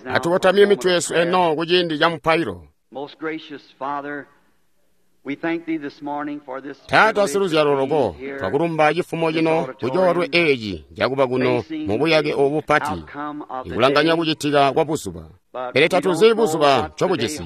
Atukotamye mitwe yesu eno kuciindi ca mupailo. Taata siluzyalo loko, twakulumba cifumo cino kucoolwe eeci cakuba kuno mubuyake obu bupati, ikulanganya kucitika kwa buzuba. Pele tatuzi buzuba ncobujisi,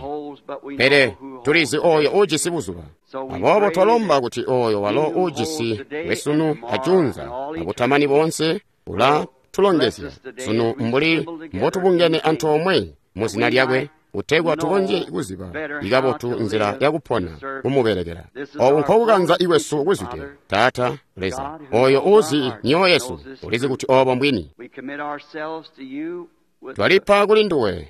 pele tulizi oyo uujisi buzuba. Aboobo twalomba kuti oyo walo uujisi wesunu ajuunza abutamani boonse ula tulongezya sunu mbuli mbotubungene antoomwe muzina lyakwe, kutegwa tukonzye kuziba ikabotu nzila yakupona kumubelekela. Obu nkokukanza ikwesu kuzwide. Taata Leza, oyo uuzi myoyo yesu, ulizi kuti obo mbwini. Twalipa kuli nduwe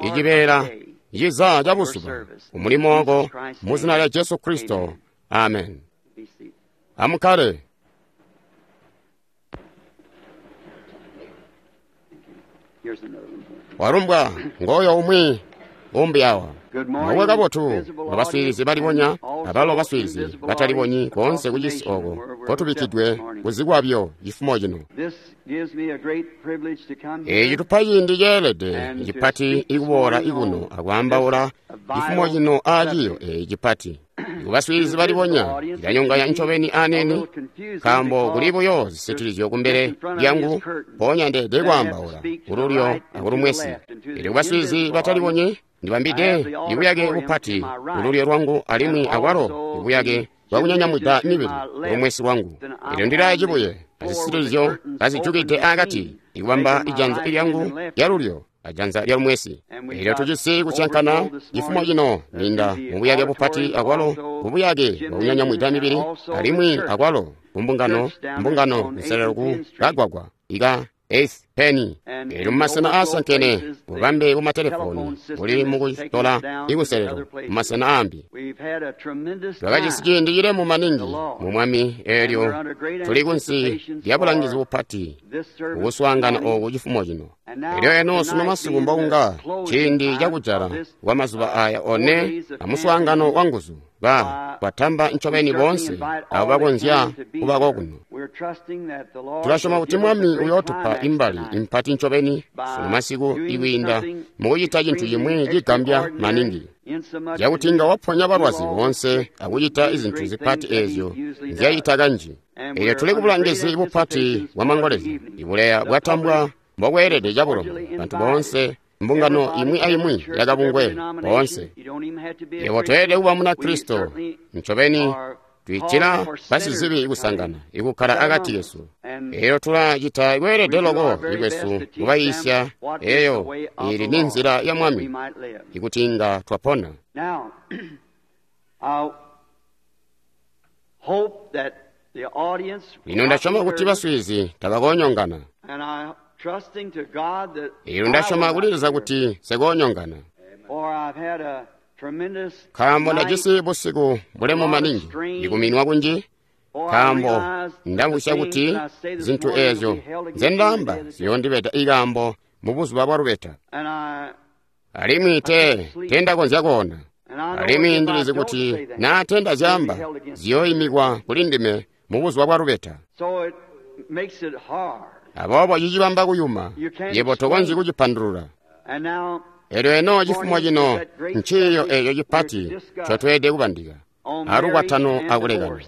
icibeela ciza ca buzuba kumulimo wako muzina lya Jesu Kristo. Amen. Amukkale. Walumbwa ngoyo umwi umbi awa. Mukwe kabotu abaswiilizi balibonya abalo baswiilizi batalibonyi koonse kucisi oko kotubikkidwe kuzikwabyo cifumo cino. Eeci tupa ciindi ceelede cipati ikuboola ikuno akwaambaula cifumo cino aaciyo eeci cipati. Kubaswiilizi balibonya cilanyonganya ncobeni anene, nkaambo kuli buyo zisitilizyo kumbele lyangu, mpoonya ndeede kwaambaula kululyo akulumwesi. Pele kubaswiilizi batalibonyi ndibambide ibuyake bupati kululyo lwangu alimwi akwalo ibuyake bwakunyanyamwida mibili kulumwesi lwangu. Elyo ndilaa cibuye azisitilizyo kazijukide akati, ikubamba ijanza lyangu lyalulyo ajanza lyalumwesi. Elyo tujisi kusyankana cifumo cino ninda mubuyake bupati akwalo kubuyake bwakunyanyamwida mibili alimwi akwalo kumbungano mbungano nselelo ku kagwagwa ika 8th Penny. Elyo mumasena aasankene bubambe bumatelefoni buli mukutola ikuselelo mumasena aambi. Twakajisi ciindi cilemu maningi mu Mwami, eelyo tuli kunsi lya bulangizi bupati kukuswaangana ooku cifumo cino. Elyo eno sunu masiku mbokunga ciindi cakujala kwa mazuba aya one amuswaangano wa nguzu twatamba ncobeni boonse abo bakonzya kubako kuno. Tulasyoma kuti Mwami uyootupa imbali impati ncobeni sunu masiku ikwiinda mukucita cintu cimwi cigambya maningi, cakuti inga waponya balwazi boonse akucita izintu zipati eezyo nzyacita kanji. Elyo tuli kubulangizi bupati bwa mangolezya, ibuleya bwatambwa mbokweelede cabulomo bantu boonse, mbungano imwi aimwi yakabungwe boonse. Yebo toyelede kuba Munakristo ncobeni, twiitila basizibi kusangana ikukkala akati kesu. Elyo tulacita kweelede loko ikwesu kubayiisya eyo ili ni nzila ya Mwami ikuti inga twapona. Lino ndasyoma kuti baswiilizi tabakoonyongana. Elyo ndasyoma kuli Leza kuti nsekoonyongana, nkaambo ndajisi busiku bulemu maningi ikuminwa kunji, nkaambo ndamvwisya kuti zintu eezyo nzendaamba ziyoondibeda ikaambo mubuzuba bwa lubeta. Alimwi tendakonzya koona, alimwi ndilizi kuti naa tendazyaamba ziyooimikwa kuli ndime mubuzuba bwa lubeta. Aboobo cicibamba kuyuma, yebo tokonzyi kucipandulula. Elyo eno cifumo cino nciiyo eeco cipati ncotweelede kubandika, alukwatano akulekana.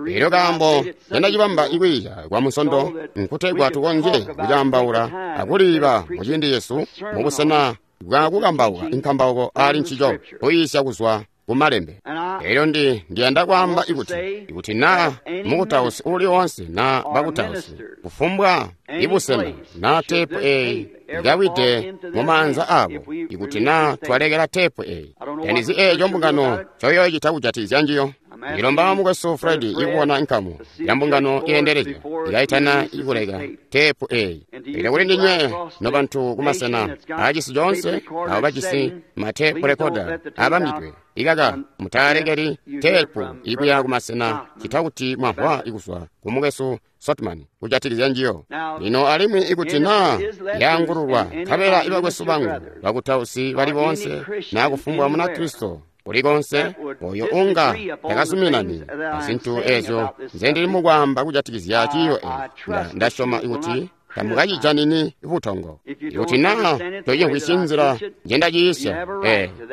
Elyo kaambo candacibamba ikwiiya kwa Munsondo nkutegwa tukonzye kucaambaula akuliiba muciindi cesu mubusena bwa kukambauka inkambauko aali ncico, kuyiisya kuzwa kumalembe. Elyo ndiyanda kwaamba ikuti naa mukutausi uuli woonse naa bakutausi, kufumbwa ibusena naa teepu eeyi ikawide mumaanza aabo, ikuti naa twalekela teepu eeyi, tandizi eeco mbungano ncoyoocita kujatikizya njiyo. Ndilomba mukwesu Fred ikubona nkamu ya mbungano yeendelezya ikaitana ikuleka teepu eeyi. Elyo kuli ndinywe nobantu kumasena aacisi coonse abo bajisi mateepu rekoda abambidwe, ikaka mutalekeli teepu ikuya kumasena cita kuti mwamvwa ikuzwa ku mukwesu Sotman kujatikizya njiyo. Lino alimwi ikuti naa yaangululwa nkabela ibakwesu bangu bakutausi bali boonse naa kufumbwa Munakristo kulikonse oyo unga takazuminani azintu eezyo nzendili mukwaamba kujatikizya ciiyo eeci, ndasyoma kuti tamukacijanini butongo. Ikuti naa toyimvwisyi nzila njendaciisya,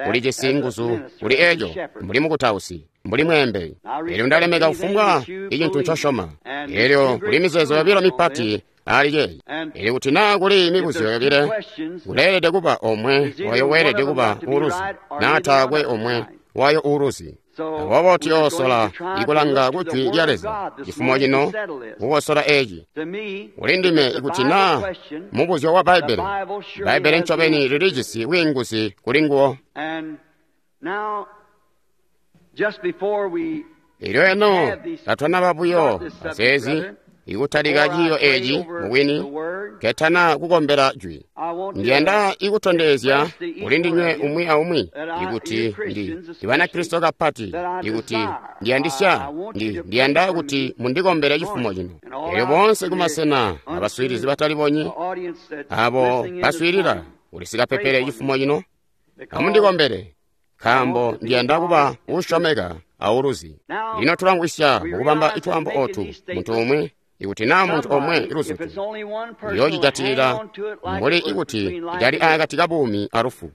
ulijisi nguzu kuli eco, mbuli mukutausi, mbuli mweembeli. Elyo ndalemeka kufumbwa icintu ncosyoma. Elyo kuli mizeezo yobilo mipati ali ceeci. Elyo kuti naa kuli mibuzyo yobile, kuleelede kuba omwe wayo weelede kuba uuluzi, naa taakwe omwe wayo uuluzi. Aboobo tuyoosola ikulanga ku Jwi lya Leza cifumo cino kukosola eci. Kuli ndime ikuti naa mubuzyo wa Bbaibbele, Bbaibbele ncobeni lilijisi bwiinguzi kuli nguwo. Elyo eno katwanaba buyo azeezi ikutalika ciiyo eci mubwini, ketana kukombela Jwi. Ndiyanda ikutondezya kuli ndinywe umwi aumwi ikuti ndi Banakristo kapati, ikuti ndiyandisya, ndiyanda kuti mundikombele cifumo cino. Elyo boonse kumasena abaswiilizi batalibonyi, abo baswiilila kulisikapepele cifumo cino, amundikombele, nkaambo ndiyanda kuba uusyomeka auluzi. Lino tulamvwisya mukubamba itwaambo otu muntu umwi. Ikuti naa muntu omwe luzutu uyoocijatilila mbuli ikuti cali akati kabuumi alufu.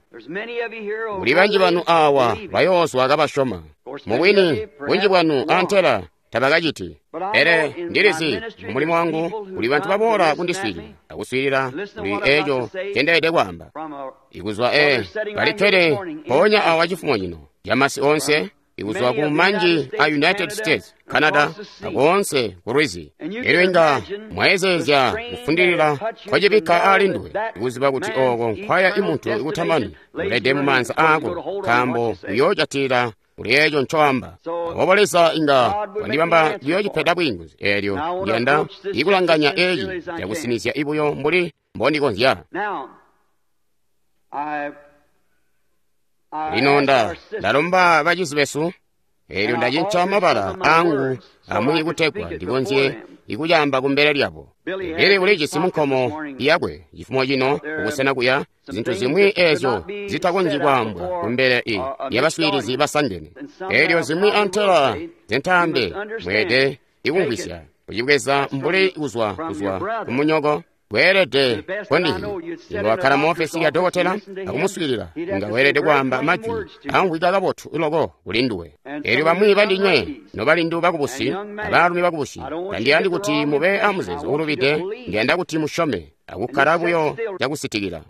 Muli banji banu awa bayoozwa kabasyoma. Mubwini bunji bwanu antela tabakaciti. Pele ndilizi mumulimo wangu kuli bantu baboola kundiswiilila akuswiilila kuli eco ncendeelede kwaamba. Ikuzwa balikkede mpoonya awa cifumo cino camasi onse, ikuzwa ku manji a United States, Canada, akoonse ku lwizi. Elyo inga mwayezeezya kufundilila kwacibikka ali nduwe, ikuziba kuti oko nkwaya imuntu ikutamani ulede mu maanza aako, nkaambo uyoojatilila kuli eco ncoamba. Aboobo Leza inga wandibamba kuyoocipeda bwiinguzi. Elyo ndiyanda ikulanganya eci cakusinizya ibuyo mbuli mbondikonzya. Lino ndalomba bacizi besu, elyo ndacinca mabala angu amwi kutegwa ndikonzye ikucaamba kumbele lyabo. Bili ulijisi munkomo yakwe cifumo cino kubusena kuya zintu zimwi ezyo zitakonzyi kwaambwa kumbele yabaswiilizi basangene. Elyo zimwi antela zintaambe mweede ikumvwisya kucibweza mbuli kuzwa kumunyoko. Weelede kondihi inga wakkala mu ofesi ya dokotela akumuswiilila, inga weelede kwaamba majwi amvwika kabotu loko kuli nduwe. Elyo bamwi bandinywe nobalindu bakubusi abaalumi bakubusi, tandiyandi kuti mube amuzeezo uulubide, ndiyanda kuti musyome akukkala buyo cakusitikila.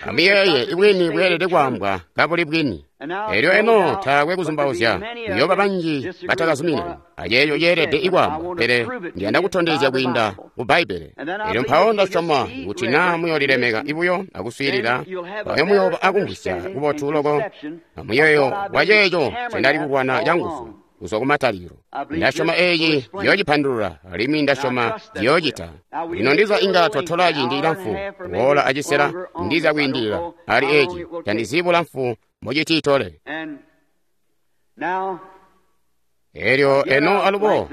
Amuyeeye ibwini bweelede kwaambwa kabuli bwini. Elyo eno taakwe kuzumbauzya kuyooba banji batakazuminani aceeco ceelede ikwaambwa, pele ndiyanda kutondezya kwiinda ku Bbaibbele. Elyo mpawo ndasyoma kuti naa muyoolilemeka ibuyo akuswiilila, mpawo muyooba akumvwisya kubotu loko amuyeeyo waceeco ncendali kulwana canguzu kuzwa kumatalikilo. Ndasyoma eeci ciyoocipandulula, alimwi ndasyoma ciyoocita. Lino ndiza inga twatola ciindi cilamfu, woola acisela, ndiza kwiindilila ali eeci, tandizi bulamfu mbocitiitole. Elyo eno alubo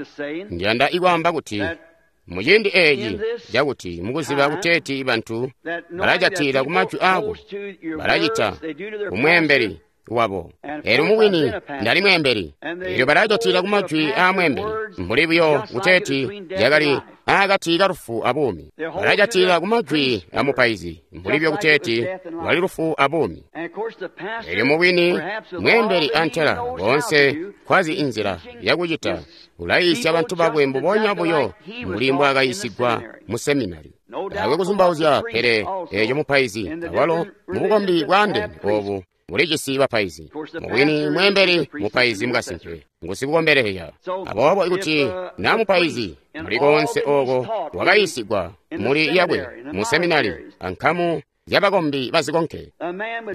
ndiyanda ikwaamba kuti muciindi eeci cakuti mukuziba kuteeti bantu balajatilila kumajwi aako, balacita kumweembeli wabo. Elyo mubwini ndali mweembeli. Elyo balajatilila kumajwi aa mweembeli mbuli buyo kuteeti yakali akati kalufu abuumi. Balajatilila kumajwi a mupaizi mbuli buyo kuteeti lwali lufu abuumi. Elyo mubwini mweembeli antela boonse nkwazi inzila yakucita ulayiisya bantu bakwe mbubonya buyo mbuli mbwaakayiisigwa mu seminari. Taakwe kuzumbauzya, pele eeco mupaizi awalo mubukombi bwaandeene oobu bulijisi bapaizi. Mubwini mweembeli mupaizi mukasimpe ngusikukombeleya. Aboobo ikuti naa mupaizi muli koonse ooko wakayiisigwa muli yakwe mu seminari ankamu zyabakombi bazikonke,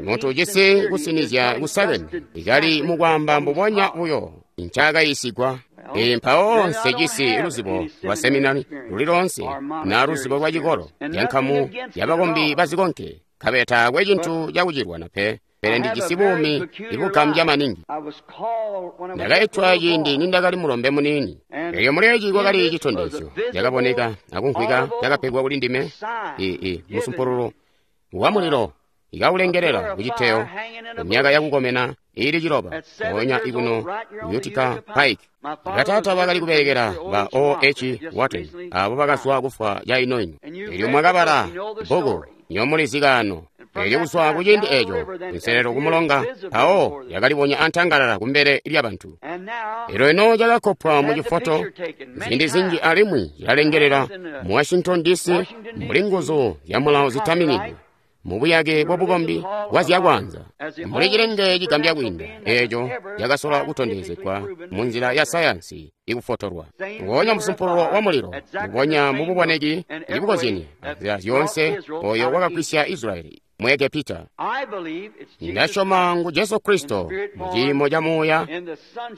muntu ujisi kusinizya kusakene ikali mukwaamba mbubonya buyo ncaakayiisigwa. Mpawo nsejisi luzibo lwa seminari luli loonse na luzibo lwa cikolo lyankamu yabakombi bazikonke, nkabela taakwe cintu cakucilwana pe. Pele ndijisi buumi ibugambya maningi. Ndakaitwa ciindi nindakali mulombe muniini. Elyo muleeci kwakali citondezyo cakaboneka akumvwika cakapegwa kuli ndime, musumpululu wa mulilo ikaulengelela kuciteyo myaka yakukomena iili 9 mpoonya ikuno Utica Pike. Bataata bakali kubelekela ba O.H. Watson, abo bakazwa kufwa cainoino. Elyo mwakabala bbuku nyomulizi kaano. Elyo kuzwa kuciindi eco nselelo kumulonga mpawo yakalibonya antangalala kumbele lyabantu. Elyo ino cakakkopwa mu cifoto ziindi zinji alimwi cilalengelela mu Washington DC mbuli nguzu zya mulawo zitaminidwe mubuyake bwabukombi bwa zyakwaanza mbuli cilenge cigambya kwiinda eeco cakasola kutondezegwa mu nzila ya sayansi ikufotolwa. Ngonya musumpululo wa mulilo, mbubonya mububoneki ibukozyene anzila zyoonse oyo wakagwisya Israyeli mu Egepita. Ndasyoma ngu Jesu Kristo mu ciimo ca Muuya,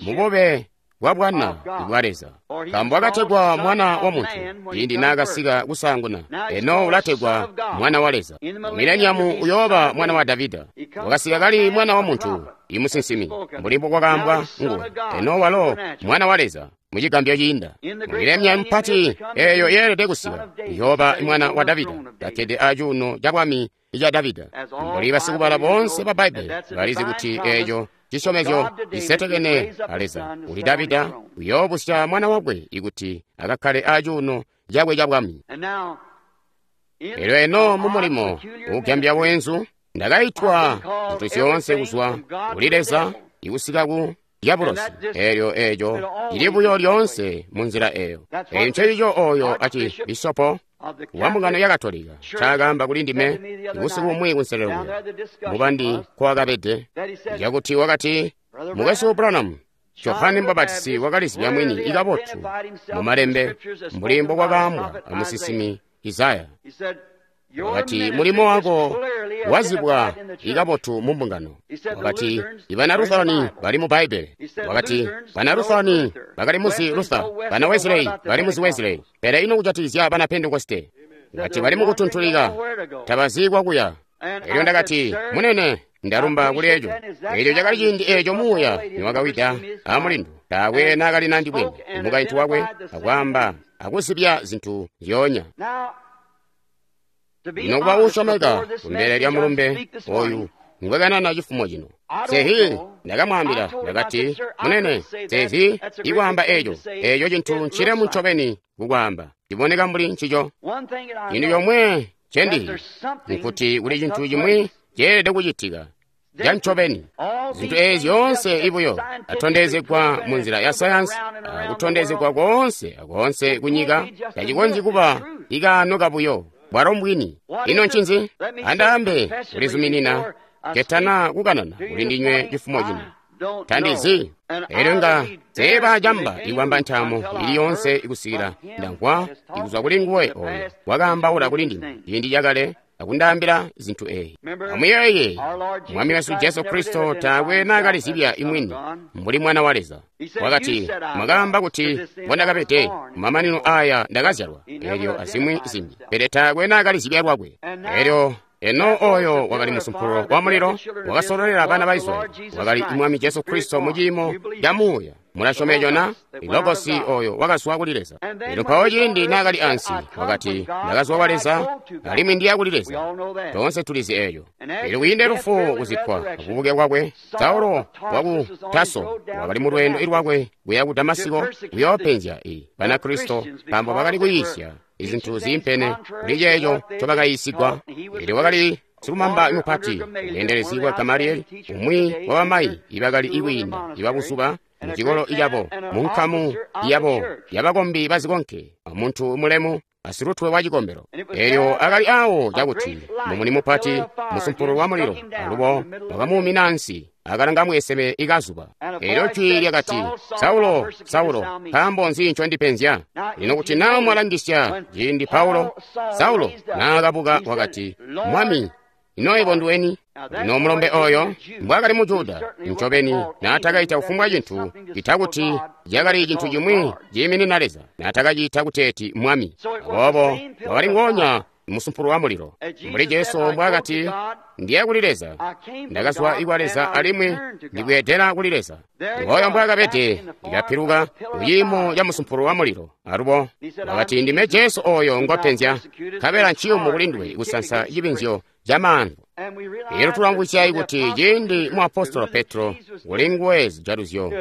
mubube bwa Bwana bwa Leza. Nkaambo wakategwa Mwana wa Muntu ciindi naakasika kusaanguna, eno ulategwa Mwana wa Leza. Mileniamu uyooba Mwana wa Davida. Wakasika kali Mwana wa Muntu, imusinsimi, mbuli mbokwakaambwa nguwe. Eno walo Mwana wa Leza mucigambyo ciinda. Mileniamu mpati eeyo yeelede kusika, uyooba Mwana wa Davida, kakkede acuuno ca bwami ica Davida. Mbuli basikubala boonse ba Bbaibbele balizi kuti eeco cisyomezyo cisetekene a Leza uli Davida uyoobusya mwana wakwe ikuti akakkale acuuno cakwe ca bwami. Elyo eno mu mulimo uugambya bweenzu ndakaitwa zintu zyoonse kuzwa kuli Leza ikusika ku dyabulosi. Elyo eeco cili buyo lyoonse mu nzila eeyo. Eeyo ncencico oyo acibisopo wa mbungano ya Katolika ncaakaamba kuli ndime busiku bumwi kunselelo kuya mubandi nkwakabede, cakuti wakati, Mukwesu Branham, Johane Mubapatizi wakalizibya mwini ikabotu mu malembe mbuli mbokwakaambwa amusinsimi Isaya. Wakati mulimo wako wazibwa ikabotu mu mbungano. Wakati ibana Lutherani bali mu Bbaibbele. Wakati bana Lutherani bakali muzi Luther, bana Wesley bali muzi Wesley, pele ino kujatikizya bana Pentekoste? Wakati bali mukutuntulika, tabazi kwakuya. Elyo ndakati, munene, ndalumba kuli eco. Elyo cakali ciindi eco Muuya niwakawida amulindu, taakwe naakali nandibwene mukaintu wakwe akwaamba akuzibya zintu zyoonya. Lino kuba uusyomeka kumbele lya mulumbe oyu ngwekanana cifumo cino. Sehi ndakamwaambila, ndakati, munene, sezi ikwaamba eco, eco cintu ncilemu ncobeni kukwaamba, ciboneka mbuli ncico. Cintu comwe ncendizi nkuti kuli cintu cimwi ceelede kucitika ca ncobeni. Zintu eezi zyoonse ibuyo atondezegwa mu nzila ya sayansi, akutondezegwa koonse akoonse kunyika, tacikonzyi kuba ikaano kabuyo. Bwalo mbwini. Ino ncinzi? Andaambe kulizuminina ketana kukanana kuli ndinywe cifumo cino. Tandizi. Elyo nga seeba camba ikwamba ntaamo ili yonse ikusikila ndamvwa ikuzwa kuli nguwe oyo wakaambaula kuli ndime ciindi cakale akundaambila zintu eyi. Amuyeeye, Mwami wesu Jesu Kristo taakwe naakalizibya imwini mbuli Mwana wa Leza. Wakati, mwakaamba kuti mbondakabede kumamanino aya ndakazyalwa, elyo azimwi zimbi, pele taakwe naakalizibya lwakwe. Elyo eno oyo wakali musumpululo wa mulilo wakasololela bana ba Israyeli, wakali Mwami Jesu Kristo mu ciimo ca Muuya. Mulasyoma eco na? Ilogosi oyo wakazwa kuli Leza. Elyo mpawo ciindi naakali ansi, wakati, ndakazwa kwa Leza, alimwi ndiya kuli Leza. Toonse tulizi eco. Elyo kwiinde lufu kuzikkwa akubuke kwakwe, Saulo waku Taso wakali mu lweendo lwakwe kuya ku Damasiko kuyoopenzya Banakristo nkaambo bakali kuyiisya izintu ziimpene kuli ceeco ncobakayiisigwa. Elyo wakali silumamba mupati, ubweendelezi bwa Gamalieli, umwi wabamayi ibakali ikwiinda ibabuzuba mucikolo cabo, munkamu yabo yabakombi bazikonke, amuntu mulemu asilutwe wa cikombelo. Elyo akali awo cakuti mumuni mupati musumpululo wa mulilo alubo wakamuumina ansi akalanga mweseme ikazuba. Elyo jwi lyakati, Saulo, Saulo, nkaambo nzi ncondipenzya? Lino kuti naa mwalangisya ciindi Paulo, Saulo naakabuka wakati, Mwami, ino yebo nduweni? Lino mulombe oyo mbwaakali mu Juda, ncobeni naatakaita kufumbwa cintu cita kuti cakali cintu cimwi ciiminina Leza, naatakaciita kuteeti Mwami. Aboobo wakali ngoonya musumpululo wa mulilo, mbuli Jesu mbwaakati, ndiya kuli Leza, ndakazwa kwa Leza alimwi ndibweedela kuli Leza. Ngooyo mbwaakabede ndikapiluka kuciimo ca musumpululo wa mulilo. Alubo wakati, ndime Jesu oyo ngwapenzya, nkabela nciyumu kuli nduwe kusansa cibinzyo ca maanvu. Elyo tulamvwisya kuti ciindi muapostolo Petro kuli nguwe zijaluzyo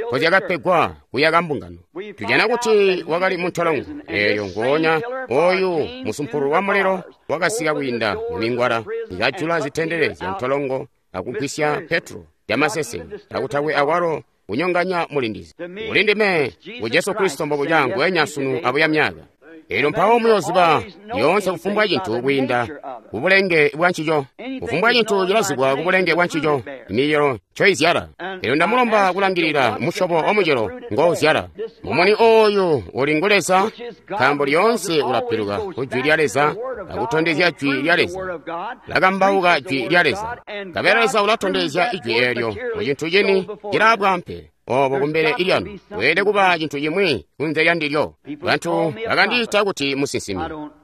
nkozyakapegwa kuyaka mbungano, tujana kuti wakali muntolongo. Eelyo ngoonya oyu musumpulu wa mulilo wakasika kwiinda mumingwala, ikajula zitendele zya ntolongo akugwisya Petro lyamaseseke, akutakwe akwalo kunyonganya mulindizi. Kuli ndime, ngu Jesu Kristo mbobuca nguwenya sunu abuya myaka. Elyo mpawo muyooziba lyoonse kufumbwa cintu kwiinda kubulenge bwa ncico. Kufumbwa cintu cilazibwa kubulenge bwa ncico, micelo ncoizyala. Elyo ndamulomba kulangilila musyobo wa mucelo ngouzyala. Mumuni ooyu uli ngu Leza, nkaambo lyoonse ulapiluka ku Jwi lya Leza akutondezya Jwi lya Leza, lakambauka Jwi lya Leza. Nkabela Leza ulatondezya Ijwi eelyo mu cintu cini cilaabwaampe obo kumbele ilyanu. Weelede kuba cintu cimwi kunze lya ndilyo. Bantu bakandiita kuti musinsimi.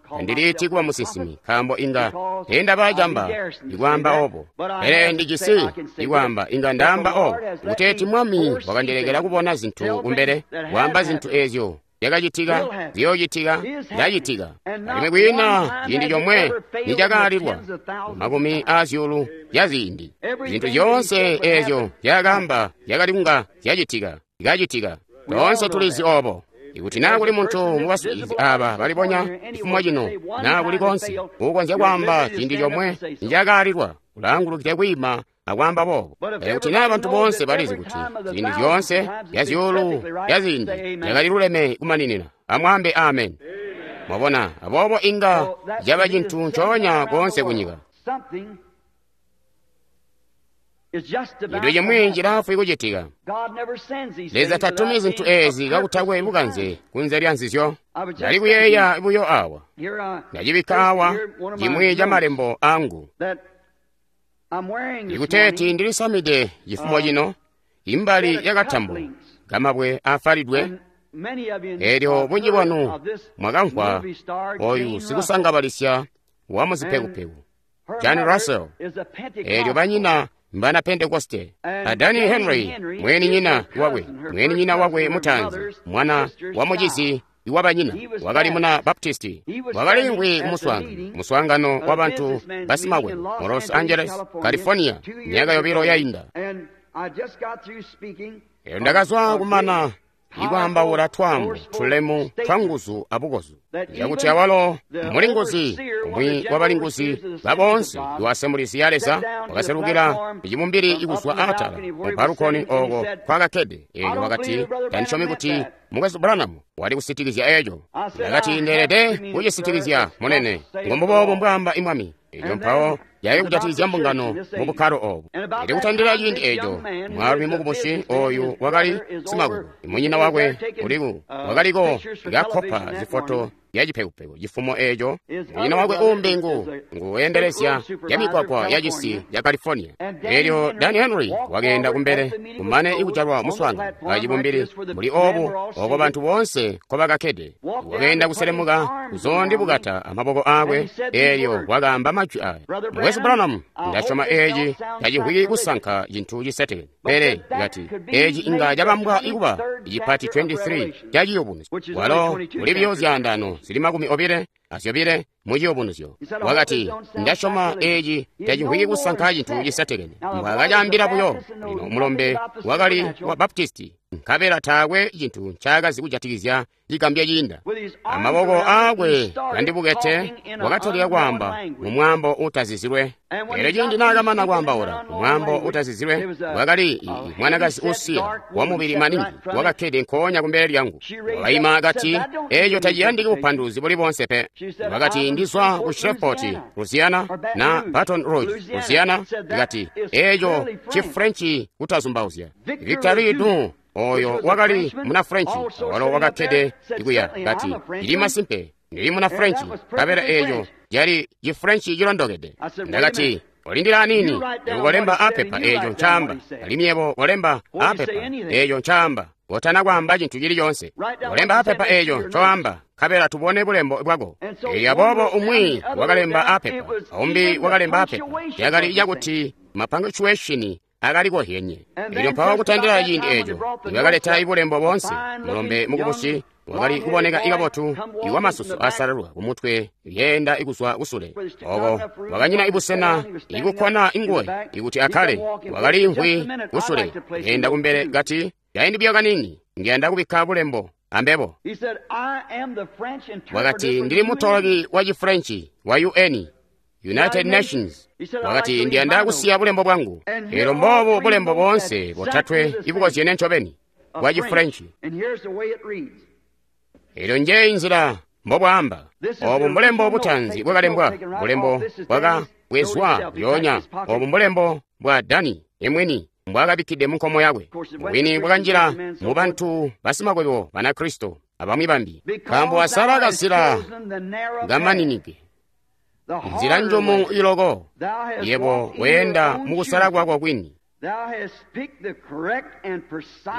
Tandiliiti kuba musinsimi, nkaambo inga teendaba camba ikwaamba obo. Pele ndijisi ikwaamba, inga ndaamba obo, kuteeti Mwami wakandilekela kubona zintu kumbele, kwaamba zintu eezyo zyakacitika, ziyoocitika, zyacitika. Alimwi kwiina ciindi comwe nicakaalilwa mumakumi aazyuulu zya ziindi. Zintu zyoonse eezyo zyakaamba zyakali kunga zyacitika, zikacitika. Toonse tulizi obo. Ikuti naa kuli muntu mubaswiilizi aaba balibonya cifumo cino, naa kuli konse uukonzya kwaamba ciindi comwe nicakaalilwa, ulaangulukide kwiima akwaamba boobo. Pele kuti naa bantu boonse balizi kuti ziindi zyoonse zya zyuulu zya ziindi zyakali luleme kumaninina, amwaambe ameni. Mwabona, aboobo inga caba cintu ncoonya koonse kunyika. Cintu cimwi cilaafwi kucitika. Leza tatumi zintu eezi kakutakwe bukanze kunze lya nzizyo. Ndali kuyeeya buyo awa, ndacibikka awa cimwi ca malembo angu. Ikuteeti ndilisamide cifumo cino, imbali yakatambo kamabwe aafalidwe. Eelyo bunji bwanu mwakamvwa oyu sikusangabalisya wa muzipekupeku John Russell. Eelyo banyina mbana Pentekoste. A Danny Henry mweninyina wakwe, mweninyina wakwe mutaanzi, mwana wa mucizi iwabanyina, wakali muna Baptisti, wakaliimvwi kumuswaangano wa bantu basimakwebo mu Los Angeles, California, myaka yobilo yainda. Elyo ndakazwa kumana ikwaambaula twaambo tulemu twa nguzu abukozu, yakuti awalo mulinguzi umwi wa balinguzi baboonse iwa Assemblies ya Leza wakaselukila icibumbili ikuzwa aatala mu balukoni oko kwakakkede. Eelyo wakati, tandisyomi kuti Mukwesu Branham wali kusitikizya eco. Ndakati, ndeelede kucisitikizya, munene, ngombuboobo mbwaamba imwami. Elyo mpawo yali kujatikizya mbungano mu bukkalo obu. Elyo kutandila ciindi eco, mwaalumi mukubusi oyu wakali simakwebo, munyina wakwe uliku wakaliko kakkopa zifoto ya cipekupeku cifumo eco. Munyina wakwe uumbi nguwendelezya ya mikwakwa ya cisi ya California. Elyo Danny Henry wakeenda kumbele kumane ikujalwa muswaangano wa cibumbili mbuli obu oko bantu boonse nkobakakkede. Wakeenda kuselemuka kuzoondibukata amaboko aakwe, eelyo wakaamba majwi aya: Mukwesu Branham, ndasyoma eeci tacimvwiki kusanka cintu cisetekene, pele kati eeci inga cabambwa ikuba icipati 23 ca ciyubunuzyo. Walo uli buyo zyaandaano zili 22 mu ciyubunuzyo. Wakati, ndasyoma eeci tacimvwiki kusanka cintu cisetekene. Mbwaakacaambila buyo. Lino mulombe wakali wa Baptisti, nkabela taakwe cintu ncaakazi kujatikizya cigambya ciinda. Amaboko aakwe kandibukete, wakatalika kwaamba mu mwaambo uutazizilwe. Elyo ciindi naakamana kwaambaula mu mwaambo uutazizilwe, wakali mwanakazi uusiya wamubili maningi wakakkede nkoonya kumbele lyangu. Wakaima akati, eeco taciyandiki bupanduluzi buli boonse pe. Wakati, ndizwa ku Shreveport, Louisiana, na Baton Rouge, Louisiana. Ikati, eeco ci Frenchi kutazumbauzya. Victor Ledoux, oyo wakali muna Frenchi, walo wakakkede ikuya, kati, ndili masimpe ndili muna Frenchi, nkabela eeco cali ci Frenchi cilondokede. Ndakati, olindila anini, ukolemba apepa eeco ncaamba, alimwi yebo kolemba apepa eeco ncaamba, kotana kwaamba cintu cili coonse. Kolemba apepa eeco ncoamba, nkabela tubone bulembo bwako. Elyo aboobo umwi wakalemba apepa, aumbi wakalemba apepa. Cakali cakuti mapunctuation akali kozyenye. Elyo mpawo kutandila ciindi eco nibakaleta ibulembo boonse, mulombe mukubusi wakali kuboneka ikabotu iwamasusu asalalwa kumutwe yeenda ikuzwa kusule. Oko wakanyina ibusena ikukkwana inguwe ikuti akkale, wakaliimvwi kusule yeenda kumbele kati, kaindi buyo kaniini ndiyanda kubikka bulembo ambebo. Wakati, ndili mutoloki wa Chifrenchi wa UN, United Nations. Wakati, ndiyanda kusiya bulembo bwangu. Elyo mbobu bulembo boonse botatwe ibukozyene ncobeni bwa Chifrenchi. Elyo njeyi nzila mbobwaamba. Obu mbulembo butanzi bwakalembwa, bulembo bwakabwezwa lyoonya. Obu mbulembo bwa Dani emwini mbwakabikkide munkomo yakwe. Bwini bwakanjila mu bantu basimakwebo Banakristo abamwi bambi, nkaambo wasala kazila kamaninike, nzila njumu iloko. Yebo weenda mukusala kwako kwini.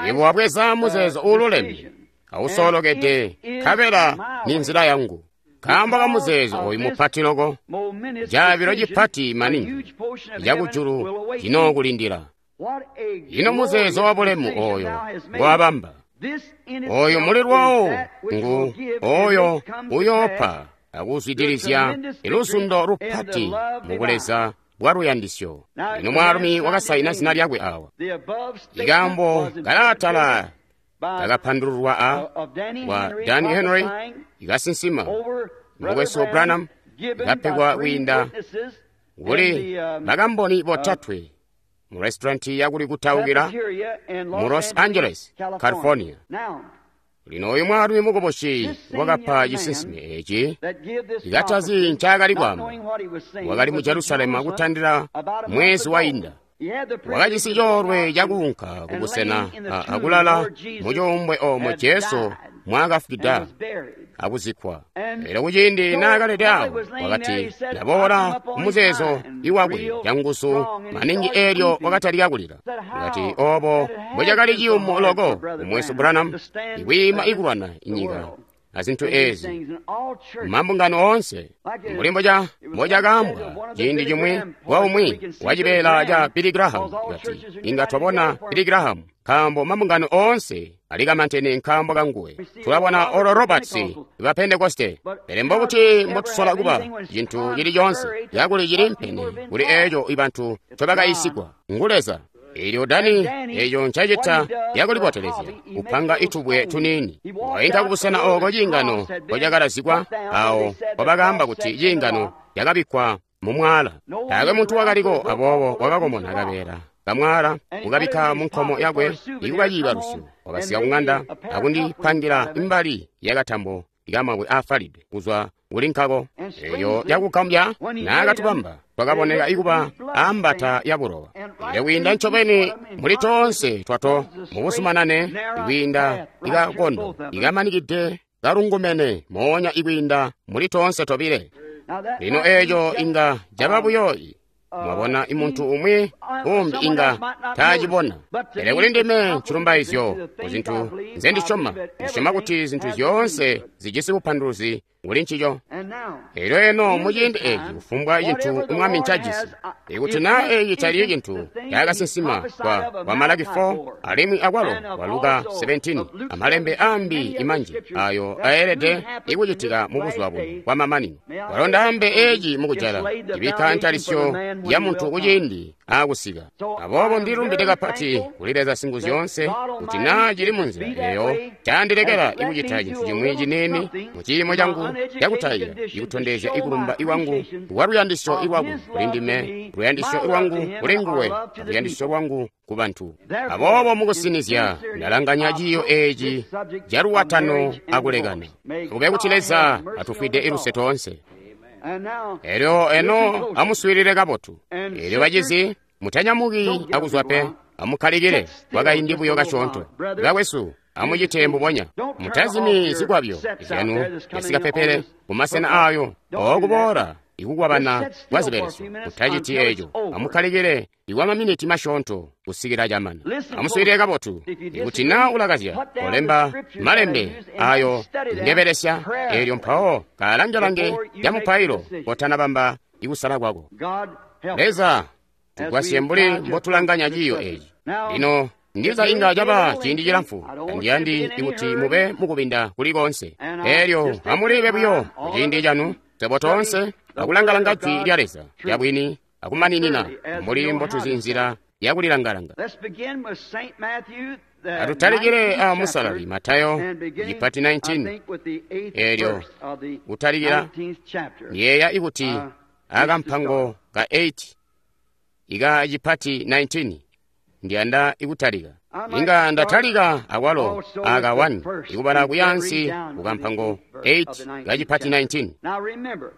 Yebo wabweza muzeezo uululeme awusoolokede, nkabela ni nzila yangu. Nkaambo ka muzeezo oyu mupati loko, caabilo cipati maningi cakujulu cinookulindila. Ino muzeezo wa bulemu oyo ngwabamba, oyo muli lwawo ngu oyo uyoopa akuzwidilizya iluzundo lupati mubuleza bwa luyandisyo. Ino mwaalumi wakasaina zina lyakwe awa. Ikaambo kalaatala kakapandululwa a wa Danny Henry ikasinsima mukwesu Branham, ikapegwa kwiinda kuli bakamboni botatwe mu restauranti yakuli kutaukila mu Los Angeles, California. Lino oyu mwaalumi mukubusi wakapa cisinsime eci ikatazi ncaakali kwaamba. Wakali mu Jerusalemu kutandila mwezi wainda. Wakajisi coolwe cakuunka kubusena akulala mucuumbwe oomo Jesu mwaakafwida akuzikkwa. Elyo kuciindi naakalede awo, wakati, ndaboola kumuzeezo iwakwe canguzu maningi. Eelyo wakatalika kulila. Wakati, obo mbocakali ciyumu loko kumwesu Branham ikwiima ikulwana inyika azintu ezi mambungano oonse, mbuli mbocakaambwa ciindi cimwi wa umwi wa cibeela ca Billy Graham, kati, inga twabona Billy Graham nkaambo mambungano oonse alikamantene nkaambo kanguwe. Tulabona Oral Roberts ba Pentekoste, pele mbokuti mbotusola kuba cintu cili coonse cakuli cili mpene kuli eeco ibantu ncobakayisigwa ngu Leza. Elyo Dani eco ncacita yakulibotelezya kupanga itubwe tuniini. Wainka kubusena ooko ciingano mpocakalazikwa, awo mpobakaamba kuti ciingano cakabikkwa mu mwaala. Taakwe muntu wakaliko, aboobo wakakomona kabeela kamwaala kukabikka munkomo yakwe ikuba ciibalusyo. Wakasika kuŋanda akundipangira imbali yakatambo ikamabwe aafalidwe kuzwa kuli nkako. Eyo yakugambya naakatubamba twakaboneka ikuba ambata ya bulowa. Elyo kwiinda ncobeni muli toonse twato mubusumanane ikwiinda ikakondo ikamanikide kalungumene moonya ikwiinda muli toonse tobile. Lino eeco inga caba buyo. Mwabona, imuntu umwi umbi inga taacibona, pele kuli ndime ncilumbaizyo kuzintu nzendisyoma. Ndisyoma kuti zintu zyoonse zijisi bupanduluzi kuli ncico. Elyo eno muciindi eci kufumbwa cintu Mwami ncajisi, ikuti naa eci cali cintu cakasinsima kwa Malaki 4 alimwi akwalo kwa Luka 17 amalembe ambi imanji ayo aelede ikucitika mu buzuba buno bwamamanino. Kwalo ndaambe eci mukujala cibikka ntalisyo ya muntu kuciindi aakusika. Aboobo ndilumbide kapati kuli Leza Singuzyoonse kuti naa cili munzila eyo candilekela ikucita cintu cimwi ciniini mu ciimo cangu cakutayiya, ikutondezya ikulumba iwangu kwa luyandisyo ilwakwe kuli ndime, luyandisyo lwangu kuli nguwe, aluyandisyo lwangu ku bantu. Aboobo mukusinizya ndalanganya ciiyo eci caluwatano akulekana. Kube kuti Leza atufwide iluse toonse. Elyo eno amuswiilile kabotu. Elyo bacizi, mutanyamuki akuzwa pe, amukkalikile kwakaindi buyo kasyoonto. Bakwesu, amucite mbubonya. Mutazimi zikwabyo zyanu zyasikapepele kumasena aayo ookuboola ikukwabana kwa zibelesyo. Mutaciti eco. Amukkalikile ikwamaminiti masyoonto kusikila camana. Amuswiilile kabotu. Ikuti naa ulakazya, olemba malembe ayo ngebelesya, eelyo mpawo kaalange-lange camupailo kotanabamba ikusala kwako. Leza, Tugwasye mbuli mbotulanganya ciiyo eci. Lino ndiza inga caba ciindi cilamfu, tandiyandi kuti mube mukubinda kuli konse. Elyo amulibe buyo kuciindi canu, swebo toonse akulangalanga Jwi lya Leza lyabwini akumaninina mbuli mbotuzi nzila yakulilangalanga. Atutalikile a musalali Matayo cipati 19, elyo kutalikila yeeya ikuti akampango ka 8 ika cipati 19 ndiyanda ikutalika. Inga ndatalika akwalo aka 1 ikubala kuyansi kukampango 8 ka cipati 19.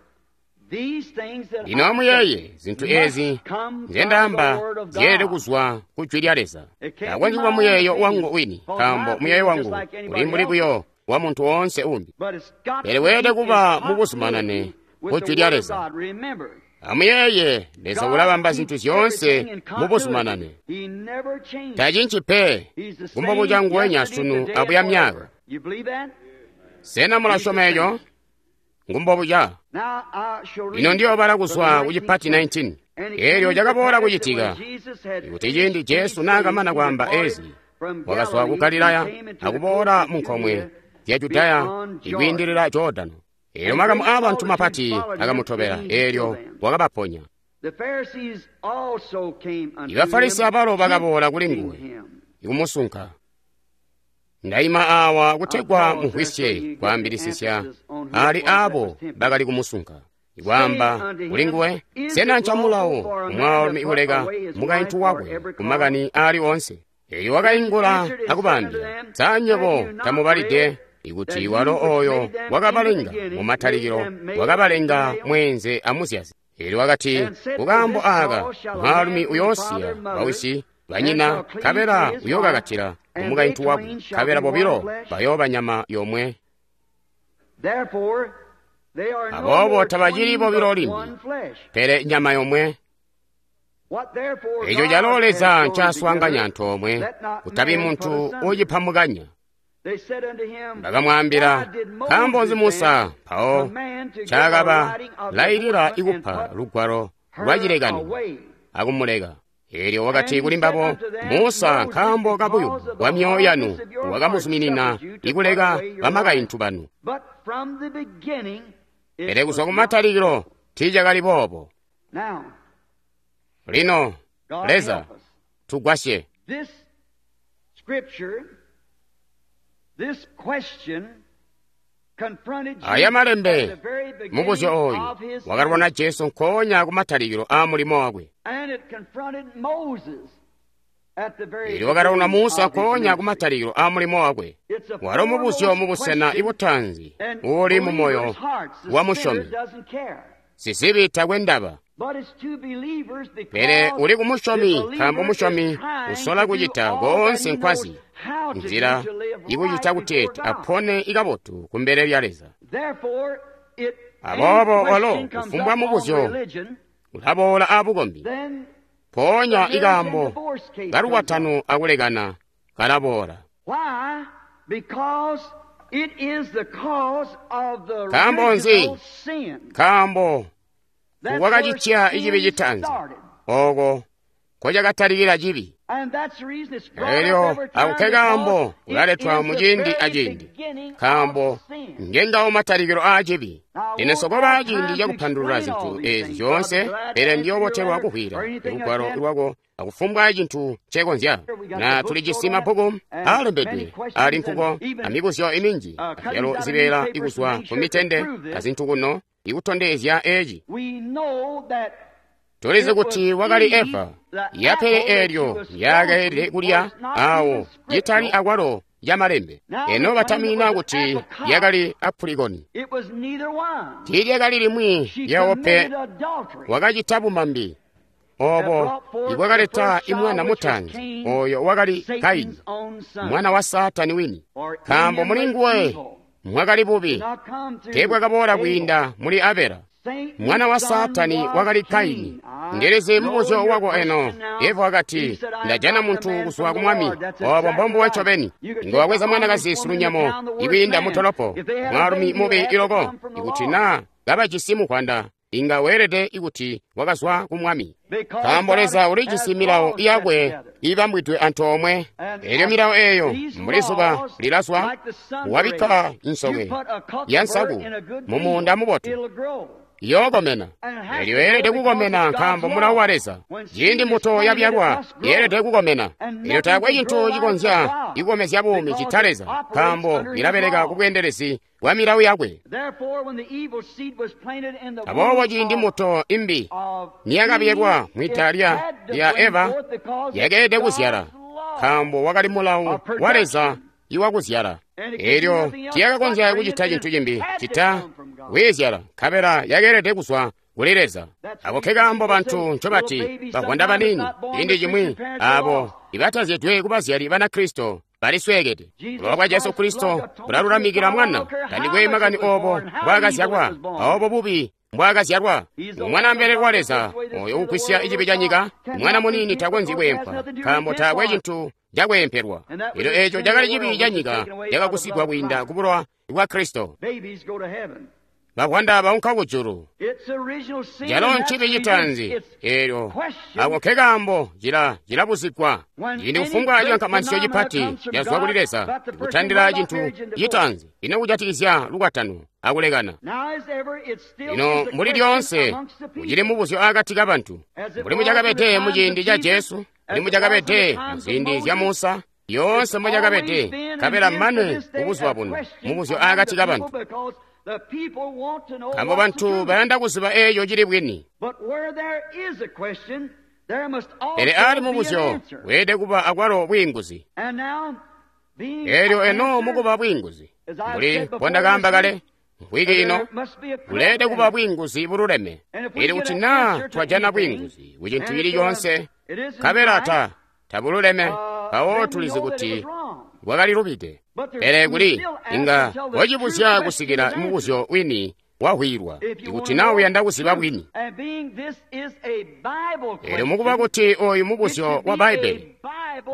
Lino amuyeeye zintu ezi nzendaamba zyeelede kuzwa ku Jwi lya Leza. Takonzyi kuba muyeeyo wangu wini, nkaambo muyeeyo wangu uli mbuli buyo wa muntu woonse umbi. Pele weelede kuba mubuzumanane ku Jwi lya Leza. Amuyeeye, Leza ulabamba zintu zyoonse mubuzumanane. Tacinci pe, kumbobuca nguwenya sunu abuya myaka. Sena mulasyoma eco? Ngumbobuca. Lino ndiyobala kuzwa ku cipati 19. Elyo cakaboola kucitika kuti ciindi Jesu naakamana kwaamba ezi, wakazwa ku Galilaya akuboola mu nkomwe zya Judaya ikwiindilila Jordano. Elyo makamu aabantu mapati akamutobela, elyo wakabaponya. Ibafarisi abalo bakaboola kuli nguwe ikumusunka. Ndaima awa kutegwa mumvwisye kwaambilisisya ali abo bakali kumusunka. Ikwaamba kuli nguwe, sena ncamulawo kumwaalumi kuleka mukaintu wakwe kumakani aali oonse? Elyo wakaingula akubaambila, sa nywebo tamubalide ikuti walo oyo wakabalenga mumatalikilo wakabalenga mweenze amuzyazi? Elyo wakati, kukaambo aaka mwaalumi uyoosiya bawisi banyina, nkabela uyookakatila kumukaintu wakwe, nkabela bobilo bayooba nyama yomwe. Aboobo tabacili bobilo limbi, pele nyama yomwe. Eco calo Leza ncaswaanganya antoomwe, kutabi muntu uucipambukanya. Bakamwaambila, nkaambo nzi Musa mpawo ncaakaba lailila ikupa lugwalo lwacilekano akumuleka? Elyo wakati kuli mbabo, Musa nkaambo kabuyumu bwa myoyo yanu wakamuzuminina ikuleka bamakaintu banu. Pele kuzwa kumatalikilo tiicakali boobo. Lino, Leza, tugwasye. Aya malembe, mubuzyo oyu wakalwana Jesu nkoonya kumatalikilo aa mulimo wakwe. Elyo wakalwana Musa nkoonya kumatalikilo aa mulimo wakwe. Walo mubuzyo mubusena ibutaanzi uuli mu moyo wa musyomi. Sizibi takwe ndaba. Pele uli kumusyomi, nkaambo musyomi usola kucita koonse nkwazi nzila ikucita kuteeti apone ikabotu kumbele lya Leza. Aboobo walo kufumbwa mubuzyo ulaboola aabukombi, mpoonya ikaambo kalukwatano akulekana kalaboola. Nkaambo nzi? Nkaambo wakacitya icibi citaanzi, ooko nkocakatalikila cibi. Elyo ako nkekaambo kulaletwa muciindi aciindi, nkaambo ngengawo matalikilo aa cibi. Lino sokoba ciindi cakupandulula zintu ezi zyoonse, pele ndiyoobotelwa kuhwila lugwalo lwako akufumbwa cintu ncekonzya. Na tulijisi mabbuku aalembedwe ali nkuko amibuzyo iminji, azyalo zibeela ikuzwa ku mitende azintu kuno ikutondezya eci. Tulizi kuti wakali Eva, yapele elyo yakeelede kulya awo citali akwalo yamalembe. Eno batamina kuti yakali apulikoni. Tiilyakali limwi lyawo pe. Wakacita bumambi obo ibwakaleta imwana mutaanzi, oyo wakali Kaini, mwana wa Saatani wini, nkaambo muli nguwe mwakali bubi, teebwakaboola kwiinda muli Abela. Mwana wa Saatani wakali Kaini. Ndilizi mubuzyo wako eno. Eva wakati, ndajana muntu kuzwa ku Mwami. Obo mbombuwe ncobeni. Inga wabweza mwanakazi silunyamo ikwiinda mutolopo, mwaalumi mubi iloko, ikuti naa kabajisi mukwanda inga weelede kuti wakazwa ku Mwami. Nkaambo Leza ulijisi milawo yakwe ibambwidwe antoomwe. Elyo milawo eeyo mbuli zuba lilazwa, wabikka nsoke ya nsaku mu muunda mubotu, iyookomena. Elyo yeelede kukomena nkaambo mulawo wa Leza. Ciindi mbuto yabyalwa, yeelede kukomena. Elyo taakwe cintu cikonzya ikukomezya buumi cita Leza, nkaambo ilabeleka ku bweendelezi bwa milawo yakwe. Aboobo ciindi mbuto imbi niyakabyalwa mwida lya Eva, yakeelede kuzyala, nkaambo wakali mulawo wa Leza iwakuzyala. Elyo tiyakakonzya kucita cintu cimbi cita kwiizyala, nkabela yakeelede kuzwa kuli Leza. Ako nkekaambo bantu ncobati bavwanda baniini ciindi cimwi abo ibatazyedwe kubazyali Banakristo balisweekede. Bulowa bwa Jesu Kristo bulalulamikila mwana. Tandikwe makani obo mbwaakazyalwa, aobo bubi mbwaakazyalwa. Mwana mbelele wa Leza oyo ugwisya cibi ca nyika. Mwana muniini takonzyi kweempwa, nkaambo taakwe cintu cakweempelwa. Elyo eco cakali cibi ca nyika cakagusigwa kwiinda ku bulowa bwa Kristo. Bavwanda baunka kujulu. Calo ncibi citaanzi. Elyo ako nkekaambo cilabuzigwa. Ciindi kufumbwa cikankamanisyo cipati cazwa kuli Leza, kutandila cintu citaanzi ino kujatikizya lukwatano akulekana. Lino mbuli lyoonse kucili mubuzyo akati kabantu, mbuli mucakabede muciindi ca Jesu, mbuli mucakabede muziindi zya Musa, yoonse mucakabede, nkabela mane kubuzuba buno mubuzyo akati kabantu. Nkaambo bantu bayanda kuziba eeco cili bwini. Pele ali mubuzyo weelede kuba akwalo bwiinguzi. Elyo eno mukuba bwiinguzi, mbuli mbondakaamba kale mvwiki ino, kuleelede kuba bwiinguzi bululeme. Elyo kuti naa twajana bwiinguzi ku cintu cili coonse, nkabela tabululeme, mpawo tulizi kuti bwakali lubide. Pele kuli inga wacibuzya kusikila mubuzyo wini wahwilwa, ikuti naa uyanda kuziba bwini. Elyo mukuba kuti oyu mubuzyo wa Bbaibbele,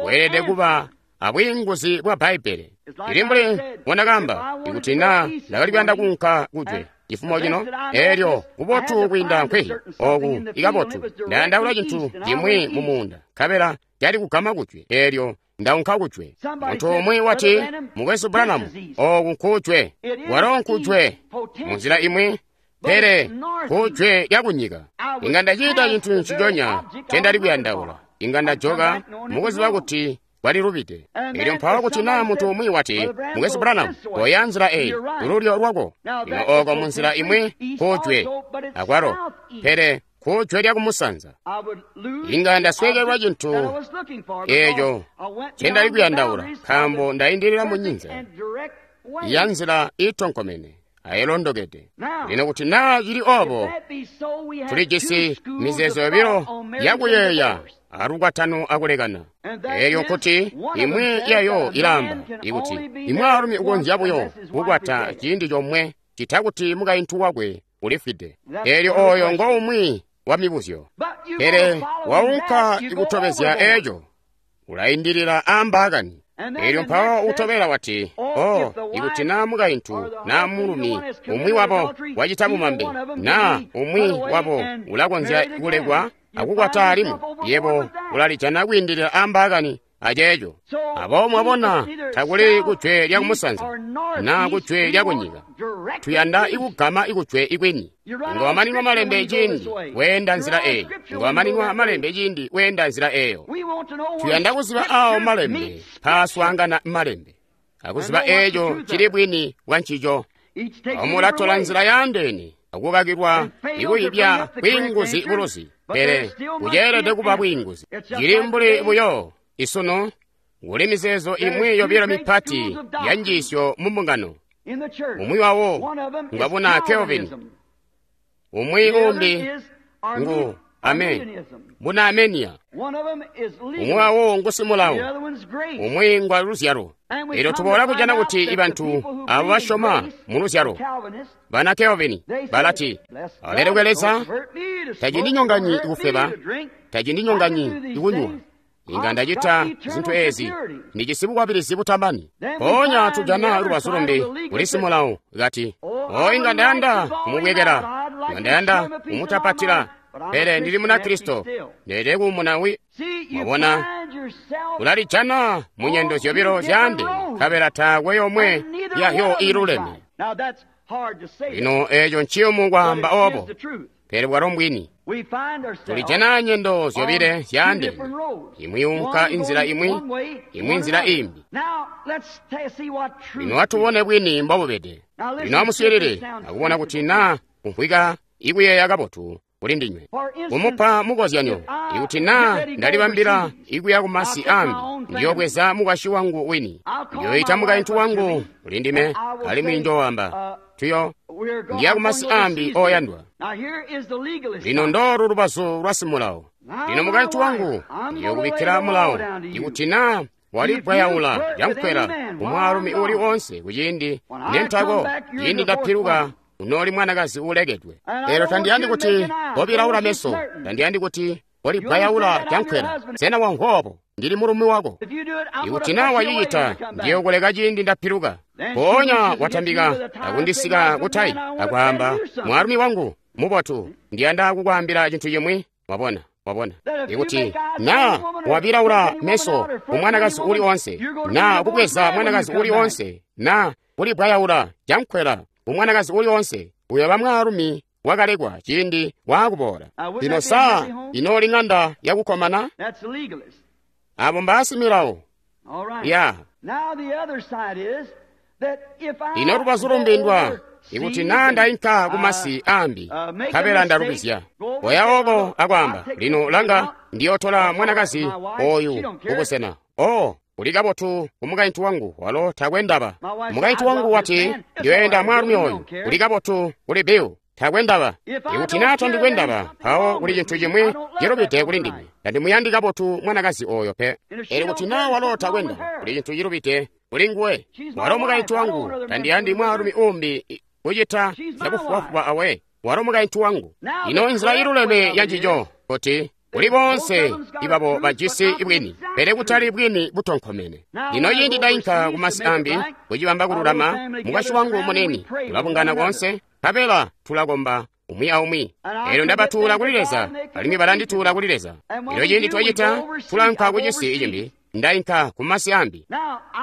weelede kuba abwiinguzi bwa Bbaibbele. Ili mbuli mbondakaamba, ikuti naa ndakali kuyanda kuunka kujwe cifumo cino, elyo kubotu kwiinda nkwehi oku ikabotu, ndayandaula cintu cimwi mu muunda, nkabela cali kugama kujwe, elyo ndaunka kujwe. Muntu umwi wati, Mukwesu Branham, oku nkujwe. Walo nkujwe munzila imwi, pele kujwe lyakunyika. Inga ndacita cintu nciconya ncendali kuyandaula. Inga ndajoka mukuziba kuti bwalilubide. Elyo mpawo kuti naa muntu umwi wati, Mukwesu Branham, koya nzila eyi, kululyo lwako. Lino oko munzila imwi kujwe akwalo, pele kujwe lyakumusanza. Inga ndasweekelwa cintu eeco ncendali kuyandaula, nkaambo ndaindilila munyinza ya nzila iitonkomene ayilondokede. Lino kuti naa cili obo, tulijisi mizeezo yobilo yakuyeeya alukwatano akulekana. Elyo nkuti imwi yayo ilaamba ikuti imwaalumi ukonzya buyo kukwata ciindi comwe cita kuti mukaintu wakwe ulifwide. Elyo oyo ngo umwi wa mibuzyo. Pele waunka ikutobezya eco, ulaindilila ambaakani. Elyo mpawo utobela wati, oh, ikuti naa mukaintu naa mulumi umwi wabo wacita bumambe, naa umwi wabo ulakonzya kulekwa akukwata alimwi, yebo ulalijana kwiindilila ambaakani aceeco. Aboobo mwabona, takuli kujwe lyakumusanza naa kujwe lyakunyika. Tuyanda ikugama ikujwe ikwini. Inga wamaninwa malembe ciindi weenda nzila eyi. Inga wamaninwa malembe ciindi weenda nzila eyo. Tuyanda kuziba awo malembe paaswaangana malembe, akuziba eeco cili bwini bwa ncico. Omulatola nzila yaandeene akukakilwa ikuyibya bwiinguzi buluzi, pele kuceelede kuba bwiinguzi. Cili mbuli buyo isunu kuli mizeezo imwi yobilo mipati ya njiisyo mu mbungano. Umwi wawo ngwabuna Calvin, umwi umbi ngu buna Armenia. Umwi wawo ngu simulawo, umwi ngwa luzyalo. Elyo tuboola kujana kuti ibantu abo basyoma mu luzyalo, bana Calvin, balati, alelekwe Leza, tacindinyonganyi kufweba, tacindinyonganyi kunywa. Inga ndacita zintu ezi. Ndijisi bukwabilizi butamani. Mpoonya tujana lubazu lumbi kuli simulawo kati, o inga ndayanda kumubwekela, inga ndayanda kumutapatila, pele ndili Munakristo, ndeelede kuumuna wi. Mwabona, ulalijana mu nyendo zyobilo zyaandeene, nkabela taakwe yomwe yayo iiluleme. Lino eeco nciyumu kwaamba obo, pele bwalo mbwini. Tulijana nyendo zyobile zyaandeene, imwi yunka inzila imwi, imwi nzila imbi. Lino atubone bwini mbobubede. Lino amuswiilile akubona kuti naa kumvwika ikuyeeya kabotu kuli ndinywe. Kumupa mukozyanyo, ikuti naa ndalibambila ikuya kumasi ambi, ndiyobweza mukwasyi wangu wini, ndiyoita mukaintu wangu kuli ndime, alimwi njoowamba, tuyo ndiya kumasi ambi oyandwa. Lino ndoolu lubazu lwa simulawo. Lino mukaintu wangu ndiyokubikkila mulawo, ikuti naa walibwayaula lyankwela kumwaalumi uuli woonse kuciindi nentako, ciindi ndapiluka unooli mwanakazi uulekedwe. Lero tandiyandi kuti kobilaula meso, tandiyandi kuti kolibwayaula lyankwela. Sena wamvwa Ndili mulumi wako. Ikuti naa wacicita, ndiyokuleka ciindi ndapiluka. Mpoonya watambika akundisika kutayi akwaamba, mwaalumi wangu mubotu, ndiyanda kukwaambila cintu cimwi. Wabona, wabona. Ikuti naa wabilaula meso kumwanakazi uuli onse, naa kubweza mwanakazi uuli onse, naa kulibwayaula lyankwela kumwanakazi uuli onse, uyooba mwaalumi wakalekwa ciindi waakuboola. Lino saa inooli ŋanda yakukkomana? Abo mbaasimilawo. Ya. Lino lubazu lumbi ndwa ikuti naa ndainka kumasi ambi, nkabela ndalubizya, koya oko akwaamba, lino langa, ndiyotola mwanakazi oyu kubusena. O, uli kabotu kumukaintu wangu, walo takwe ndaba. Mukaintu wangu wati, ndiyoyenda mwaalumi oyu, uli kabotu kuli Bill, takwe ndaba. Ikuti naa tandikwe ndaba, mpawo kuli cintu cimwi cilubide kuli ndime. Tandimuyandi kabotu mwanakazi oyo pe. Elyo kuti naa walo takwe ndaba, kuli cintu cilubide kuli nguwe. Walo mukaintu wangu, tandiyandi mwaalumi umbi kucita zyabufubafuba awe. Walo mukaintu wangu. Ino nzila iluleme yancico kuti kuli boonse ibabo bajisi bwini, pele kutali bwini butonkomene. Lino ciindi ndainka kumasi ambi kucibamba kululama, mukwasyi wangu munini tulabungana koonse, nkabela tulakomba umwi aumwi. Elyo ndabatuula kuli Leza, alimwi balandituula kuli Leza. Elyo ciindi twacita, tulanka kucisi cimbi, ndainka kumasi ambi.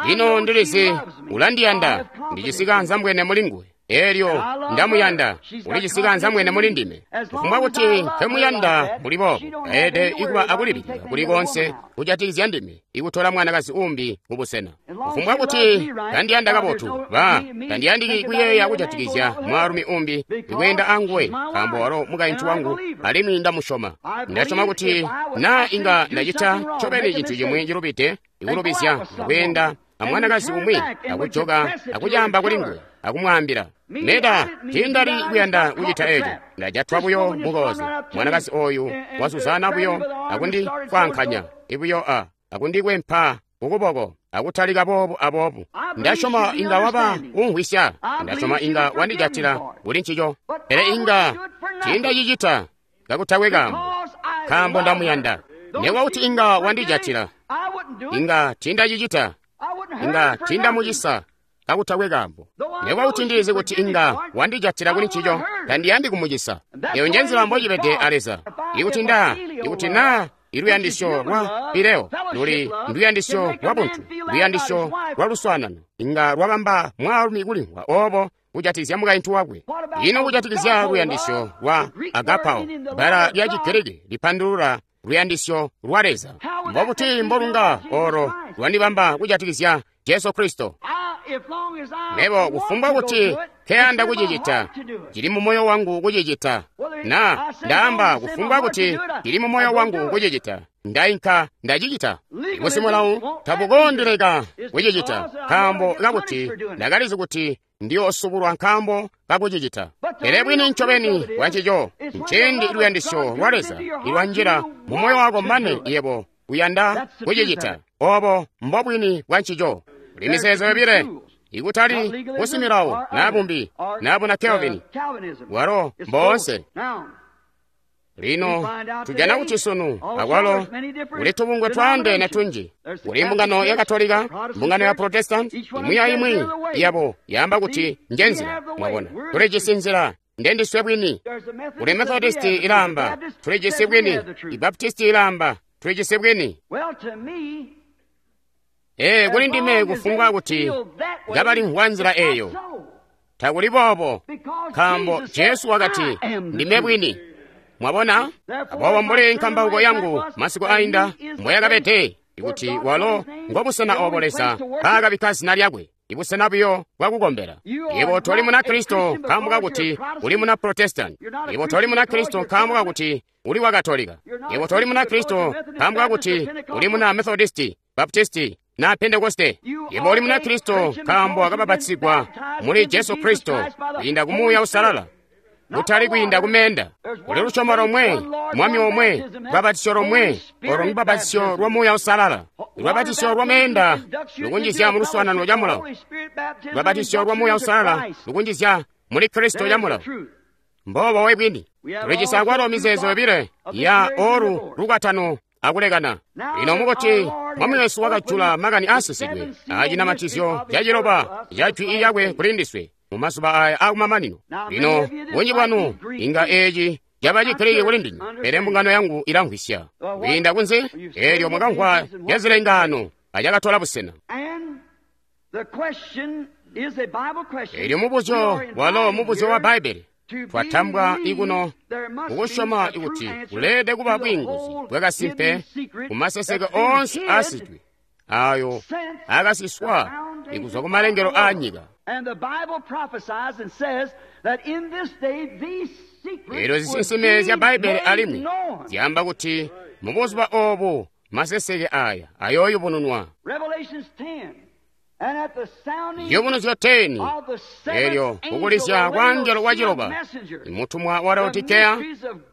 Lino ndilizi ulandiyanda, ndijisi kaanzambwene muli nguwe. Elyo ndamuyanda, ulijisi kaanzambwene muli ndime. Kufumbwa kuti nkemuyanda muli boobo, taelede ikuba akulibilika kuli konse kujatikizya ndime, ikutola mwanakazi umbi kubusena. Kufumbwa kuti kandiyanda kabotu, ba tandiyandiki kuyeeya kujatikizya mwaalumi umbi ikweenda anguwe, nkaambo walo mukaintu wangu, alimwi ndamusyoma. Ndasyoma kuti naa inga ndacita ncobeni cintu cimwi cilubide, ikulubizya kweenda amwanakazi umwi, akujoka akucaamba kuli nguwe, akumwaambila, Meda, tiindali kuyanda kucita eco, ndajatwa buyo mukooze. Mwanakazi oyu wazuzana buyo akundifwankanya ibuyo a akundikwempa kukuboko akutalika boobu aboobu. Ndasyoma inga waba umvwisya, ndasyoma inga wandijatila kuli ncico, pele inga tiindacicita kakutakwe kaambo, nkaambo ndamuyanda. Nekuba kuti inga wandijatila, inga tiindacicita, inga tiindamucisa kakutakwe kaambo. Nekuba kuti ndilizi kuti inga wandijatila kuli ncico, tandiyandi kumucisa. Eyo njenzila mbocibede a Leza. Ikuti nda, ikuti naa iluyandisyo lwa fileo luli nduyandisyo lwa buntu, luyandisyo lwa luswaanano, inga lwabamba mwaalumi kulimvwa obo kujatikizya mukaintu wakwe. Ino kujatikizya luyandisyo lwa agapao, bbala lya Chigiriki lipandulula luyandisyo lwa Leza. Mbobuti mbolunga olo lwandibamba kujatikizya Jesu Kristo? Mebo kufumbwa kuti nkeyanda kucicita, cili mu moyo wangu kucicita. Na ndaamba kufumbwa kuti cili mu moyo wangu kucicita, ndainka ndacicita. Busimulawu tabukondileka kucicita, nkaambo kakuti ndakalizi kuti ndiyoosubulwa nkaambo kakucicita. Pele bwini ncobeni bwancico, nciindi luyandisyo lwa Leza ilwanjila mu moyo wako mane yebo uyanda kucicita. Obo mbobwini bwancico. Kuli mizeezo yobile, ikutali busimilawo naa bumbi naa buna Kelvin, bwalo mboonse. Lino tujana kuti sunu akwalo kuli tubungwe twaandeene tunji. Kuli mbungano ya Katolika, mbungano ya Protestant, imwi aimwi yabo yaamba kuti nje nzila. Mwabona, tulijisi nzila, ndendiswe bwini. Kuli Methodist ilaamba tulijisi bwini, Ibaptisti ilaamba tulijisi bwini. Ee, kuli ndime kufumbwa kuti kabalimvwa nzila eyo. Takuli boobo, nkaambo Jesu wakati, ndime bwini. Mwabona? Aboobo mbuli nkambauko yangu masiku ainda mbweyakabede, ikuti walo ngobusena obo Leza mpaakabikka zina lyakwe, ibusena buyo bwakukombela. Yebo toli muna Kristo nkaambo kakuti uli muna Protestant. Yebo toli muna Kristo nkaambo kakuti uli wa Katolika. Yebo toli muna Kristo nkaambo kakuti uli muna Methodisti, Baptisti, na Pentekoste. Yebo uli muna Kristo nkaambo wakabapatizigwa muli Jesu Kristo kwiinda ku Muuya Uusalala, kutali kwiinda kumenda. Kuli lusyomo lomwe, Mwami omwe, lubapatisyo lomwe, olo lubapatisyo lwa Muuya Uusalala. Lubapatisyo lwa meenda lukunjizya mu luswaanano lya mulawo. Lubapatisyo lwa Muuya Uusalala lukunjizya muli Kristo ya mulawo. Mboobo we bwini. Tulijisi akwalo mizeezo yobile ya olu lukwatano akulekana. Lino mukuti Mwami wesu wakajula makani aasisidwe acinamatizyo caciloba ca jwi lyakwe kuli ndiswe mu mazuba aya akumamanino. Lino bunji bwanu inga eeci caba Chigiriki kuli ndinywe, pele mbungano yangu ilamvwisya. Kwiinda kunze eelyo mwakamvwa zyazilengaano acakatola busena. Eelyo mubuzyo walo mubuzyo wa Bbaibbele. Twatambwa ikuno kukusyoma ikuti kuleede kuba bwiinguzi bwakasimpe kumaseseke oonse aasidwe ayo akasiswa ikuzwa kumalengelo aa nyika. Eelyo zisinsime zya Bbaibbele alimwi zyaamba kuti mubuzuba oobu maseseke aya ayooyubununwa. Ciyubunuzyo 10, eelyo kukulizya kwa angelo waciloba, imutumwa wa Laodikeya,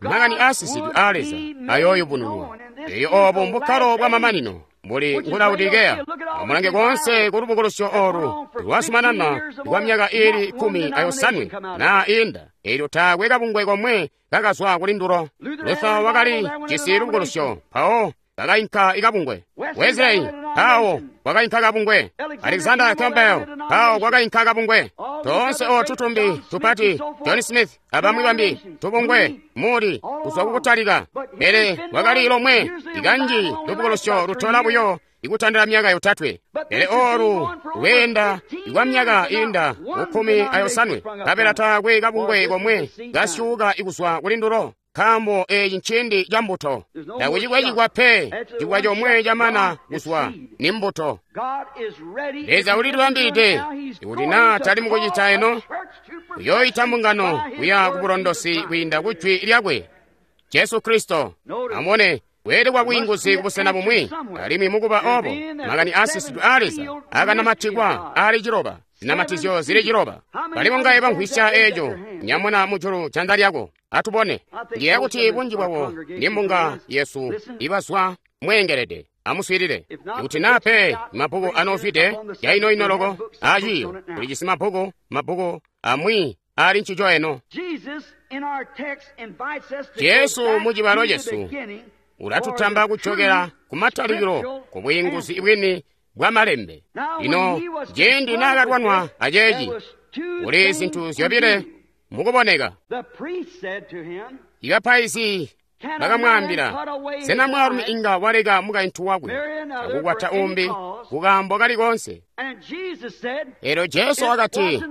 makani aasisidwe aa Leza ayooyubununwa. Eeyo oobu mbukkalo bwa mamanino buli ngu Laodikeya. Amulange koonse ku lubukulusyo oolu lwazumanana kwa myaka iili 18 naa iinda, eelyo taakwe kabungwe komwe kakazwa kuli ndulo. Luther wakali jisi lubukulusyo, mpawo kakainka ikabungwe. Wesley mpawo kwakainka kabungwe. Alexander Campbell mpawo kwakainka kabungwe. Toonse ootu tumbi tupati, John Smith abamwi bambi, tubungwe muli kuzwa kukutalika. Pele kwakali lomwe ikanji lubukulusyo lutola buyo ikutandila myaka yotatwe. Pele oolu lweenda kwa myaka iinda 18, kapela taakwe kabungwe komwe kasyuuka ikuzwa kuli ndulo. Nkaambo eeci nciindi ca mbuto. Takucikwecikwa pe, cikwa comwe camana kuzwa ni mbuto. Leza ulilibambilide ikuti naa tali mukucita eno, uyooyita mbungano kuya kubulondosi kwiinda ku jwi lyakwe, Jesu Kristo. Amubone, kweelede kwa bwiinguzi kubusena bumwi, alimwi mukuba oobo makani aasisidwe aa Leza akanamatikwa aali ciloba, zinamatizyo zili ciloba. Bali bongaye bamvwisya eeco, nyamuna mujulu janza lyako. Atubone. Ndiyeeya kuti bunji bwabo ni mbunga yesu ibazwa mweengelede. Amuswiilile. Ikuti naa pe mabbuku anoozwide yainoino loko aaciiyo, tulijisi mabbuku amwi aali ncico eno. Jesu mucibalo cesu ulatutamba kujokela kumatalikilo ku bwiinguzi bwini bwa malembe. Lino ciindi naakalwanwa aceeci, kuli zintu zyobile mukuboneka. Ibapaizi bakamwaambila, sena mwaalumi inga waleka mukaintu wakwe akukwata umbi kukaambo kali koonse? Eelyo Jesu wakati,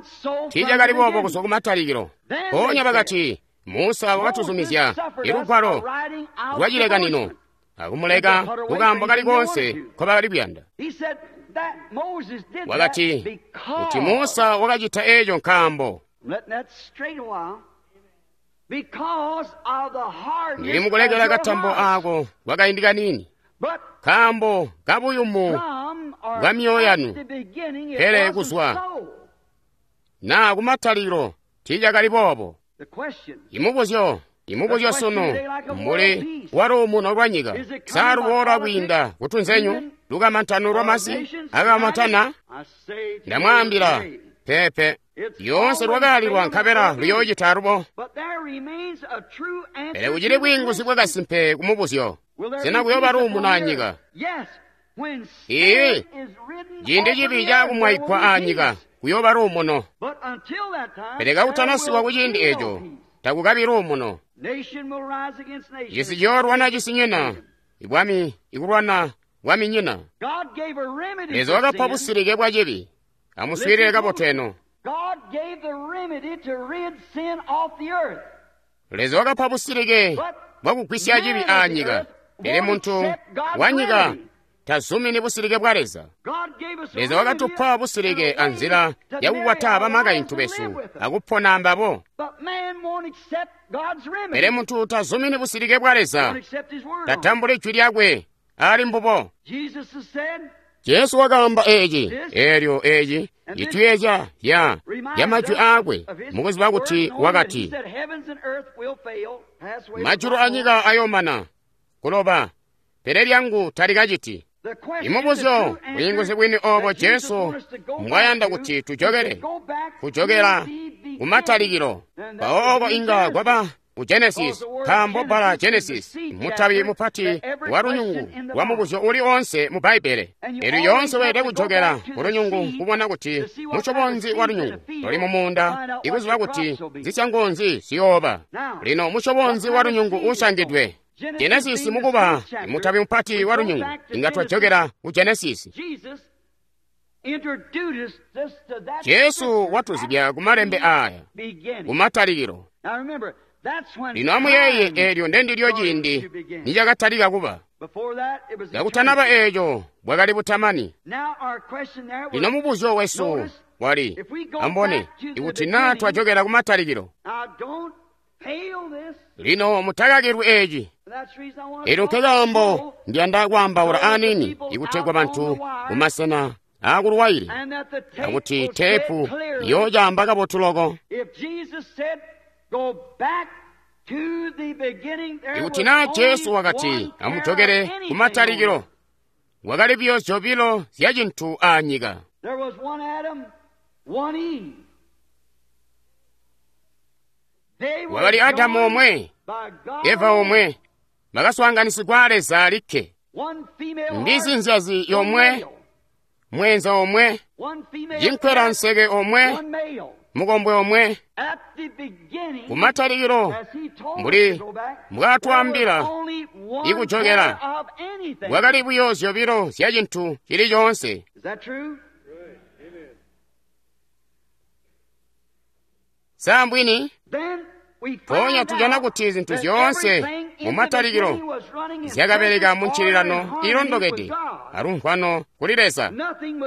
tiicakali boobo kuzwa kumatalikilo. Mpoonya bakati, Musa wakatuzumizya ilugwalo lwacilekanino akumuleka kukaambo kali koonse nkobakali kuyanda. Wakati, kuti Musa wakacita eeco nkaambo ndili mukulekela katambo aako kwakaindi kaniini, nkaambo kabuyumu bwa myoyo yanu. Pele kuzwa naa kumatalikilo tiicakali boobo. Imubuzyo sunu mbuli waluumuno lwa nyika, sa luboola kwiinda kutunzenyu, lukamantano lwamasi akamantana? Ndamwaambila, peepe. Lyoonse lwakaalilwa nkabela luyoocita alubo. Pele kucili bwiinguzi bwakasimpe kumubuzyo. Sena kuyooba luumuno anyika? Iiyi, ciindi cibi caakumwaigwa aanyika kuyooba luumuno. Pele kakutanasiwa kuciindi eeco, takukabi luumuno. Cisi ciyoolwana cisinyina, ibwami ikulwana bwaminyina. Leza wakapa busilike bwa cibi. Amuswiilile kabotu eno. Leza wakapa busilike bwakugwisya cibi aanyika, pele muntu wanyika tazumini busilike bwa Leza. Leza wakatupa busilike anzila yakukwata bamakaintu besu akupona ambabo. Pele muntu tazumini busilike bwa Leza, tatambuli jwi lyakwe ali mbubo. Jesu wakaamba eeci, eelyo eeci cituyeezya ya majwi aakwe mukuziba kuti wakati, majulu anyika ayoomana kuloba, pele lyangu talikaciti. Imubuzyo bwiinguzi bwini oobo Jesu mbwayanda kuti tujokele, kujokela kumatalikilo. Mpawo ooko inga kwaba ku Genesis, nkaambo bbala Genesis mutabi mupati wa lunyungu lwa mubuzyo uli oonse mu Bbaibbele. Eelyo lyoonse weelede kujokela ku lunyungu kubona kuti musyobo nzi wa lunyungu luli mumuunda, ikuziba kuti zisyango nzi ziyooba. Lino musyobo nzi wa lunyungu uusyangidwe? Genesis mukuba mutabi mupati wa lunyungu, inga twajokela ku Genesis. Jesu watuzibya ku malembe aaya kumatalikilo. Lino amuyeeye, eelyo ndendilyo ciindi nicakatalika kuba. Kakutanaba eeco bwakali butamani. Lino mubuzyo wesu wali, ambone, ikuti naa twajokela kumatalikilo. Lino mutakakilwi eeci. Eelyo nkekaambo ndiyanda kwaambaula aniini ikutegwa bantu kumasena aakuluwaile, akuti teepu yoocaamba kabotu loko. Ikuti naa Jesu wakati amujokele kumatalikilo, wakali buyo zyobilo zya cintu aanyika. Wakali Adamu omwe, Eva omwe, bakaswaanganisigwa a Leza alikke. Mbizi nzyazi yomwe, mwenza omwe, cinkwela nseke omwe, mukombwe omwe. Kumatalikilo, mbuli mbwaatwaambila ikujokela, bwakali buyo zyobilo zya cintu cili coonse. Sa mbwini? Mpoonya tujana kuti zintu zyoonse mumatalikilo zyakabeleka mu ncililano iilondokede alumvwano kuli Leza.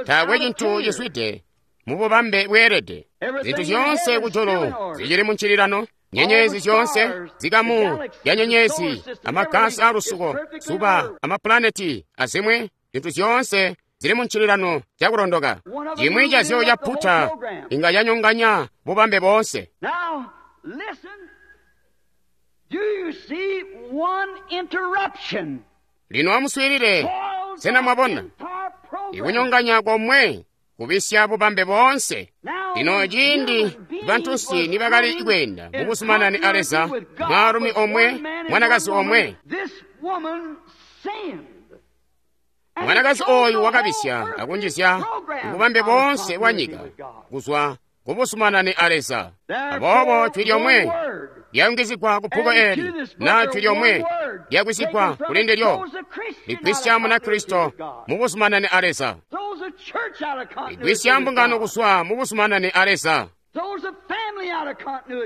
Taakwe cintu cizwide mububambe bweelede. Zintu zyoonse kujulu zicili mu ncililano, nyenyezi zyoonse, zikamu ya nyenyezi, amagasi aalusuko, zuba, amapulaneti azimwi, zintu zyoonse zili mu ncililano cakulondoka. Cimwi cazyo caputa inga canyonganya bubambe boonse. Lino amuswiilile, sena mwabona ikunyonganya komwe kubisya bubambe boonse. Lino ciindi bantunsi nibakali kweenda mubuzumanani a Leza, mwaalumi omwe, mwanakazi omwe. Mwanakazi ooyu wakabisya akunjizya bubambe boonse bwa nyika kuzwa kubuzumanani a Leza. Aboobo jwi lyomwe lyayungizigwa ku bbuku eeli, naa jwi lyomwe lyagwisigwa kuli ndilyo, ligwisya Munakristo mubuzumanani a Leza, ligwisya mbungano kuzwa mubuzumanani a Leza,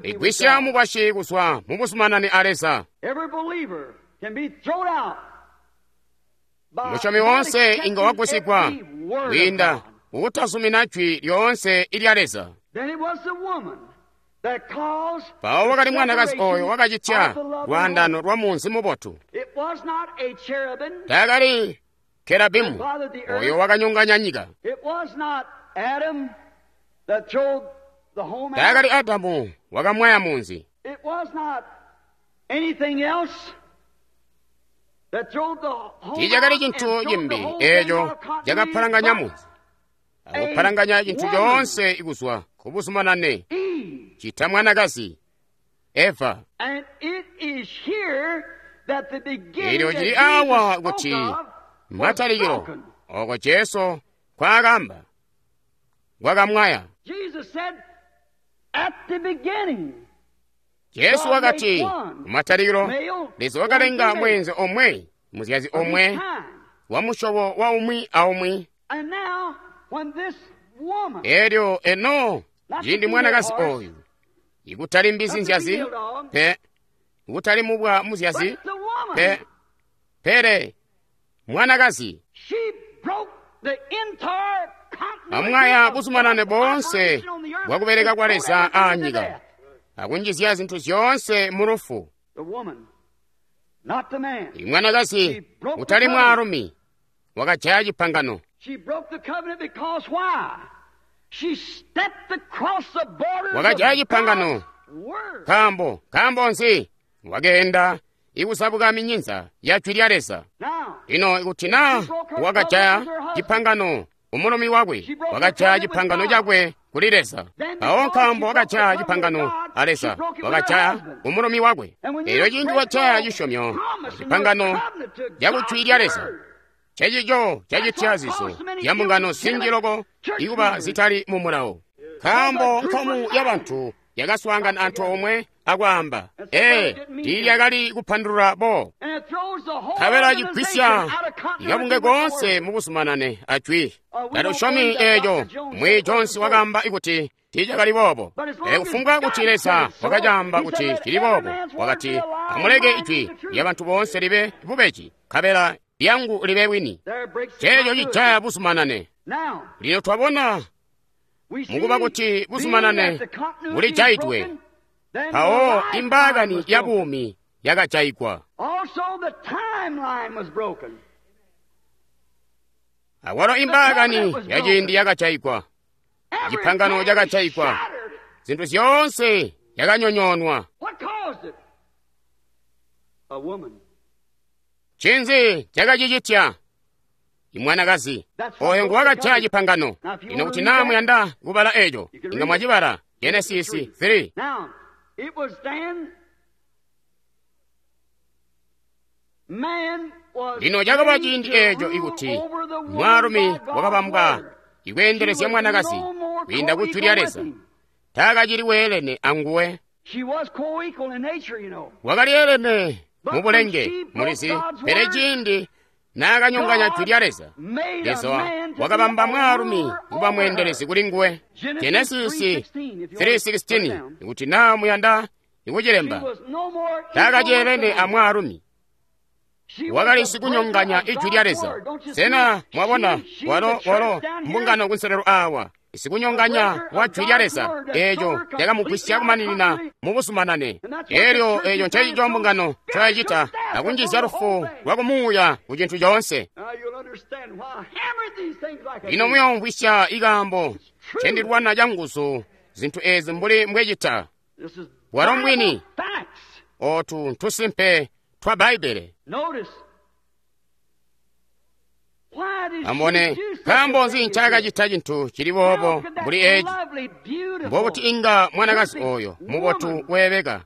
ligwisya mukwasyi kuzwa mubuzumanani a Leza. Musyomi woonse inga wagwisigwa kwiinda kukutazumina jwi lyoonse ilya Leza. Mpawo wakali mwanakazi ooyo wakacitya lwaandano lwa munzi mubotu. Taakali Kerabimu oyo wakanyonganya nyika. Taakali Adamu wakamwaya munzi. Tiicakali cintu cimbi eeco cakapalanganya munzi, akupalanganya cintu coonse kuzwa ku kubuzumanane cita mwanakazi Eva. Elyo cili awa kuti matalikilo oko Jesu kwaakamba kwakamwaya. Jesu wakati kumatalikilo Leza wakalenga mweenze omwe, muzyazi omwe wa musyobo wa umwi aumwi. Elyo eno ciindi mwanakazi oyu ikutali mbizi nzyazi pe, ikutali mubwa muzyazi pe, pele mwanakazi amwaya buzumanane boonse bwakubeleka kwa Leza aanyika akunjizya zintu zyoonse mu lufu. Imwanakazi utali mwaalumi wakajaya cipangano. Wakajaya cipangano nkaambo nzi? Wakeenda ikuzabuka minyinza ya jwi lya Leza. Lino ikuti naa wakajaya cipangano umulumi wakwe, wakajaya cipangano cakwe kuli Leza. Mpawo nkaambo wakajaya cipangano a Leza, wakajaya umulumi wakwe. Elyo ciindi wajaya cisyomyo cipangano cakujwi lya Leza, cecico cacitya zizo zya mbungano zinji loko ikuba zitali mu mulawo. Nkaambo nkamu ya bantu yakaswaangana antoomwe akwaamba, tiilyakali kupandulula bo. Nkabela cigwisya ikabunge koonse mubuzumanane ajwi. Tatusyomi eeco. Mwi Jones wakaamba kuti tiicakali boobo. Pele kufumbwa kuti Leza wakacaamba kuti cili boobo, wakati amuleke ijwi lya bantu boonse libe bubeji, nkabela lyangu libe bwini. Ceeco cijaya buzumanane. Lino twabona mukuba kuti buzumanane bulijaidwe, mpawo imbaakani ya buumi yakajaigwa. Awalo imbaakani ya ciindi yakajaigwa, cipangano cakajaigwa, zintu zyoonse yakanyonyoonwa. Ncinzi cakacicitya? Imwanakazi oyo nguwakajaya cipangano. Lino kuti naa muyanda kubala eco, inga mwacibala Genesis 3. Lino cakaba ciindi eco ikuti mwaalumi wakabambwa ikweendelezya mwanakazi kwiinda ku jwi lya Leza, taakacili weelene anguwe. Wakali elene mu bulenge, mulizi, pele ciindi naakanyonganya jwi lya Leza, Leza wakabamba mwaalumi kuba mweendelezi kuli nguwe. Genesis 3:16, ikuti naa muyanda ikucilemba, taakaceelene a mwaalumi. Wakali sikunyonganya ijwi lya Leza. Sena mwabona walo mbungano kunselelo awa, sikunyonganya wa jwi lya Leza, eeco cakamugwisya kumaninina mubuzumanane. Elyo eeco ncencico mbungano ncoyacita akunjizya lufu lwakumuuya ku cintu coonse. Lino muyoomvwisya ikaambo ncendilwana canguzu zintu ezi mbuli mbwecita. Bwalo mbwini, ootu ntusimpe twa Bbaibbele. Amubone, nkaambo nzi ncaakacita cintu cili boobo mbuli eeci? Mbokuti inga mwanakazi oyo mubotu weebeka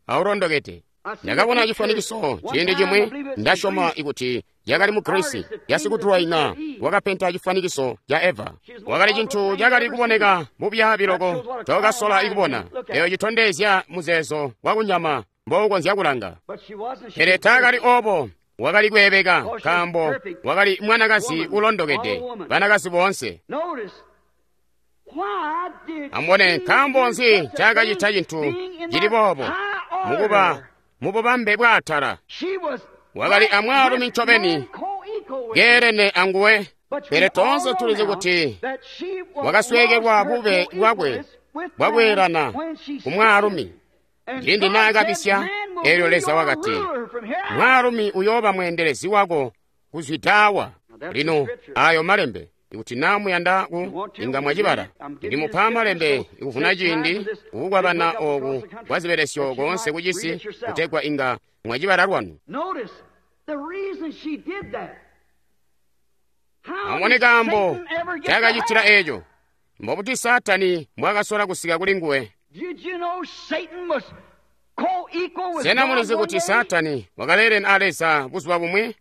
aulondokede. Ndakabona cifwanikiso ciindi cimwi, ndasyoma ikuti yakali mu Grisi yasikudulwaina wakapenta cifwanikiso ca Eva. Wakali cintu cakali kuboneka bubyaabi loko tokasola ikubona. Eyo citondezya muzeezo wakunyama mboukonzya kulanga. Pele taakali oobo. Wakali kweebeka nkaambo wakali mwanakazi ulondokede, banakazi boonse. Amubone, nkaambo nzi ncaakacita cintu cili boobo mukuba mububambe bwaatala. Wakali amwaalumi ncobeni keelene anguwe, pele toonse tulizi kuti wakasweekelwa bube bwakwe bwakweelana kumwaalumi. Ciindi naakabisya, elyo Leza wakati, mwaalumi uyooba mweendelezi wako kuzwidaawa. Lino ayo malembe, ikuti naa muyanda ku inga mwacibala. Ndimupa malembe ikuvuna ciindi kukukwabana ooku kwa zibelesyo koonse kucisi kutegwa inga mwacibala lwanu. Amubone kaambo cakacitila eeco. Mbobuti Saatani mbwakasola kusika kuli nguwe? Sena mulizi kuti Saatani wakaleelene a Leza buzuba bumwi?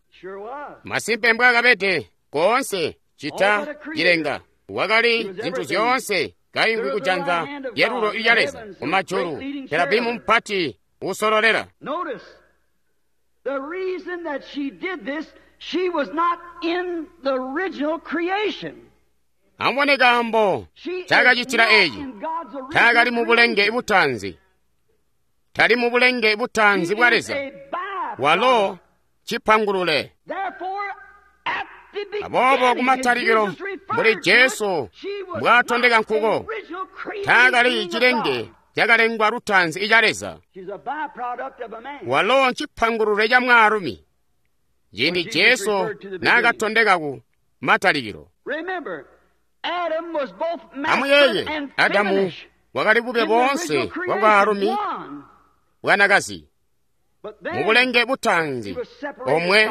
Masimpe mbwaakabede koonse cita cilenga. Wakali zintu zyoonse kaingwi kujanza lyalulo lya Leza kumajulu, Kerabimu mpati usololela. The reason that she did this, she was not in the original creation. Amubone kaambo ncaakacitila eeci. Taakali mu bulenge butaanzi. Tali mu bulenge butaanzi bwa Leza. Walo cipangulule. Aboobo kumatalikilo, mbuli Jesu mbwaatondeka nkuko, taakali cilenge cakalengwa lutaanzi ica Leza. Walo ncipangulule ca mwaalumi. Ciindi Jesu naakatondeka ku matalikilo. Amuyeeye, Adamu wakali bube boonse bwa bwaalumi bwanakazi mu bulenge butaanzi omwe,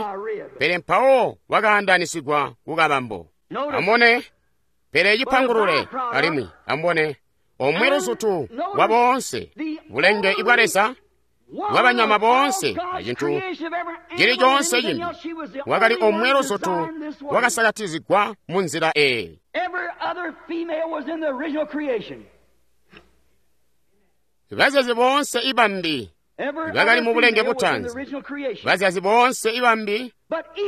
pele mpawo wakaandanisigwa ku kabambo. Amubone, pele cipangulule alimwi amubone omwe luzutu bwa boonse bulenge bwa Leza bwa banyama boonse acintu cili coonse cimbi, wakali omwe luzutu wakasakatizigwa mu nzila eeyi. Bazyazi boonse ibambi bakali mu bulenge butaanzi. Bazyazi boonse ibambi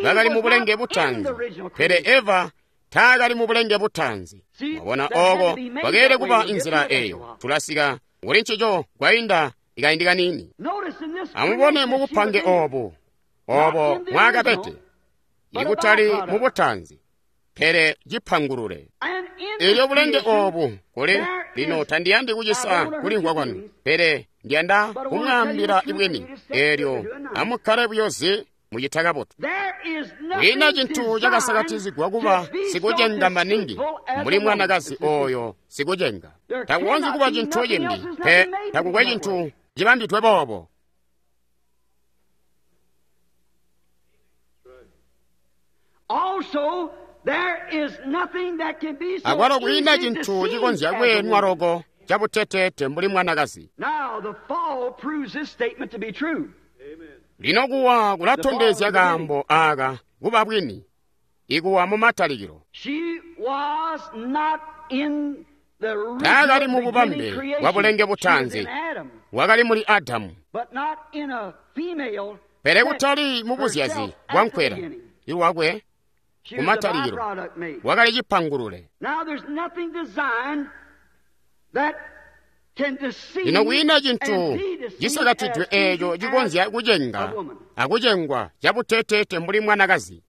bakali mu bulenge butaanzi, pele Eva taakali mu bulenge butaanzi. Mwabona, ooko kwakeelede kuba inzila eeyo. Tulasika kuli ncico kwainda ikaindi kaniini. Amubone mu bupange oobu, oobo mwaakabede, ikutali mu butaanzi, pele cipangulule. Eelyo bulenge oobu kuli lino tandiyandi kucisa kulimvwa kwanu, pele ndiyanda kumwaambila ibwini. Eelyo amukkale buyo zi mucita kabotu. Kwiina cintu cakasakatizigwa kuba sikucenga maningi mbuli mwanakazi ooyo sikucenga. Takukonzyi kuba cintu cimbi pe, takukwe cintu cibambidwe boobo. Akwalo kwiina cintu cikonzya kweenwa loko cabuteteete mbuli mwanakazi. Lino kuwa kulatondezya kaambo aaka kuba bwini, ikuwa mu matalikilo. Taakali mu bubambe bwa bulenge butaanzi, wakali muli Adamu, pele kutali mu buzyazi bwa nkwela iwakwe. Kumatalikilo wakali cipangulule. Lino kwiina cintu cisakatidwe eeco cikonzya kucenga akucengwa cabuteteete mbuli mwanakazi.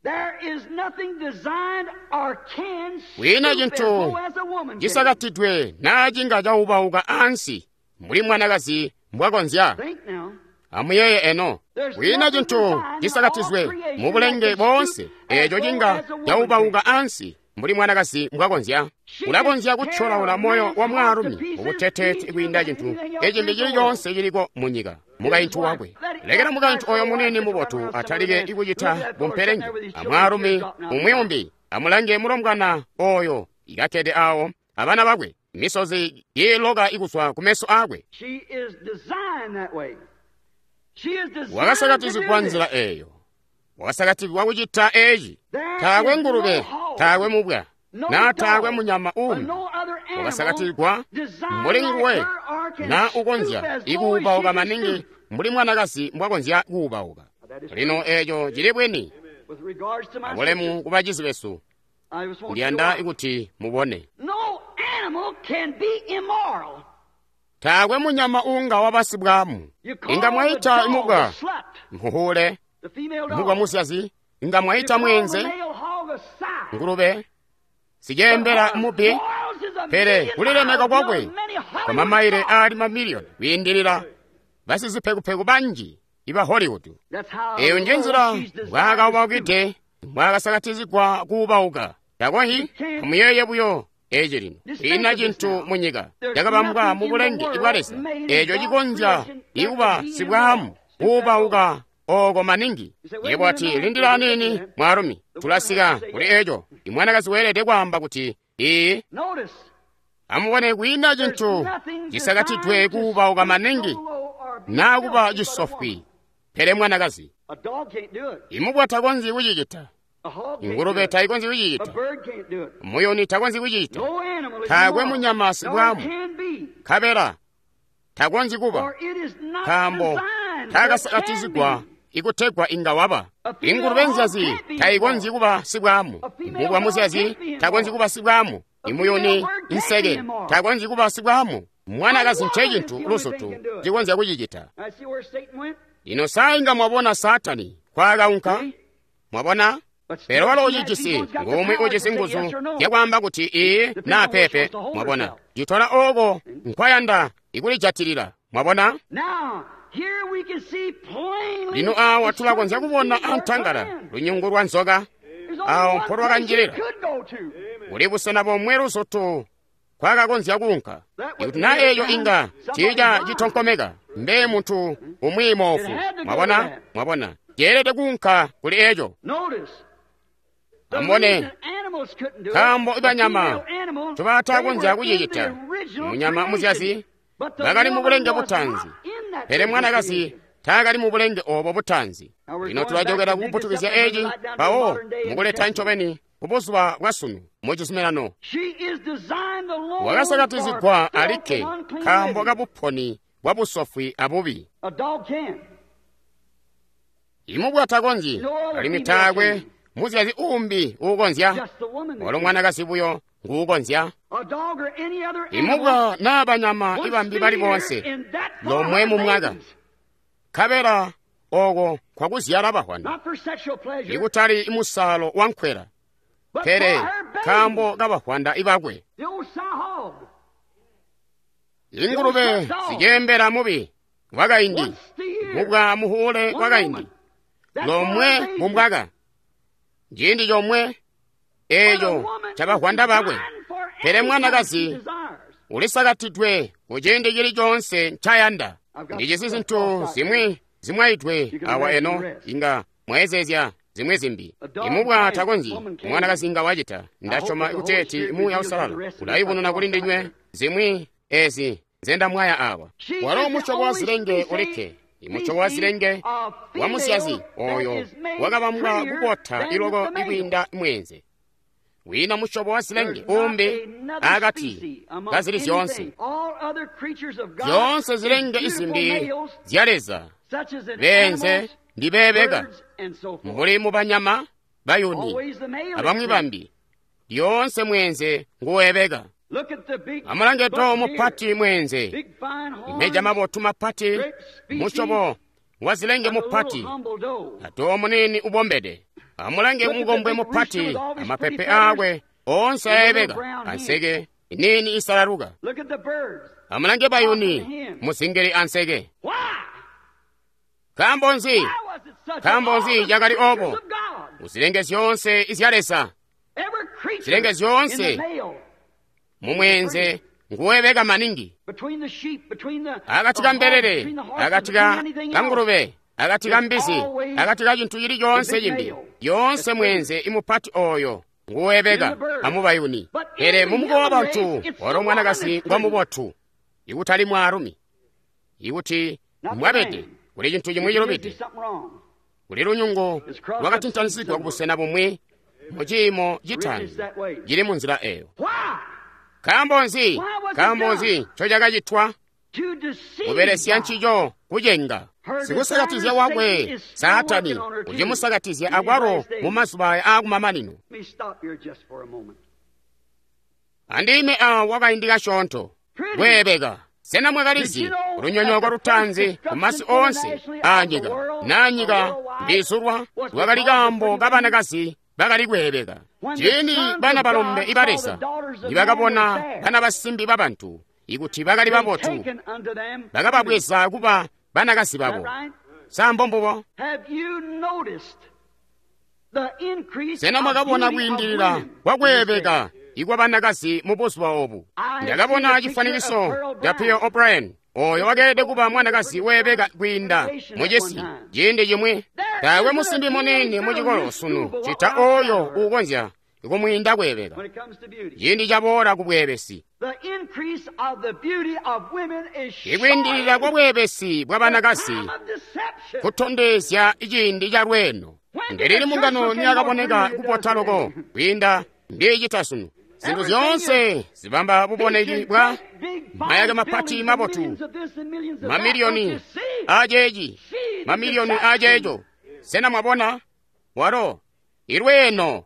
Kwiina cintu cisakatidwe naa cinga caubauka ansi mbuli mwanakazi mbwakonzya. Amuyeeye eno, kwiina cintu cisakatizwe mu bulenge boonse eeco cinga caubauka ansi mbuli mwanakazi mbwakonzya. Ulakonzya kutyolaula moyo wa mwaalumi mubuteteete kwiinda cintu ecimbi cili coonse ciliko munyika, mukaintu wakwe. Lekela mukaintu oyo muniini mubotu atalike kucita bumpelenge amwaalumi umwi umbi. Amulange mulombwana oyo ikakkede awo abana bakwe, misozi iiloka ikuzwa kumeso aakwe. Wakasakatizigwa nzila eeyo, wakasakatigwa kucita eeci. Taakwe ngulube, taakwe mubwa, naa taakwe munyama uumbi wakasakatigwa mbuli nguwe naa ukonzya ikuubauka maningi mbuli mwanakazi mbwakonzya kuubauka. Lino eeco cili bwini. Abulemu ku bacizi besu, ndiyanda kuti mubone. Taakwe munyama uunga wabasibwamu. Inga mwaita imubwa mhuhule, mubwa musyazi. Inga mwaita mwenze, ngulube, siceembela mubi, pele kulilemeka kwakwe kwa mamaile aali mamiliyoni kwiindilila basizipekupeku banji iba Hollywood. Eyo nje nzila mbwaakaubaukide, mbwaakasakatizigwa kuubauka. Takonhi, amuyeeye buyo eci lino. Kwiina cintu munyika cakabambwa mu bulenge bwa Leza eeco cikonzya ikuba sibwaamu kuubauka ooko maningi. Yebo ati, lindila aniini mwaalumi, tulasika kuli eco. Imwanakazi weelede kwaamba kuti, Iyi. Amubone, kwiina cintu cisakatidwe kuubauka maningi naa kuba cisofwi, pele mwanakazi. Imubwa takonzyi kucicita, ingulube taikonzyi kucicita, muyuni takonzyi kucicita, taakwe munyama sibwamu, nkabela takonzyi kuba, nkaambo taakasakatizigwa ikutegwa inga waba. Ingulube nzyazi taikonzyi kuba sibwamu, mubwa muzyazi takonzyi kuba sibwamu, imuyuni inseke takonzyi kuba sibwamu. Mwanakazi ncecintu luzutu cikonzya kucicita. Lino saa inga mwabona Saatani kwaakaunka, mwabona? Pele walo ucijisi ngumwi ujisi nguzu zyakwaamba kuti ii naa peepe, mwabona? Citola ooko nkwayanda ikulijatilila, mwabona? Lino awa tulakonzya kubona antangala lunyungu lwa nzoka awo mpolwakanjilila. Kuli busena bomwe luzutu kwakakonzya kuunka. Ikuti naa eeyo inga ciija citonkomeka, mbe muntu umwi moofu. Mwabona? Mwabona? Ceelede kuunka kuli eeco. Amubone, nkaambo ibanyama ncobaatakonzya kucicita, munyama muzyazi bakali mu bulenge butaanzi, pele mwanakazi taakali mu bulenge oobo butaanzi. Lino tulajokera kukuputukizya eci mpawo mukuleta ncobeni kubuzuba bwasunu mu cizuminano. Wakasakatizigwa alikke nkaambo kabuponi bwa busofwi abubi. Imubwa takonzyi, alimwi taakwe muzyazi uumbi uukonzya, walo mwanakazi buyo nguukonzya. Imubwa naa banyama ibambi bali boonse lomwe mu mwaka, nkabela ooko kwakuzyala bahwana, ikutali imusaalo wa nkwela, pele nkaambo kabahwanda ibakwe. Ingulube ziceembela mubi wakaindi, mubwa muhuule wakaindi, lomwe mu mwaka, ciindi comwe eeco cabahwanda bakwe. Pele mwanakazi ulisakatidwe kuciindi cili coonse ncayanda. Ndijisi zintu zimwi zimwaidwe awa eno, inga mwaezezya zimwi zimbi. Imubwa takonzyi, mwanakazi inga wacita. Ndasyoma kuteeti Muuya Uusalala ulayubununa kuli ndinywe zimwi ezi nzendamwaya awa. Walo musyobo wa zilenge ulikke, imusyobo wa zilenge wa muzyazi oyo wakabambwa kubota iloko ikwiinda mweenze. Wiina musyobo wa zilenge uumbi akati kazili zyoonse. Zyoonse zilenge izimbi zya Leza beenze ndibeebeka, mbuli mu banyama, bayuni, abamwi bambi. Lyoonse mweenze nguweebeka. Amulange too mupati mweenze, meja mabotu mapati, musyobo wa zilenge mupati, atoo muniini ubombede. Amulange mukombwe mupati, amapepe aakwe oonse aebeka, anseke iniini isalaluka. Amulange bayuni, muzingili anseke. Nkaambo nzi? Nkaambo nzi cakali oobo? Muzilenge zyoonse izya Leza, zilenge zyoonse mumweenze nguwebeka maningi. Akati ka mbelele, akati ka ngulube, akati ka mbizi, akati ka cintu cili coonse cimbi, yoonse mweenze imupati oyo nguwebeka amubayuni. Pele mumukowa wa bantu walo mwanakazi ngwamubotu, ikutali mwaalumi. Ikuti mwabede kuli cintu cimwi cilubide, kuli lunyungu lwakatintanizigwa kubusena bumwi mu ciimo citaanzi cili mu nzila eyo. Nkaambo nzi? Nkaambo nzi ncocakacitwa? Kubelesya ncico kucenga. Sikusakatizya wakwe Saatani ucimusakatizya akwalo mu mazuba aya aakumamanino. Andime awa wakaindi kasyoonto kweebeka. Sena mwakalizi lunyonyooko lutaanzi ku masi oonse aanyika naa nyika mbiizulwa lwakali kaambo kabanakazi bakali kweebeka. Ciindi bana balombe iba Leza nibakabona bana basimbi babantu ikuti bakali babotu, bakababweza kuba banakazi babo. Sa mbombubo? Sena mwakabona kwiindilila kwakweebeka ikwa banakazi mu buzuba obu? Ndakabona cifwanikiso ca Pearl O'Brien, oyo wakeelede kuba mwanakazi weebeka kwiinda mucisi ciindi cimwi. Taakwe musimbi muniini mucikolo sunu cita oyo uukonzya kumwiinda kweebeka ciindi caboola ku bweebesi. Ikwiindilila kwa bweebesi bwa banakazi kutondezya ciindi ca lweeno. Ndelili mbungano niyakaboneka kubota loko kwiinda mbiicita sunu. Zintu zyoonse zibamba buboneki bwa mayake mapati mabotu, mamiliyoni aceeci, mamiliyoni aceeco. Sena mwabona? Walo ilweeno.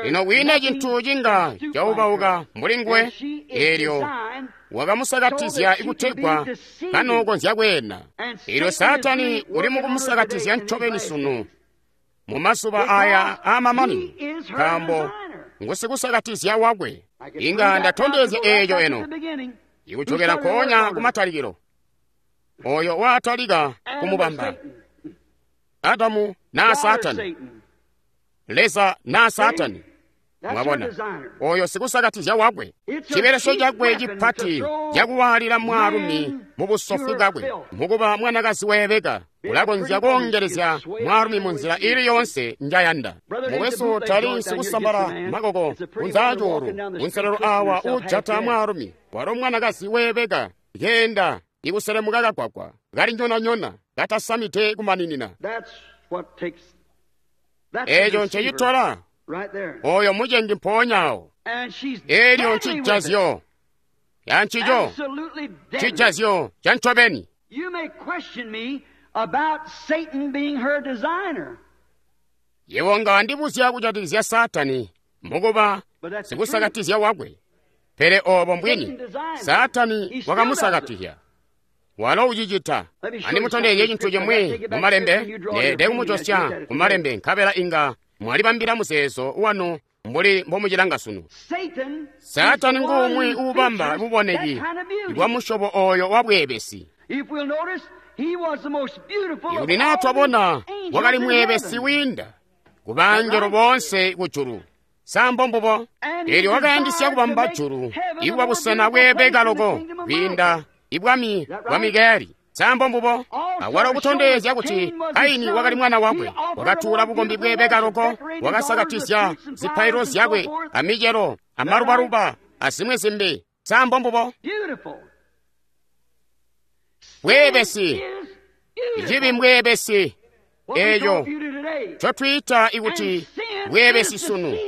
Lino kwiina cintu cinga caubauka mbuli nguwe, eelyo wakamusakatizya kutegwa kanokonzya kweena. Eelyo Saatani uli mukumusakatizya ncobeni sunu mu mazuba aya aamamanino, nkaambo ngusikusakatizya wakwe. Inga ndatondezya eeco eno ikucokera nkoonya kumatalikilo, oyo waatalika kumubamba Adamu naa Saatani, Leza naa Saatani. Mwabona, oyo sikusakatizya wakwe, cibelesyo cakwe cipati cakuwaalila mwaalumi mu busofu bwakwe, mukuba mwanakazi weebeka, ulakonzya koongelezya mwaalumi mu nzila ili yoonse njayanda. Mukwesu tali sikusambala makoko kunzaacuulu kunselelo awa uujata mwaalumi, walo mwanakazi weebeka keenda ikuselemuka kagwagwa kali nyona-nyona katasamide kumaninina. Eeco ncecitola oyo mucengi mpoonyaawo. Eelyo ncijazyo yancico, cijazyo ca ncobeni. Yebo nga wandibuzya kujatikizya Saatani mukuba sikusakatizya wakwe, pele oobo mbwini. Saatani wakamusakatizya, walo ucicita. Andimutondezye cintu cimwi mu malembe, neelede kumujosya ku malembe, nkabela inga mwalibambila muzeezo wanu mbuli mbomucilanga sunu. Saatani nguumwi uubamba buboneki bwa musyobo oyo wa bweebesi. Ikuti naa twabona, wakali mweebesi wiinda ku bangelo boonse kujulu. Sa mbombubo? Eelyo wakayandisya kubamba julu ikuba busena bweebeka loko kwiinda ibwami bwa Mikayeli. Sa mbombubo? Awalo kutondezya kuti Kaini wakali mwana wakwe, wakatuula bukombi bweebeka loko, wakasakatizya zipailo zyakwe amicelo amalubaluba azimwi zimbi. Sa mbombubo? Bweebesi, icibi mbweebesi, eeco ncotwiita ikuti bweebesi sunu.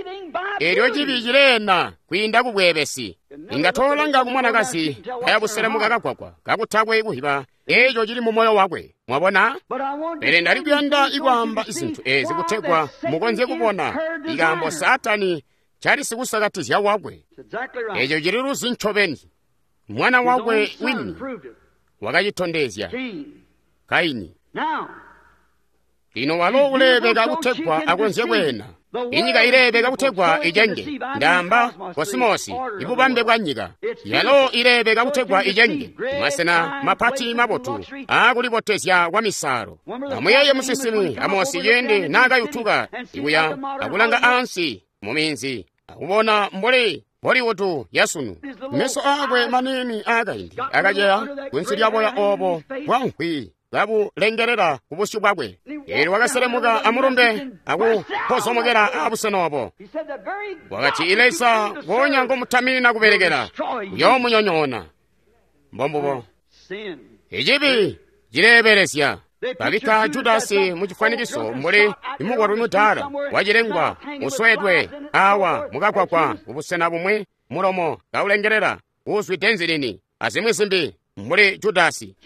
Eelyo cibi cileena kwiinda ku bweebesi. Inga toolanga ku mwanakazi kaya buselemuka kagwagwa kakutakwe kuhiba eeco cili mu moyo wakwe. Mwabona? Pele ndali kuyanda ikwaamba zintu eezi kutegwa mukonzye kubona ikaambo Saatani cali sikusakatizya wakwe. Eeco cili luzi ncobeni. Mwana wakwe wini wakacitondezya, Kaini. Lino walo uleebeka kutegwa akonzye kweena. Inyika ileebeka kutegwa icenge, ndaamba kosimosi, ibubambe bwa nyika. Yalo ileebeka kutegwa icenge, masena mapati mabotu aakulibotezya kwa misaalo. Amuyeeye musinsimi Amosi ciindi naakayutuka ikuya akulanga ansi mu minzi akubona mbuli Hollywood yasunu. Meso aakwe maniini aakaindi akaceya kunsi lyaboya oobo bwa nkhwi kabulengelela ku busyu bwakwe. Eelyo wakaselemuka amulumbe akupozomokela abusena obo. Wakati, Leza gonya ngomutaminina kubelekela uyoomunyonyoona. Mbombubo. Icibi cileebelezya. Babikka Judasi mu cifwanikiso mbuli imukwatwi mudaala wacilengwa uswedwe awa mukagwagwa kubusena bumwi, mulomo kaulengelela uuzwide nzilini azimwi zimbi mbuli Judasi.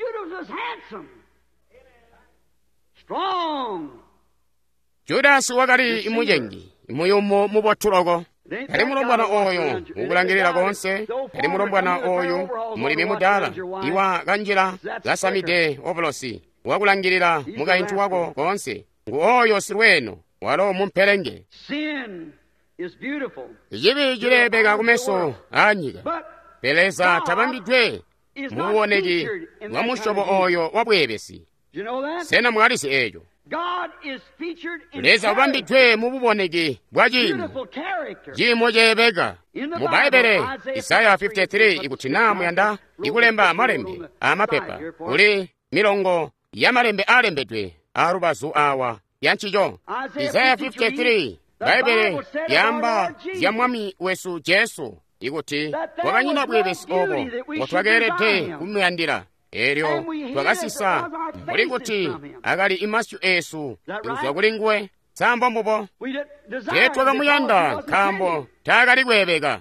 Judasi wakali mucengi muyumu mubotu loko. Kali mulombwana oyo ukulangilila konse, kali mulombwana oyu mulimi mudaala iwa kanjila kasamide ovulosi wakulangilila mukaintu wako konse, ngu oyo silweeno walo mumpelenge. Icibi cileebeka kumeso aanyika, pele Leza tabambidwe mububoneki bwa musyobo oyo wa bweebesi. Sena mwalizi eeco? Leza ubambidwe mububoneki bwa ciimo, ciimo ceebeka. Mu Bbaibbele Isaya 53, ikuti naa muyanda ikulemba malembe aamapepa, kuli milongo ya malembe aalembedwe aalubazu awa ya ncico. Isaya 53 Bbaibbele lyaamba zya Mwami wesu Jesu ikuti kwakanyina bweebesi obo mbotwakeelede kumuyandila. Elyo twakasisa mbuli kuti akali imasyu eesu kuzwa kuli nguwe. Sa mbubo? Teetwakamuyanda nkaambo taakali kweebeka.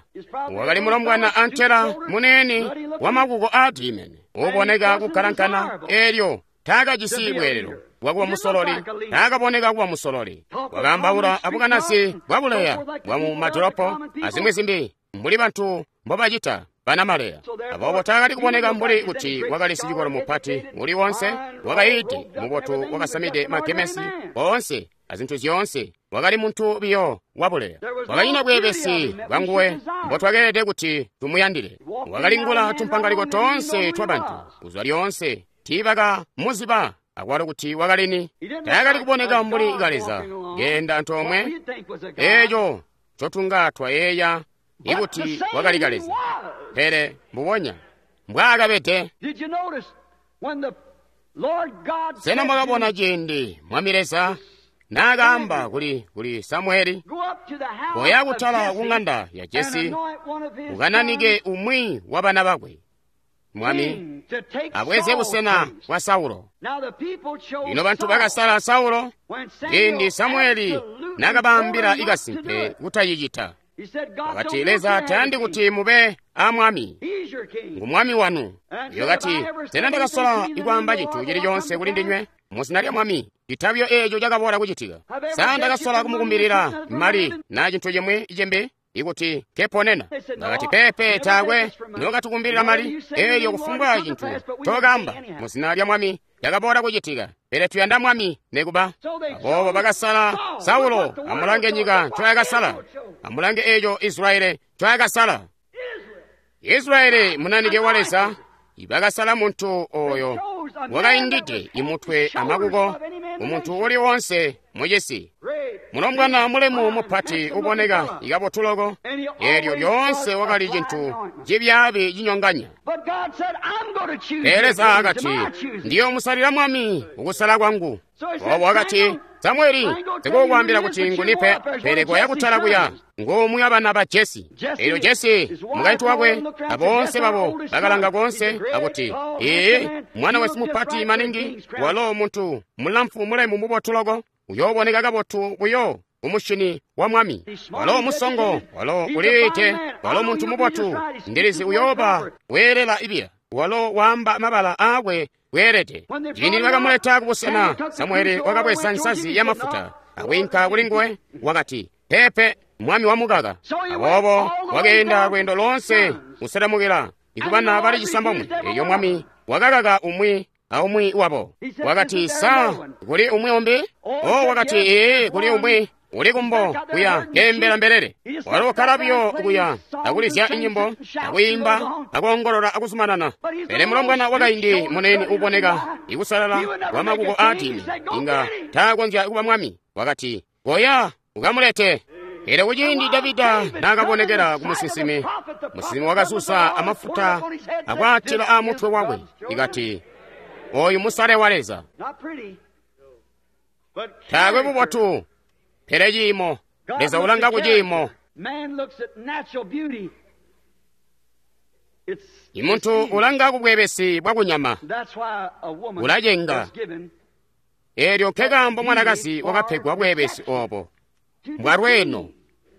Wakali mulombwana antela muneene wamakuko aadimene, uuboneka kukkalankana, elyo taakajisi bweelelo bwakuba musololi. Taakaboneka kuba musololi. Wakaambaula abukanazi bwabuleya bwamu madolopo azimwi zimbi mbuli bantu mbobacita banamaleya. Aboobo taakali kuboneka mbuli kuti wakali sicikolo mupati uli wonse, wakayiide mubotu, wakasamide magemesi oonse azintu zyoonse. Wakali muntu biyo wabuleya. Wakanyina bweebesi bwanguwe mbotwakeelede kuti tumuyandile. Wakalingula tumpangaliko toonse twabantu kuzwa lyoonse. Tiibakamuziba akwalo kuti wakalini. Taakali kuboneka mbuli kaleza keenda antoomwe, eeco ncotunga twayeeya ikuti wakali kaleza. Pele mbubonya mbwaakabede. Sena mwakabona ciindi Mwami Leza naakaamba kuli Samueli, koya kutala ku ŋanda ya Jesi ukananike umwi wa bana bakwe mwami abweze busena bwa Saulo. Lino bantu bakasala Saulo ciindi Samueli naakabaambila ikasimpe kutacicita. Wakati, Leza tayandi kuti mube a mwami, ngu mwami wanu. Wakati, sena ndakasola ikwaamba cintu cili coonse kuli ndinywe muzina lya mwami citabyo eeco cakaboola kucitika? Sa ndakasola kumukumbilila mali na cintu cimwi cimbi ikuti keponena? Bakati, pepe, taakwe nokatukumbilila mali. Elyo kufumbwa cintu tokamba muzina lya mwami cakaboola kucitika, pele tuyanda mwami nekuba. Aboobo bakasala Saulo. Amulange nyika ncoyakasala. Amulange eeco Israeli ncoyakasala. Israeli munanike wa Leza ibakasala muntu oyo wakaindide imutwe amakuko umuntu uli wonse mucisi, mulombwana mulemu mupati uboneka ikabotu loko. Elyo lyoonse wakali cintu cibyaabi cinyonganya. Pele Leza akati, ndiyomusalila mwami ukusala kwangu. Obo wakati, Samueli, ndikukwaambila kuti ngunipe, pele koya kutala kuya ngumwi wa bana ba Jesi. Elyo Jesi mukaintu wakwe aboonse babo bakalanga koonse akuti, ee, mwana wesu mupati maningi, walo muntu mulamfu mulemu mubotu loko, uyooboneka kabotu buyo umushini wa mwami. Walo musongo, walo uliite, walo muntu mubotu, ndilizi uyooba weelela ibiya. Walo waamba mabala aakwe weelede. Ciindi bakamuleta kubusena, Samueli wakabweza nsazi ya mafuta akwiinka kuli nguwe. Wakati, pepe, mwami wamukaka. Aboobo wakeenda lweendo loonse kuselemukila ikubana bali cisambomwe. Elyo mwami wakakaka umwi aumwi wabo. Wakati, sa kuli umwi umbi? O, wakati, ee, kuli umwi uli kumbo kuya keembela mbelele. Walo ukkala buyo kuya akulizya inyimbo akuyimba akoongolola akuzumanana. Pele mulombwana wakaindi munene uboneka ikusalala wa makuko aadini inga taakonzya kuba mwami. Wakati, koya ukamulete. Pele kuciindi Davida naakabonekela ku musinsimi, musinsimi wakasusa amafuta akwaatila amutwe wakwe, ikati, oyu musale wa Leza. Taakwe bubotu, pele ciimo. Leza ulanga ku ciimo. Imuntu ulanga ku bweebesi bwa kunyama, ulacenga. Elyo nkekaambo mwanakazi wakapegwa bweebesi obo mbwalweeno,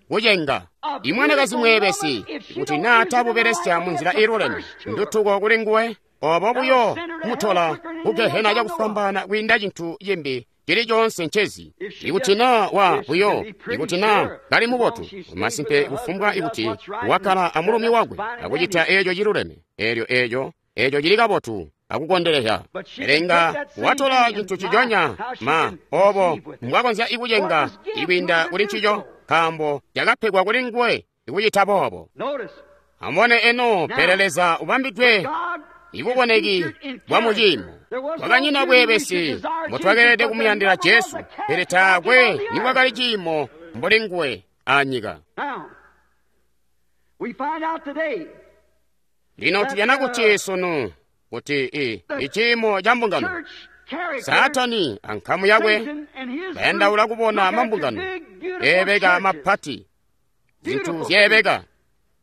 kucenga. Imwanakazi mweebesi, kuti naa tabubelesya munzila iiluleme, ndutuko kuli nguwe. Obo buyo mutola kugehena cakufwambaana kwiinda cintu cimbi cili coonse ncezi. Ikuti naa wa buyo, ikuti naa kali mubotu, masimpe kufumbwa ikuti wakkala amulumi wakwe akucita eeco ciluleme, elyo eeco cili kabotu akukondelezya. Pele inga watola cintu ciconya ma obo mbwakonzya ikucenga ikwiinda kuli ncico, nkaambo cakapegwa kuli nguwe ikucita boobo. Amubone eno, pele Leza ubambidwe ibuboneki bwa muciimo. Kwakanyina bweebesi mbotwakeelede kumuyandila Jesu, pele taakwe nikwakali ciimo mbuli nguwe anyika. Lino tujana kuti sunu kuti iciimo ca mbungano Saatani ankamu yakwe bayandaula kubona mambungano eebeka mapati, zintu zyeebeka.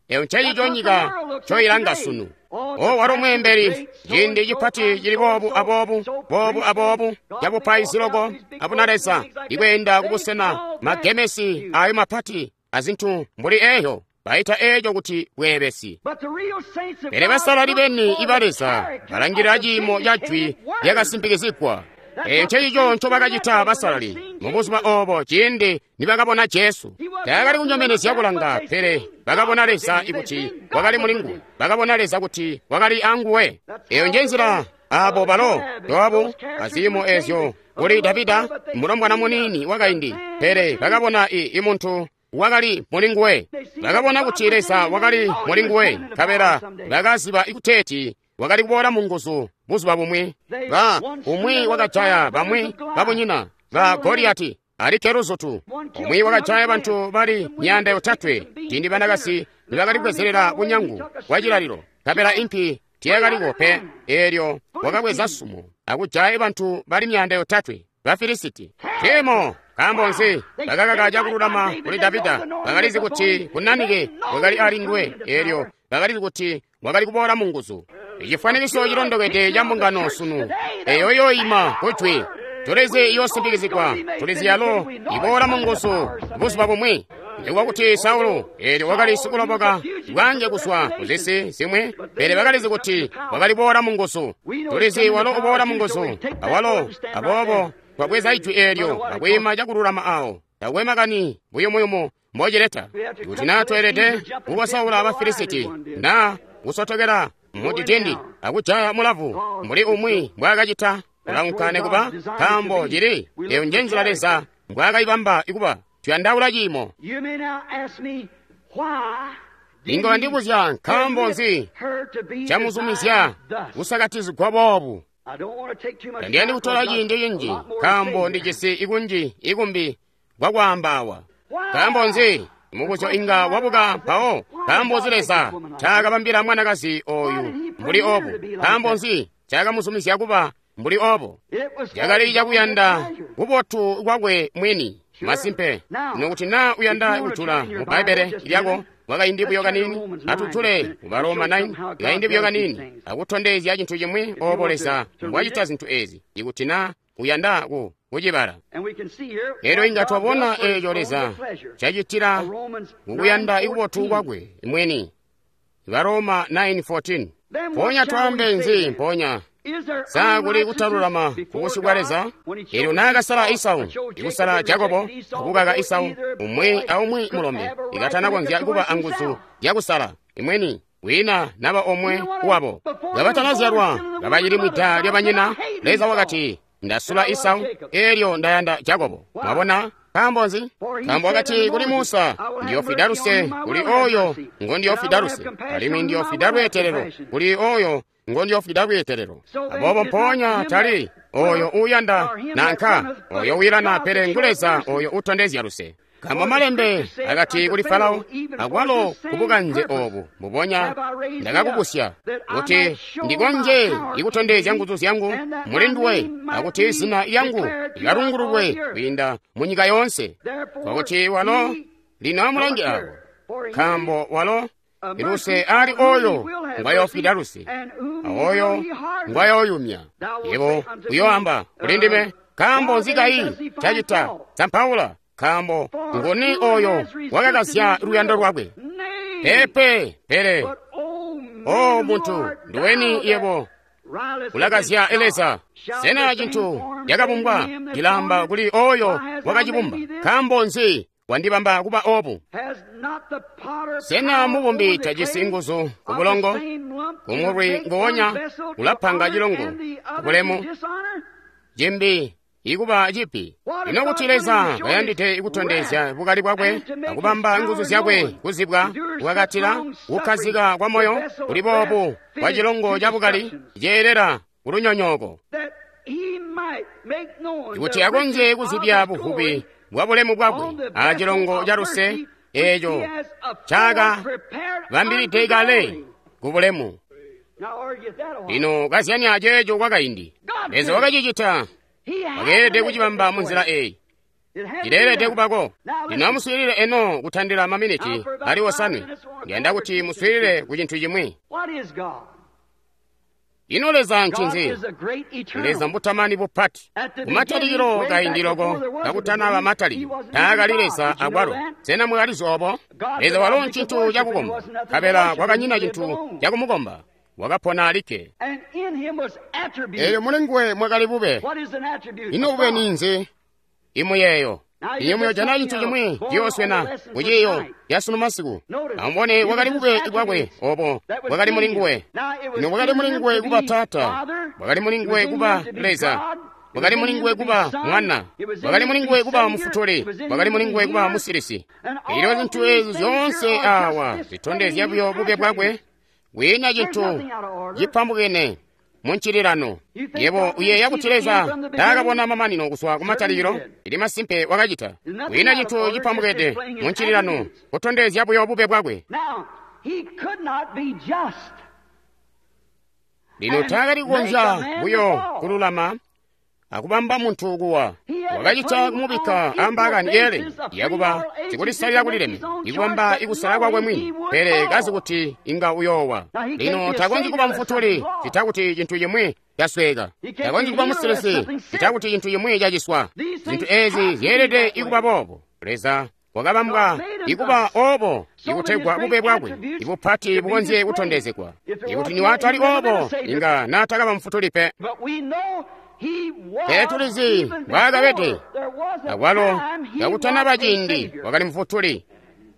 Eyo ncencico nyika ncoilanga sunu. O walo mweembeli, ciindi cipati cili boobu aboobu, boobu aboobu, cabupaizi loko abunaleza, ikweenda kubusena magemesi ayo mapati azintu mbuli eyo, baita eco kuti bweebesi. Pele basalali beni iba Leza balangilila ciimo ca jwi lyakasimpikizigwa. Eyo ncencico ncobakacita basalali mubuzuba obo ciindi nibakabona Jesu. Taakali kunyomenezya kulanga, pele bakabona Leza kuti wakali mulinguwe. Bakabona Leza kuti wakali anguwe. Eyo njenzila abo balo Joabu aziimo ezyo kuli Davida mulombwana muniini wakaindi, pele bakabona imuntu wakali mulinguwe. Bakabona kuti Leza wakali mulinguwe, nkabela bakaziba kuteeti wakali kuboola mu nguzu buzuba bumwi. Ba umwi wakajaya bamwi babunyina ba Goliyati alikke luzutu. Umwi wakajaya bantu bali 300 ciindi banakasi nibakali kubwezelela bunyangu bwa cilalilo, nkabela impi tiyakaliko pe. Eelyo wakabweza sumo akujaya bantu bali 300 ba Filisiti. Temo nkaambo nzi bakakaka cakululama kuli Davida? Bakalizi kuti kunanike wakali ali nguwe, eelyo bakalizi kuti wakali kuboola mu nguzu. Icifwanikiso cilondokede ca mbungano sunu eyo yoima kujwi. Tulizi iyosimpikizigwa, tulizi yalo iboola mu nguzu buzuba bumwi. Nikuba kuti Saulo eelyo wakali sikuloboka bwange kuzwa kuzisi zimwi, pele bakalizi kuti wakali boola mu nguzu. Tulizi walo uboola mu nguzu awalo, aboobo twabweza ijwi eelyo akwiima cakululama awo. Takwe makani buyumuyumu mbocileta. Kuti naa tweelede kukosaula Abafilisiti naa kusotokela mudidindi akujaya mulavu mbuli umwi mbwaakacita, kulaunka nekuba, nkaambo cili eyo njenzila Leza mbwaakayibamba ikuba. Tuyandaula ciimo. Inga wandibuzya nkaambo nzi camuzumizya kusakatizigwa boobu. Tandiyandi kutola ciindi cinji, nkaambo ndijisi ikunji ikumbi kwakwaamba awa. Nkaambo nzi mubuzyo inga wabuka mpawo? Nkaambo nzi Leza taakabambila mwanakazi oyu mbuli obu? Nkaambo nzi caakamuzumizya kuba mbuli obo? Cakali cakuyanda kubotu kwakwe mwini. Masimpe, nokuti naa uyanda kujula mu Bbaibbele lyako kwakaindi buyo kaniini, atujule ku Baroma 9 kaindi buyo kaniini, akutondezya cintu cimwi obo Leza mbwacita zintu ezi, ikuti naa uyanda kucibala. Elyo inga twabona eeco Leza cacitila kukuyanda ikubotu kwakwe mwini. Baroma 9:14. Mpoonya twaambe nzi mpoonya? Sa kuli kutalulama kubusyu bwa Leza? Eelyo naakasala Isau, ikusala Jakobo, akukaka Isau, umwi aumwi mulombe, ikatanakonzya kuba anguzu zyakusala imweni wina naba omwe wabo. Kabatanazyalwa, kabacili mwida lyabanyina, Leza wakati, ndasula Isau, eelyo ndayanda Jakobo. Mwabona? Nkaambo nzi? Nkaambo wakati kuli Musa, ndiyofwida luse kuli oyo ngondiyofwida luse, alimwi ndiyofwida lweetelelo kuli oyo ngondiyofwida lweetelelo. Aboobo mpoonya tali oyo uuyanda nanka oyo wiilana, pele ngu Leza oyo utondezya luse. Nkaambo malembe akati kuli Farao, akwalo kubukanze obu mbubonya ndakakubusya, kuti ndikonje ikutondezya nguzu zyangu muli nduwe, akuti zina lyangu likalungululwe kwiinda munyika yoonse. Kwakuti walo lino amulange abo, nkaambo walo luse ali oyo ngwayofwida luse, aoyo ngwayoyumya. Yebo uyoamba kuli ndime, nkaambo nzi kayi cacita sampaula? Nkaambo nguni oyo wakakazya luyando lwakwe? Pepe, pele o muntu nduweni yebo ulakazya Leza? Sena cintu cakabumbwa cilamba kuli oyo wakacibumba? Nkaambo nzi wandibamba kuba obu? Sena mubumbi tajisi nguzu kubulongo? Kumulwi nguwonya ulapanga cilongo kubulemu, cimbi ikuba cipi. Ino kuti Leza kayandide kutondezya bukali bwakwe akubamba nguzu zyakwe kuzibwa, kukakatila kukkazika kwa moyo kuli boobu kwa cilongo ca bukali ceelela kulunyonyooko, kuti akonzye kuzibya buvubi bwa bulemu bwakwe a cilongo ca luse eeco cakabambilide kale ku bulemu. Lino kazyanya aceeco kwakaindi. Leza wakacicita. Wakeelede kucibamba munzila eyi. Cileelede kubako. Lino amuswiilile eno kutandila maminiti ali 5. Ndiyanda kuti muswiilile ku cintu cimwi. Ino Leza ncinzi? Leza mbutamani bupati. Kumatalikilo kaindi loko kakutanaba matalikilo, taakali Leza akwalo. Sena mwakalizi obo? Leza walo ncintu cakukomba, nkabela kwakanyina cintu cakumukomba. Wakapona alikke. Elyo muli nguwe mwakali bube. Ino bube ninzi? Imuyeeyo. Iyo muyojana cintu cimwi ciyooswena kuciiyo yasunu masiku. Amubone bwakali bube bwakwe obo bwakali muli nguwe. Ino bwakali muli nguwe kuba Taata, bwakali muli nguwe kuba Leza, bwakali muli nguwe kuba Mwana, bwakali muli nguwe kuba Mufutuli, bwakali muli nguwe kuba Musilisi. Elyo zintu ezi zyoonse awa zitondezya buyo bube bwakwe. Kwiina cintu cipambukene muncililano. Yebo uyeeya kuti Leza taakabona mamanino kuzwa kumatalikilo? Ili masimpe wakacita. Kwiina cintu cipambukene muncililano, kutondezya buyo bube bwakwe. Lino taakali kukonzya buyo kululama akubamba muntu kuwa. Wakacita kumubikka ambaakani yeelene yakuba sikulisalila kulileme, ikubamba ikusala kwakwe mwini, pele kazi kuti inga uyoowa. Lino takonzyi kuba mufutuli cita kuti cintu cimwi casweka. Takonzyi kuba musilisi cita kuti cintu cimwi caciswa. Zintu ezi zyeelede ikuba boobo. Leza wakabambwa ikuba obo ikutegwa bube bwakwe ibupati bukonzye kutondezegwa. Ikuti niwatali obo, inga naatakaba mufutuli pe. Pele tulizi mbwaakabede. Akwalo kakutanaba ciindi wakali mufutuli.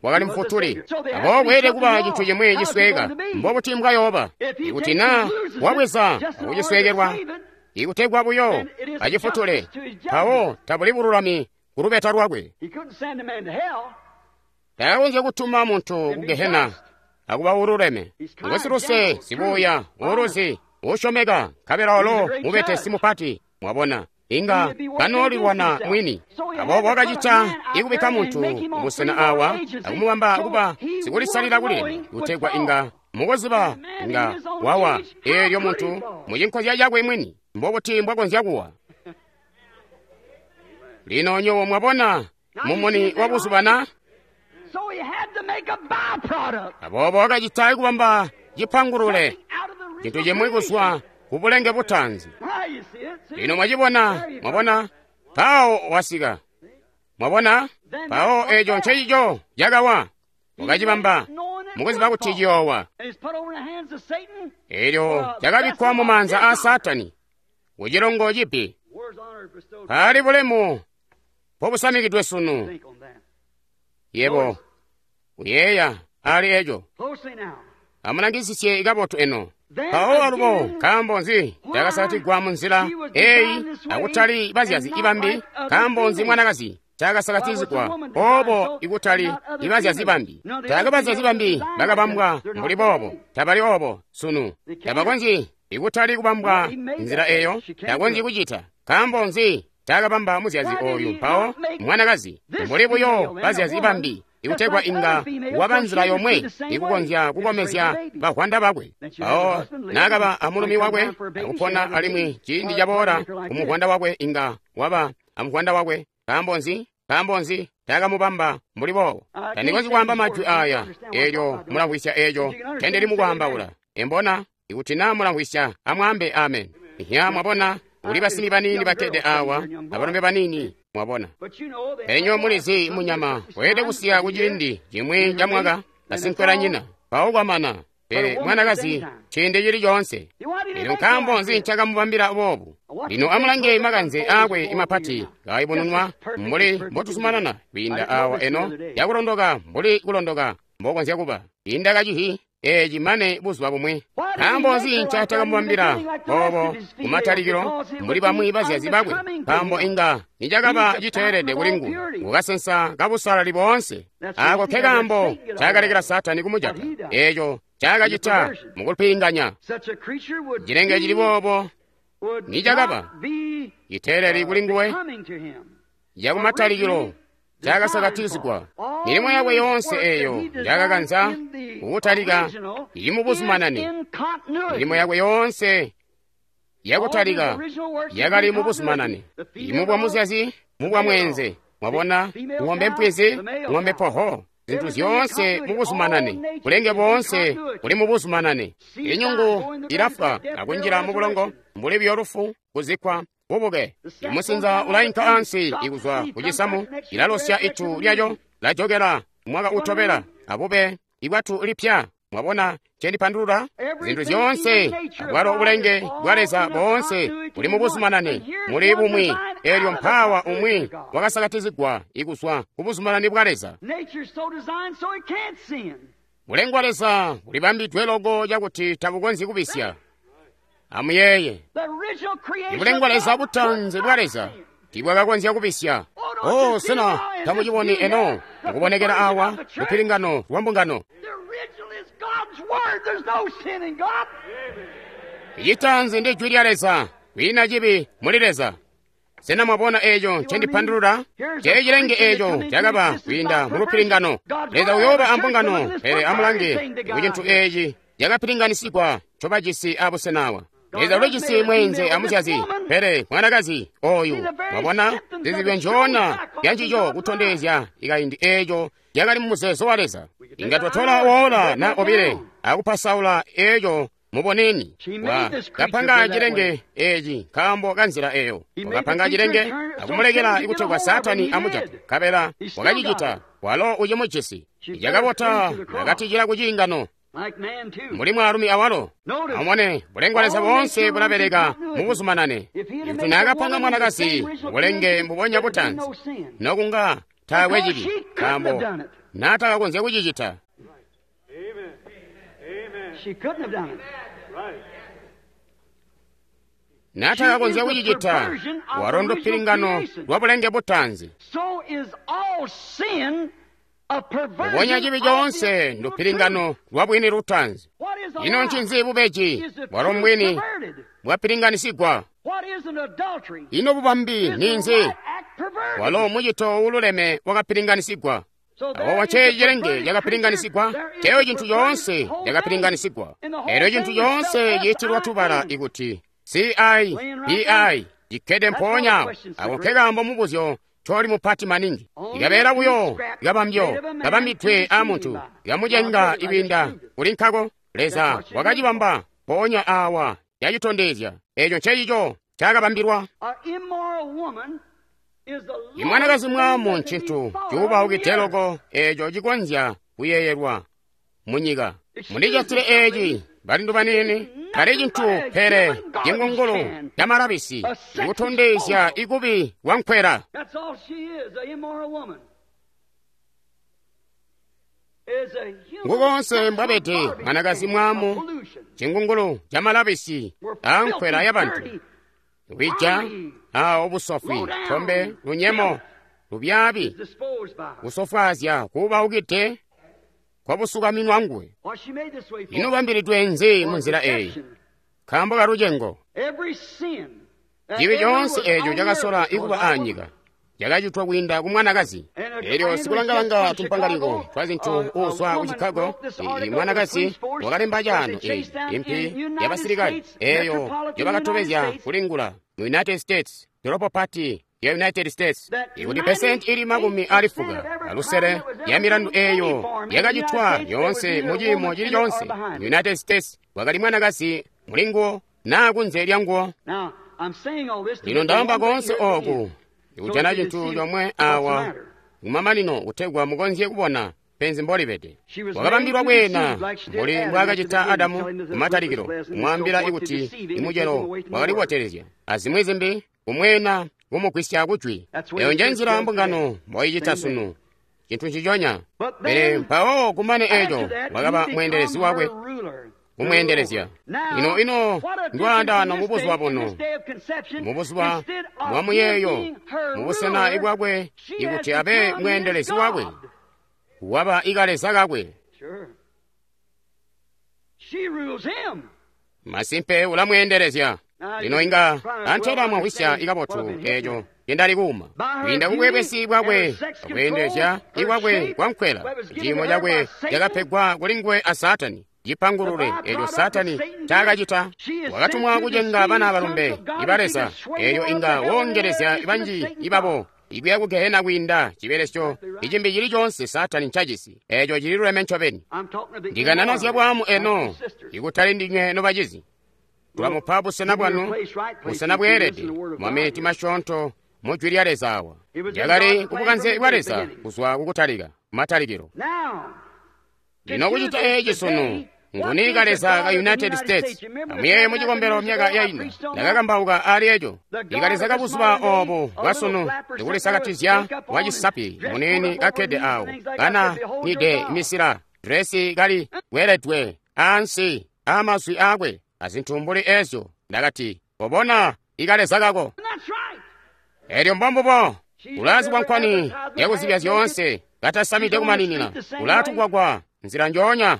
Wakali mufutuli. Aboobo kweelede kuba cintu cimwi cisweka. Mbobuti mbwayooba? Ikuti naa wabweza akuciswekelwa, ikutegwa buyo acifutule, mpawo tabuli bululami kulubeta lwakwe. Takakonzya kutuma muntu ku Gehena akuba ululeme. Ngosiluse, sibuya, uluzi, usyomeka, nkabela walo mubetesi mupati. Mwabona, inga kanoolilwana mwini. Aboobo wakacita ikubikka muntu mubusena awa akumubamba kuba sikulisalila kulilema, kutegwa inga mukuziba inga wawa. Eelyo muntu mucinkozya cakwe mwini, mbobuti mbwakonzya kuwa? Lino nyowo mwabona mumuni wa buzuba na? Aboobo wakacita ikubamba cipangulule, cintu cimwi kuzwa ku bulenge butaanzi. Lino mwacibona, mwabona, mpawo wasika. Mwabona, mpawo eco ncencico cakawa. Wakacibamba mukuziba kuti ciyoowa. Elyo cakabikkwa mu maanza aa Saatani, kucilongo cibi. Paali bulemu mpobusamikidwe sunu. Yebo uyeeya ali eco. Amulangisisye kabotu eno. Mpawo alubo nkaambo nzi cakasakatigwa munzila eyi akutali bazyazi ibambi? Nkaambo nzi mwanakazi cakasakatizigwa obo ikutali ibazyazi bambi? Taakwe bazyazi bambi bakabambwa mbuli boobo. Tabali obo sunu. Tabakonzyi ikutali kubambwa nzila eyo. Takonzyi kucita. Nkaambo nzi taakabamba muzyazi oyu mpawo mwanakazi mbuli buyo bazyazi bambi, ikutegwa inga waba nzila yomwe ikukonzya kukomezya bavwanda bakwe? Mpawo naakaba amulumi wakwe akupona alimwi ciindi caboola kumuvwanda wakwe inga waba amuvwanda wakwe. Nkaambo nzi? Nkaambo nzi taakamubamba mbuli boobo? Tandikonzyi kwaamba majwi aya. Eelyo mulamvwisya eeco ncendili mukwaambaula. Embona, ikuti naa mulamvwisya, amwaambe amen. Ihya, mwabona, kuli basimi baniini bakkede awa, abalombe baniini, mwabona. Pele nywebo mulizi munyama weelede kusiya kuciindi cimwi ca mwaka asinkwelanyina, mpawo kwamana. Pele mwanakazi ciindi cili coonse. Lino nkaambo nzi ncakamubambila boobu? Lino amulange makanze aakwe mapati kaayubununwa mbuli mbotuzumanana kwiinda awa eno yakulondoka mbuli kulondoka mbokonzya kuba. Inda kacihi eci mane buzuba bumwi. Nkaambo nzi ncatakamubambila boobo kumatalikilo mbuli bamwi bazyazi bakwe? Nkaambo inga nicakaba citeelede kuli nguwe, ngukasensa kabusalali boonse. Ako ke kaambo ncakalekela Saatani kumujata. Eco ncaakacita mukulipinganya. Cilenge cili boobo nicakaba citeeleli kuli nguwe, cakumatalikilo. Cakasakatizigwa. Milimo yakwe yoonse eyo njakakanza kukutalika ili mubuzumanane. Milimo yakwe yoonse yakutalika yakali mubuzumanane. Imubwa muzyazi, mubwa mweenze. Mwabona, ng'ombe mpwizi, ng'ombe poho. Zintu zyoonse mubuzumanane. Bulenge boonse buli mubuzumanane. Inyungu ilafwa akunjila mubulongo mbuli buyo lufu, kuzikkwa, bubuke. Imusinza ulainka ansi ikuzwa kucisamu, ilalosya itu lyayo, lajokela mwaka utobela, abube ibwatu lipya. Mwabona cendipandulula? Zintu zyoonse abwalo bulenge bwa Leza boonse buli mubuzumanane, muli bumwi. Elyo mpawa umwi wakasakatizigwa ikuzwa ku buzumanane bwa Leza. Bulenge bwa Leza bulibambidwe loko cakuti tabukonzyi kubisya. Amuyeeye, ibulenge bwa Leza butanzi bwa Leza tibwakakonzya kubisya. Oh, sena tamuciboni eno mukubonekela awa lupilingano lwa mbungano? Ichitanzi ndi jwi lya Leza, kwiina cibi muli Leza. Sena mwabona eeco ncendipandulula? Cee cilenge eeco cakaba kwiinda mu lupilingano. Leza uyooba ambungano, pele amulange ku cintu eeci cakapilinganisigwa ncobajisi abusenawa. Leza ulijisi mweenze amuzyazi, pele mwanakazi oyu, mwabona, zizibyo njoona yancico kutondezya ikaindi eeco yakali mu muzeezo wa Leza. Inga twatola woola na obile akupasaula eeco muboneni. Wakapanga cilenge eeci nkaambo ka nzila eyo. Wakapanga cilenge akumulekela ikutegwa Saatani amujate, nkabela wakacicita, walo ucimujisi. Cakabota nakatijila ku ciingano. Mbuli mwaalumi awalo. Amubone, bulenge bwa Leza boonse bulabeleka mubuzumanane. Ikuti naakapanga mwanakazi bulenge mbubonya butanzi, nokunga taakwe cibi, nkaambo naatakakonzya kucicita. Naatakakonzya kucicita, walo ndupilingano lwa bulenge butanzi. Mubonya cibi coonse ndupilingano lwa bwini lutanzi. Ino ncinzi bubeji? Bwalo mbwini bwapilinganisigwa. Ino bubambi ninzi? Walo mucito uululeme wakapilinganisigwa. Awo cee cilenge cakapilinganisigwa, ceeyo cintu coonse cakapilinganisigwa. Elyo cintu coonse ciitilwa tubala ikuti CIPI cikkede mpoonya ako nkekaambo mubuzyo coli mupati maningi. Ikabeela buyo kabambyo kabambidwe aamuntu, ikamucenga ikwiinda kuli nkako. Leza wakacibamba mpoonya awa yacitondezya. Eco ncecico cakabambilwa. Imwanakazi mwaamu ncintu cuubaukide loko eco cikonzya kuyeeyelwa munyika. Mundicatile eeci balindu baniini, tali cintu pele cingungulu camalabisi ikutondezya ikubi kwa nkwela. Ngukonse mbwabede mwanakazi mwaamu, cingungulu camalabisi a nkwela yabantu. Lwija awo busofwi, tombe, lunyemo, lubyaabi, kusofwaazya kuubaukide kwabusukaminwa nguwe. Ino bambilidwe nzi munzila eyi? Nkaambo ka lucengo. Cibi coonse eeco cakasola ikuba aanyika cakacitwa kwiinda ku mwanakazi. Elyo sikulangalanga tumpangaliko twa zintu uuzwa ku Chicago, mwanakazi wakalemba caano eyi impi yabasilikali eyo yobakatobezya kulingula mu United States, dolopo pati ya United States, ikuti pesenti ili 85 ya milandu eyo yakacitwa yoonse mu ciimo cili coonse mu United States wakali mwanakazi mulinguwo naa kunze lya nguwo. Lino ndaamba koonse ooku ikujana cintu comwe awa kumamanino kutegwa mukonzye kubona penzi mbolibede. Wakabambilwa kweena mbuli mbwaakacita Adamu kumatalikilo, kumwaambila ikuti imucelo wakali kubotelezya azimwi zimbi, kumweena kumugwisya kujwi. Eyo nje nzila mbungano mboicita sunu, cintu nciconya. Pele mpawo kumane eco wakaba mweendelezi wakwe, kumweendelezya. Ino ino ndwaandaano mubuzuba buno, mubuzuba bwa muyeeyo, mubusena ibwakwe ikuti abe mweendelezi wakwe, waba ikaleza kakwe. Masimpe ulamweendelezya. Lino inga antela mwamvwisya ikabotu eco ncendali kuuma. Kwiinda ku bweebesi bwakwe, akweendezya ikwakwe kwankwela, ciimo cakwe cakapegwa kuli nguwe a Saatani. Cipangulule eco Saatani ncaakacita. Wakatumwa kucenga bana balombe iba Leza, elyo inga woongelezya banji ibabo ikuya ku gehena kwiinda cibelesyo icimbi cili coonse Saatani ncajisi. Eco cililuleme ncobeni. Ndikanana zya bwaamu eno, ikutali ndinywe nobacizi. Tulamupa busena bwanu, busena bweelede, maminiti masyoonto mu Jwi lya Leza awa. Lyakali kubukanze bwa Leza kuzwa kukutalika, matalikilo. Lino kucita eci sunu, nguni kaleza ka United States? Amuyeeye mu cikombelo myaka yainda, ndakakambauka ali eco. Ikaleza ka buzuba obu bwasunu ndikulisakatizya wa cisapi muniini kakkede awo, kana nide misila, dresi kali weledwe ansi amazwi akwe, azintu mbuli ezyo. Ndakati, kobona ikaleza kako. Elyo mbombubo, ulazibwa nkwani yakuzibya zyoonse, katasamide kumaninina, ulatugwagwa nzila njoonya.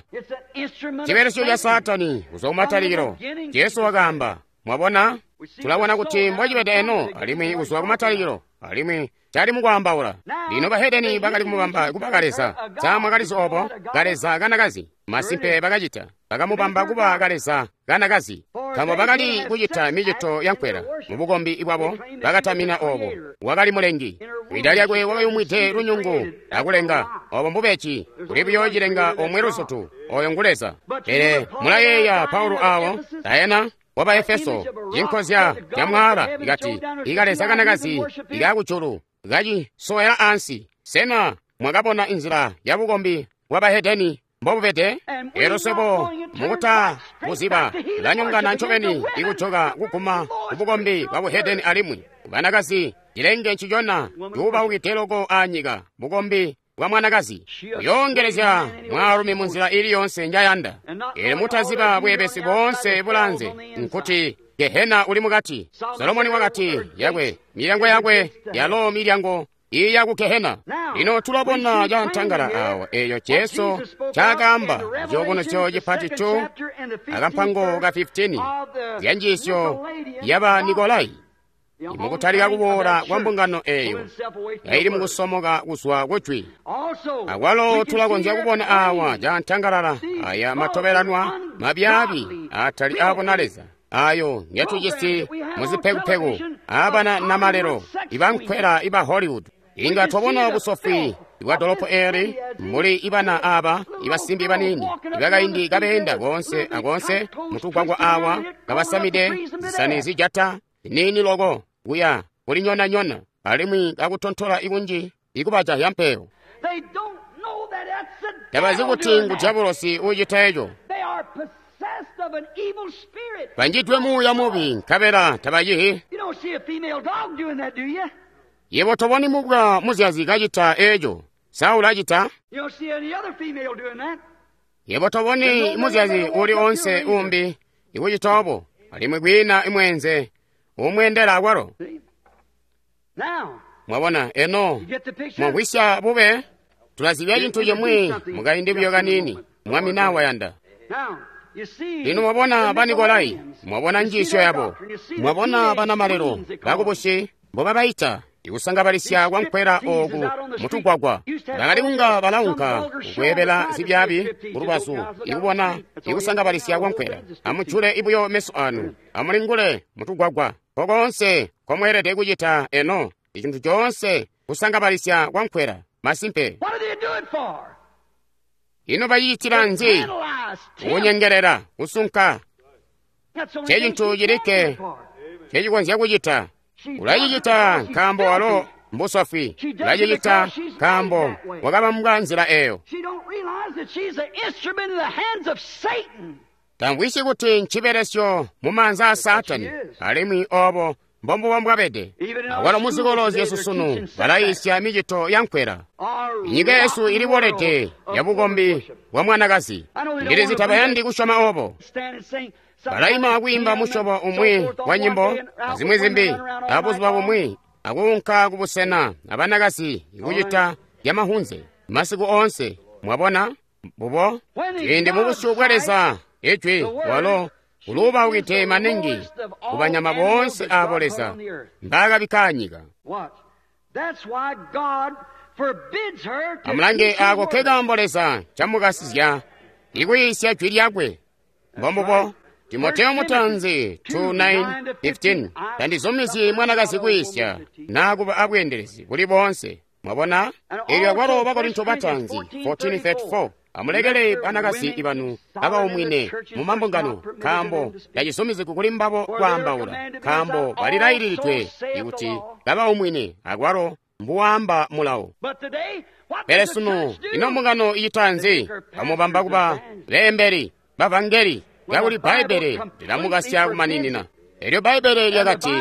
Cibelesyo ca Saatani kuzwa kumatalikilo. Jesu wakaamba, mwabona, tulabona kuti mbocibede eno, alimwi kuzwa kumatalikilo, alimwi cali mukwaambaula. Lino bahedeni bakali kumubamba kuba kaleza. Sa mwakalizi obo? Kaleza kanakazi. Masimpe bakacita. Bakamubamba kuba kaleza kanakazi. Nkaambo bakali kucita micito yankwela. Mubukombi bwabo bakatamina obo. Wakali mulengi. Ida lyakwe wakayumwide lunyungu akulenga. Obo mbubeci. Kuli buyo cilenga omwe luzutu. Oyo ngu Leza. Pele mulayeeya Paulo awo, Diana waba Efeso, cinkozya ca mwaala ikati, ikaleza kanakazi ikakujulu kacisowela ansi. Sena mwakabona inzila ya bukombi bwa bahedeni mbobubede? Elyo swebo mukuta buziba lanyongana ncobeni ikujoka kuguma kubukombi bwa buhedeni alimwi banakazi cilenge ncicona cuubaukide loko anyika bukombi bwa mwanakazi uyoongelezya mwaalumi munzila ili yonse njayanda. Elyo mutaziba bweebesi boonse bulanze nkuti gehena uli mukati. Solomoni wakati yakwe milyango yakwe yalo milyango iya ku gehena. Lino tulabona cantangala awa eyo Jesu ncaakaamba ciyubunuzyo cipati 2 akampango ka 15 zya njiisyo yaba Nikolai. Mukutalika kuboola kwa mbungano eyo yaili mukusomoka kuzwa kujwi. Akwalo tulakonzya kubona awa cantangalala aya matobelanwa mabyaabi atali abona Leza ayo ngetujisi muzipekupeku abana namalelo ibankwela iba Hollywood. Inga twabona busofwi bwa dolopo eli muli ibana aba ibasimbi banini ibakaindi kabeenda konse akonse mutugwagwa awa kabasamide zisani zijata nini loko kuya kulinyonanyona alimwi kakutontola ikunji ikubaja yampeyo. Tabazi kuti ngu diabolosi ucita eco. Banjidwe muuya mubi nkabela tabacihi. Yebo toboni mubwa muzyazi kacita eco. Sa ulacita? Yebo toboni muzyazi uli onse umbi ikucita obo, alimwi kwiina imwenze umwendela akwalo. Mwabona eno mwamvwisya bube tulazibya cintu cimwi mukaindi buyo kanini mwami nawa yanda. Lino mwabona ba Nikolai, mwabona njiisyo yabo, mwabona banamalelo bakubusi mbobabaita ikusangabalisya kwankwela oku mutugwagwa. Bakali kunga balaunka kukweebela zibyaabi kulubazu ikubona ikusangabalisya kwankwela. Amujule ibuyo meso anu, amulingule mutugwagwa kokonse komweelede kucita eno icintu coonse kusangabalisya kwankwela. Masimpe. Ino bacicitila nzi? Kunyengelela, kusunka. Ncecintu cilikke ncecikonzya kucita. Ulacicita nkaambo walo mbusofwi. Ulacicita nkaambo wakabambwa nzila eyo. Tamvwisyi kuti ncibelesyo mu maanza a Saatani, alimwi obo mbombubo mbwabede. Awalo muzikolo zyesu sunu balayiisya micito ya nkwela. Inyika yesu ilibolede ya bukombi bwa mwanakazi. Ndilizi tabayandi kusyoma obo. Balaima kwiimba musyobo umwi wa nyimbo azimwi zimbi abuzuba bumwi akuunka kubusena abanakazi ikucita yamahunze masiku oonse. Mwabona mbubo ciindi mubusyu bwa Leza ijwi walo Uluubaukide maningi kubanyama boonse aabo Leza mbaakabikka anyika. Amulange aako nkekaambo Leza ncamukasizya ikuyiisya jwi lyakwe. Mbombubo. Timoteo mutanzi 2:9-15 tandizumizyi mwanakazi kwiisya naa kuba abweendelezi buli boonse. Mwabona? Eelyo akwalo Bakorinto batanzi 14:34 amulekele banakazi ibanu abaumwine mu mambungano, nkaambo tacizumizigwi kuli mbabo kwaambaula, nkaambo balilaililidwe ikuti kabaumwine, akwalo mbuwaamba mulawo. Pele sunu ino mbungano icita nzi? Bamubamba kuba beembeli bavangeli, kakuli Bbaibbele lilamukasya kumaninina. Elyo Bbaibbele lyakati,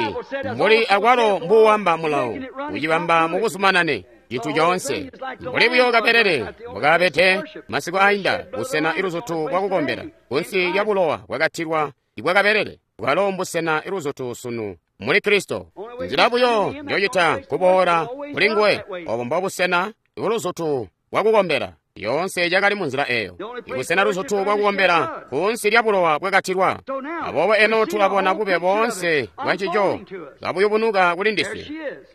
mbuli akwalo mbuwamba mulawo, kucibamba mukuzumanane cintu coonse. Mbuli buyo kabelele mbukabede masiku ainda, busena iluzutu bwakukombela kunsi lya bulowa bwakatilwa ibwa kabelele, bwalo mbusena iluzutu sunu muli Kristo. Nzila buyo njocita kuboola kuli nguwe, obo mbobusena iluzutu bwakukombela. Yoonse cakali munzila eyo, ibusena luzutu bwakukombela kunsi lya bulowa bwakatilwa. Aboobo eno tulabona bube boonse bwancico kabuyubunuka kuli ndiswe.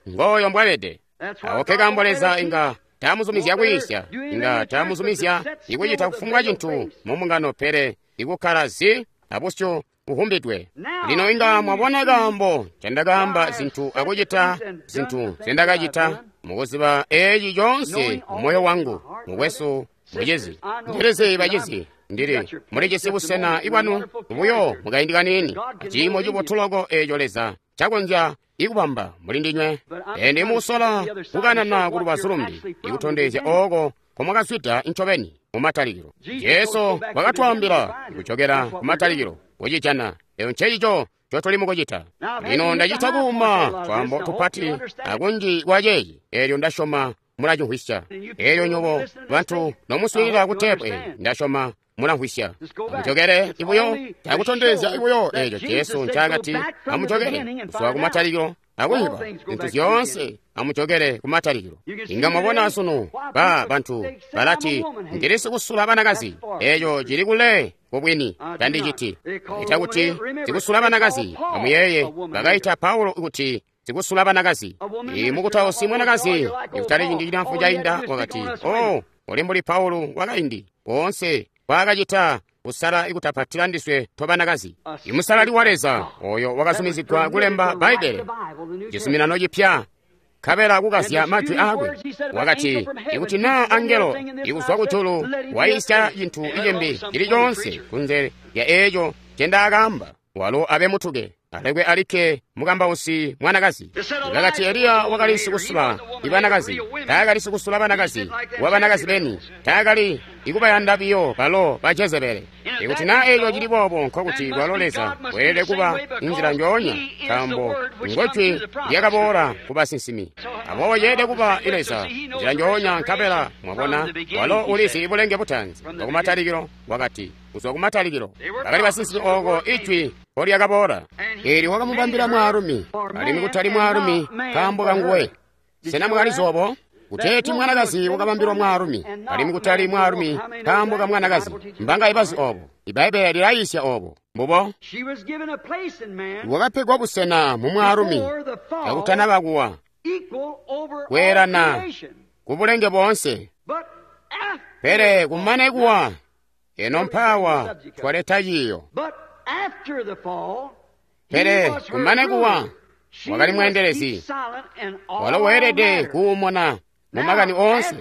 Ngooyo mbwabede. Awo nkekaambo Leza inga taamuzumizya kwiisya, inga taamuzumizya ikucita kufumbwa cintu mu mbungano, pele ikukkala zi abusyu buhumbidwe. Lino inga mwabona kaambo ncendakaamba zintu akucita zintu nzendakacita, mukuziba eeci coonse mumoyo wangu. Mukwesu, mucizi, ndilizi bacizi, ndili mulijisi busena ibwanu buyo mukaindi kaniini, aciimo cibotu loko eeco Leza cakonzya ikubamba muli ndinywe. Ende mukusola kukanana ku lubazu lumbi, ikutondezya ooko nkomwakazwida ncobeni mumatalikilo. Jesu wakatwaambila kucokera kumatalikilo kucijana. Eyo ncecico ncotuli mukucita lino. Ndacita kuuma twaambo tupati akunji kwa ceeci, eelyo ndasyoma mulacimvwisya. Eelyo nyobo bantu nomuswiilila ku teepu eyi, ndasyoma mulamvwisya. Amucokere ibuyo, cakutondezya ibuyo eeco Jesu ncaakati amucokere kuzwa kumatalikilo akuyiba zintu zyoonse. Amucokere kumatalikilo. Inga mwabona sunu ba bantu balati, ndili sikusula banakazi. Eeco cili kule kubwini. Tandiciti ita kuti sikusula banakazi. Amuyeeye, bakaita Paulo kuti sikusula banakazi. Imukutausi mwanakazi ikutali ciindi cilamfu cainda wakati, oh, uli mbuli Paulo wakaindi woonse kwaakacita kusala ikutapatila ndiswe tobanakazi. Imusalali wa Leza oyo wakazumizigwa kulemba Bbaibbele, cizuminano cipya, nkabela kukazya majwi aakwe, wakati, ikuti naa angelo ikuzwa kujulu waisya cintu icimbi cili coonse kunze lya eeco ncendaakaamba, walo abe mutuke, alekwe alikke mukambausi mwanakazi. Bakati Eliya wakali sikusula ibanakazi. Taakali sikusula banakazi wa banakazi beni, taakali ikubayanda biyo balo ba Jezebele. Ikuti naa eeco cili boobo, nkokuti kwalo Leza weelede kuba nzila njoonya, nkaambo ngojwi lyakaboola ku basinsimi. Aboobo ceelede kuba Leza nzila njoonya, nkabela mwabona walo ulizi bulenge butaanzi bwakumatalikilo. Wakati kuzwa kumatalikilo bakali basinsimi ooko ijwi mpolyakaboola. Eelyo wakamubambila mwaalumi, alimwi kutali mwaalumi nkaambo kanguwe. Sena mwakalizi obo? Kuteeti mwanakazi wakabambilwa mwaalumi, alimwi kutali mwaalumi nkaambo ka mwanakazi. Mbanga ibazi obo? Ibbaibbele lilayiisya obo. Mbubo. Wakapegwa busena mu mwaalumi kakutanaba kuwa, kweelana ku bulenge boonse. Pele kumane kuwa, eno mpaawa twaleta ciiyo. Pele kumane kuwa, wakali mweendelezi, walo weelede kuumona mu makani oonse.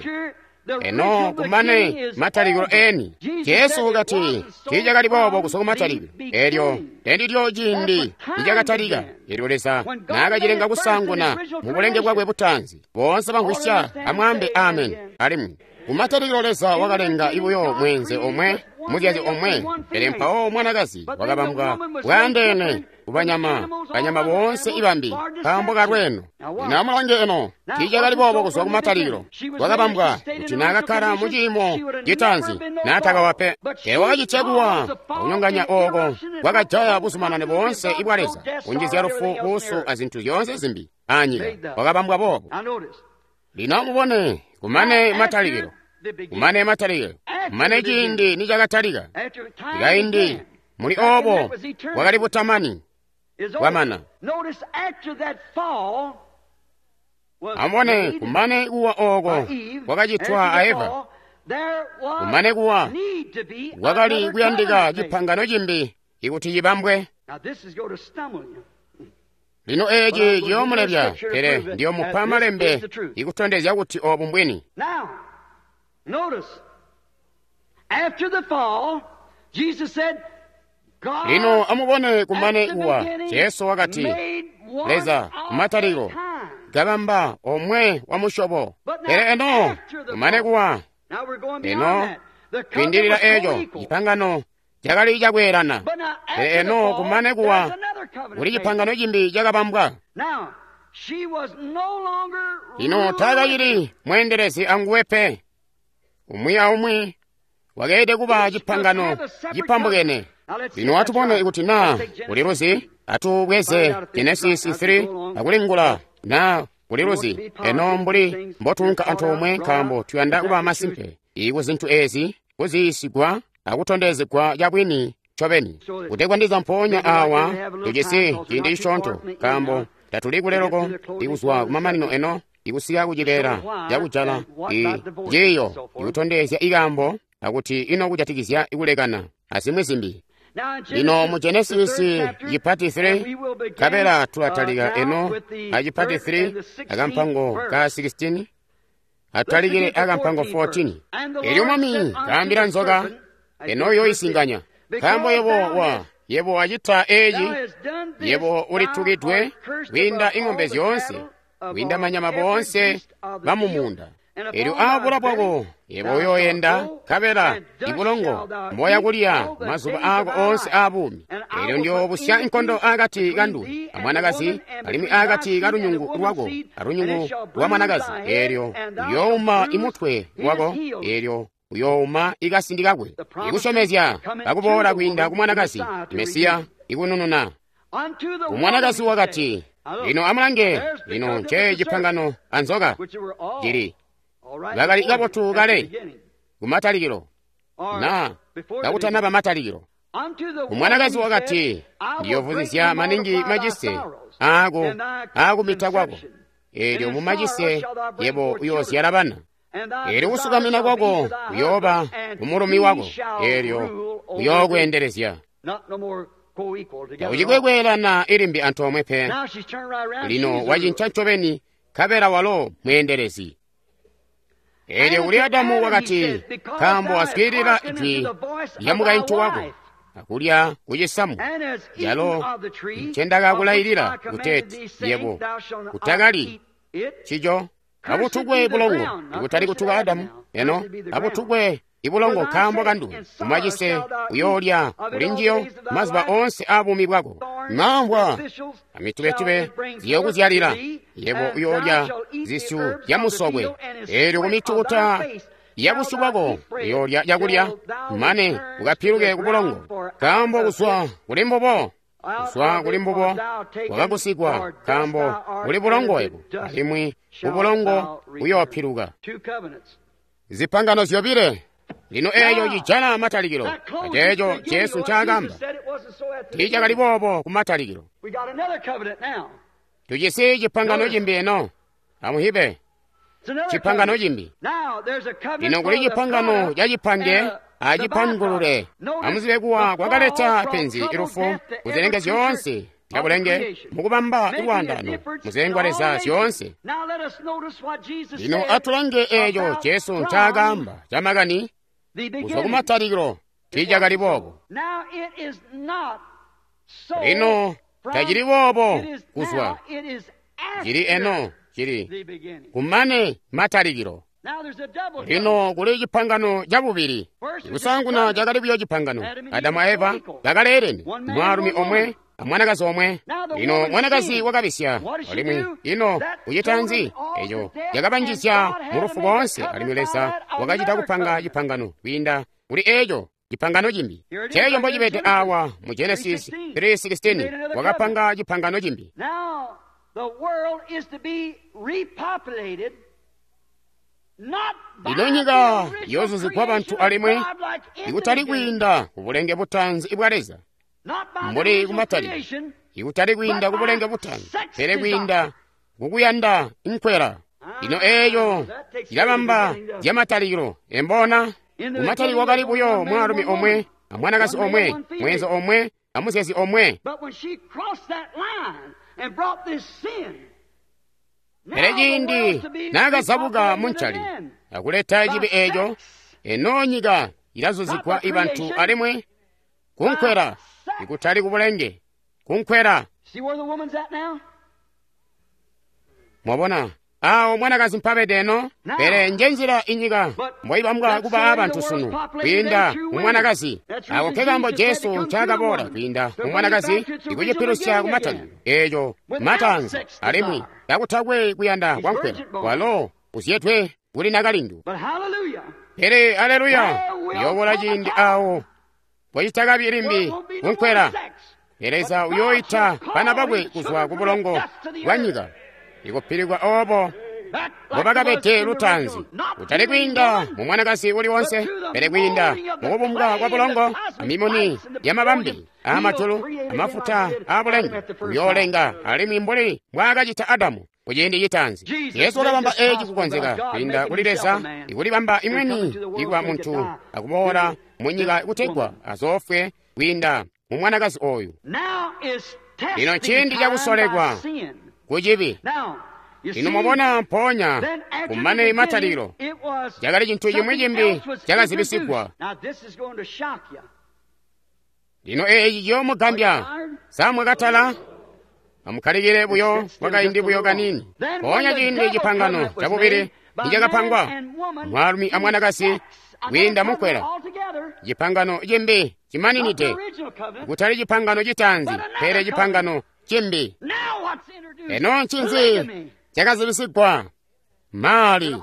Eno kumane matalikilo eni, Jesu wakati tiicakali boobo kuzwa kumatalikilo. Eelyo ndendilyo ciindi nicakatalika, eelyo Leza naakacilenga kusaanguna mu bulenge bwakwe butaanzi. Boonse bamvwisya amwaambe amen. Alimwi kumatalikilo Leza wakalenga ibuyo mweenze omwe, muzyazi omwe, pele mpawo mwanakazi wakabambwa bwaandeene kubanyama, banyama boonse ibambi, nkaambo kalweeno. Lino amulange eno, tiicakali boobo kuzwa kumatalikilo. Wakabambwa kuti naakakkala mu ciimo citaanzi naatakawa pe. Pele wakacitya kuwa akunyonganya ooko kwakajaya buzumanane boonse ibwa Leza, kunjizya lufu, buusu azintu zyoonse zimbi anyika. Wakabambwa boobo. Lino amubone, kumane matalikilo, kumane matalikilo, kumane ciindi nicakatalika, ikaindi Muli obo bwakali butamani bwamana. Amubone, kumane kuwa oko kwakacitwa a Eva, kumane kuwa kwakali kuyandika cipangano cimbi ikuti cibambwe. Lino eci ciyoomulebya, pele ndiyomupa malembe ikutondezya kuti obu mbwini. Lino amubone, kumane kuwa, Jesu wakati, Leza kumatalikilo kabamba omwe wa musyobo. Pele eno kumane kuwa, eno kwiindilila eco cipangano cakali cakweelana. Pele eno kumane kuwa kuli cipangano cimbi cakabambwa. Lino taakacili mweendelezi anguwe pe. Umwi aumwi wakeelede kuba cipangano cipambukene. Lino atubone ikuti naa kuliluzi. Atubweze Genesis 3 akulingula naa kuliluzi. Eno mbuli mbotunka antoomwe, nkaambo tuyanda kuba masimpe iku zintu ezi kuziyisigwa akutondezegwa cabwini ncobeni. Kutegwa ndiza mpoonya awa tujisi ciindi cisyoonto, nkaambo tatuli kuleloko ikuzwa kumamanino eno ikusika kucibeela cakujala ciiyo ikutondezya ikaambo akuti ino kujatikizya ikulekana azimwi zimbi. Lino mu Genesis cipati 3 kabela tulatalika eno acipati 3 akampango ka 16 atalikile akampango 14. Elyo Mwami kaambila nzoka, eno yoisinganya, nkaambo yebo wacita eci, yebo ulitukidwe kwiinda ing'ombe zyoonse, kwiinda manyama boonse bamumunda. Elyo aabula bwako yebo uyooyenda, nkabela ibulongo mboya kulya mazuba aako oonse aabuumi. Elyo ndiyoobusya nkondo akati kanduwe amwanakazi, alimwi akati kalunyungu lwako alunyungu lwa mwanakazi. Elyo uyouma imutwe wako, elyo uyouma ikasindi kakwe. Ikusyomezya kakuboola kwiinda ku mwanakazi, Mesiya ikunununa. Umwanakazi wakati, lino amulange, lino nce cipangano anzoka cili bakali kabotu kale kumatalikilo, na kakutanaba matalikilo. Umwanakazi wakati, ndiyovuzizya maningi macise aako aakumita kwako, elyo mumacise yebo uyoozyala bana. Elyo kusukamina kwako kuyooba kumulumi wako, elyo uyookweendelezya. Taucikwe kweelana ilimbi antoomwe pe. Lino wacinca ncobeni, nkabela walo mweendelezi. Elyo kuli Adamu wakati, nkaambo waswiilila jwi lya mukaintu wako akulya kucisamu calo ncendakakulailila kuteeti yebo utakalyi cico, abutukwe bulongo, ikutali kutuka Adamu eno, abutukwe ibulongo nkaambo kanduwe, umacise uyoolya kuli njiyo mazuba oonse aabuumi bwako. Mamvwa amitubetube ziyokuzyalila, yebo uyoolya zisyu zyamusokwe. Elyo kumitukuta yabusyu bwako uyoolya cakulya mane ukapiluke kubulongo, nkaambo kuzwa kuli mbubo wakagusigwa, nkaambo kuli bulongo yebo, alimwi kubulongo uyoopiluka. Zipangano zyobile. Lino eeco cijana matalikilo, aceeco Jesu ncaakamba tiicakali boobo kumatalikilo. Tujisi cipangano cimbi eno. Amuhibe, cipangano cimbi. Lino kuli cipangano cacipange acipangulule. Amuzibe kuwa kwakaleta penzi ilufu kuzilenge zyoonse zyabulenge mukubamba lwaandano muzilengwa Leza zyoonse. Lino atulange eeco Jesu ncaakaamba camakani kuzwa kumatalikilo tiicakali boobo. Lino tacili boobo kuzwa, cili eno cili kumane matalikilo. Lino kuli cipangano cabubili. Kusaanguna cakali buyo cipangano. Adamu a Eva bakaleelene, mwaalumi omwe amwanakazi omwe. Lino mwanakazi wakabisya, alimwi ino ucita nzi? Eco cakabanjizya mu lufu boonse, alimwi Leza wakacita kupanga cipangano kwiinda kuli eco cipangano cimbi. Ceeco mbocibede awa mu Genesis 3:16, wakapanga cipangano cimbi. Lino nyika yoozuzigwa bantu alimwi ikutali kwiinda kubulenge butaanzi bwa Leza. Mbuli kumatalikilo, ikutali kwiinda kubulenge butaanzi, pele kwiinda kukuyanda nkwela. Lino eeyo ilabamba zyamatalikilo, embona? Kumatalikilo kwakali buyo mwaalumi omwe amwanakazi omwe, mweenzo omwe amuzyezi omwe. Pele ciindi naakazabuka muncali akuleta cibi eeco, eno nyika ilazuzigwa ibantu alimwi kunkwela, ikutali kubulenge, kunkwela. Mwabona awo mwanakazi mpabede eno? Pele njenzila inyika mboibambwa kuba abantu sunu, kwiinda mumwanakazi. Ako nkekaambo Jesu ncaakaboola kwiinda mumwanakazi, ikucipilusya kumatalikilo eeco mataanzi, alimwi kakutakwe kuyanda kwankwela, walo uzyedwe kuli nakalindu. Pele aleluya, uyoobola ciindi awo mbocitakabi limbi kunkwela. Leza uyooita bana bakwe kuzwa kubulongo bwa nyika, ikupilikwa obo mbobakabede lutaanzi, kutali kwiinda mu mwanakazi uli wonse, pele kwiinda mukubumbwa kwa bulongo, amimuni yamabambi aamajulu, amafuta aabulenge, uyoolenga alimwi mbuli mbwaakacita Adamu kuciindi citaanzi. Yesu wakabamba eeci kukonzeka kwiinda kuli Leza, ikulibamba imweni ikuba muntu akuboola munyika kutegwa azoofwe kwiinda mu mwanakazi oyu. Lino nciindi cakusolekwa kucibi. Lino mwabona, mpoonya kumane matalikilo, cakali cintu cimwi cimbi cakazibisigwa. Lino eeci ciyoomugambya. Sa mwakatala? Amukkalikile buyo kwakaindi buyo kaniini. Mpoonya ciindi cipangano cabubili nicakapangwa, mwaalumi amwanakazi kwiinda munkwela, cipangano cimbi cimaninide, kutali cipangano citaanzi, pele cipangano cimbi. Eno ncinzi cakazibisigwa? Mali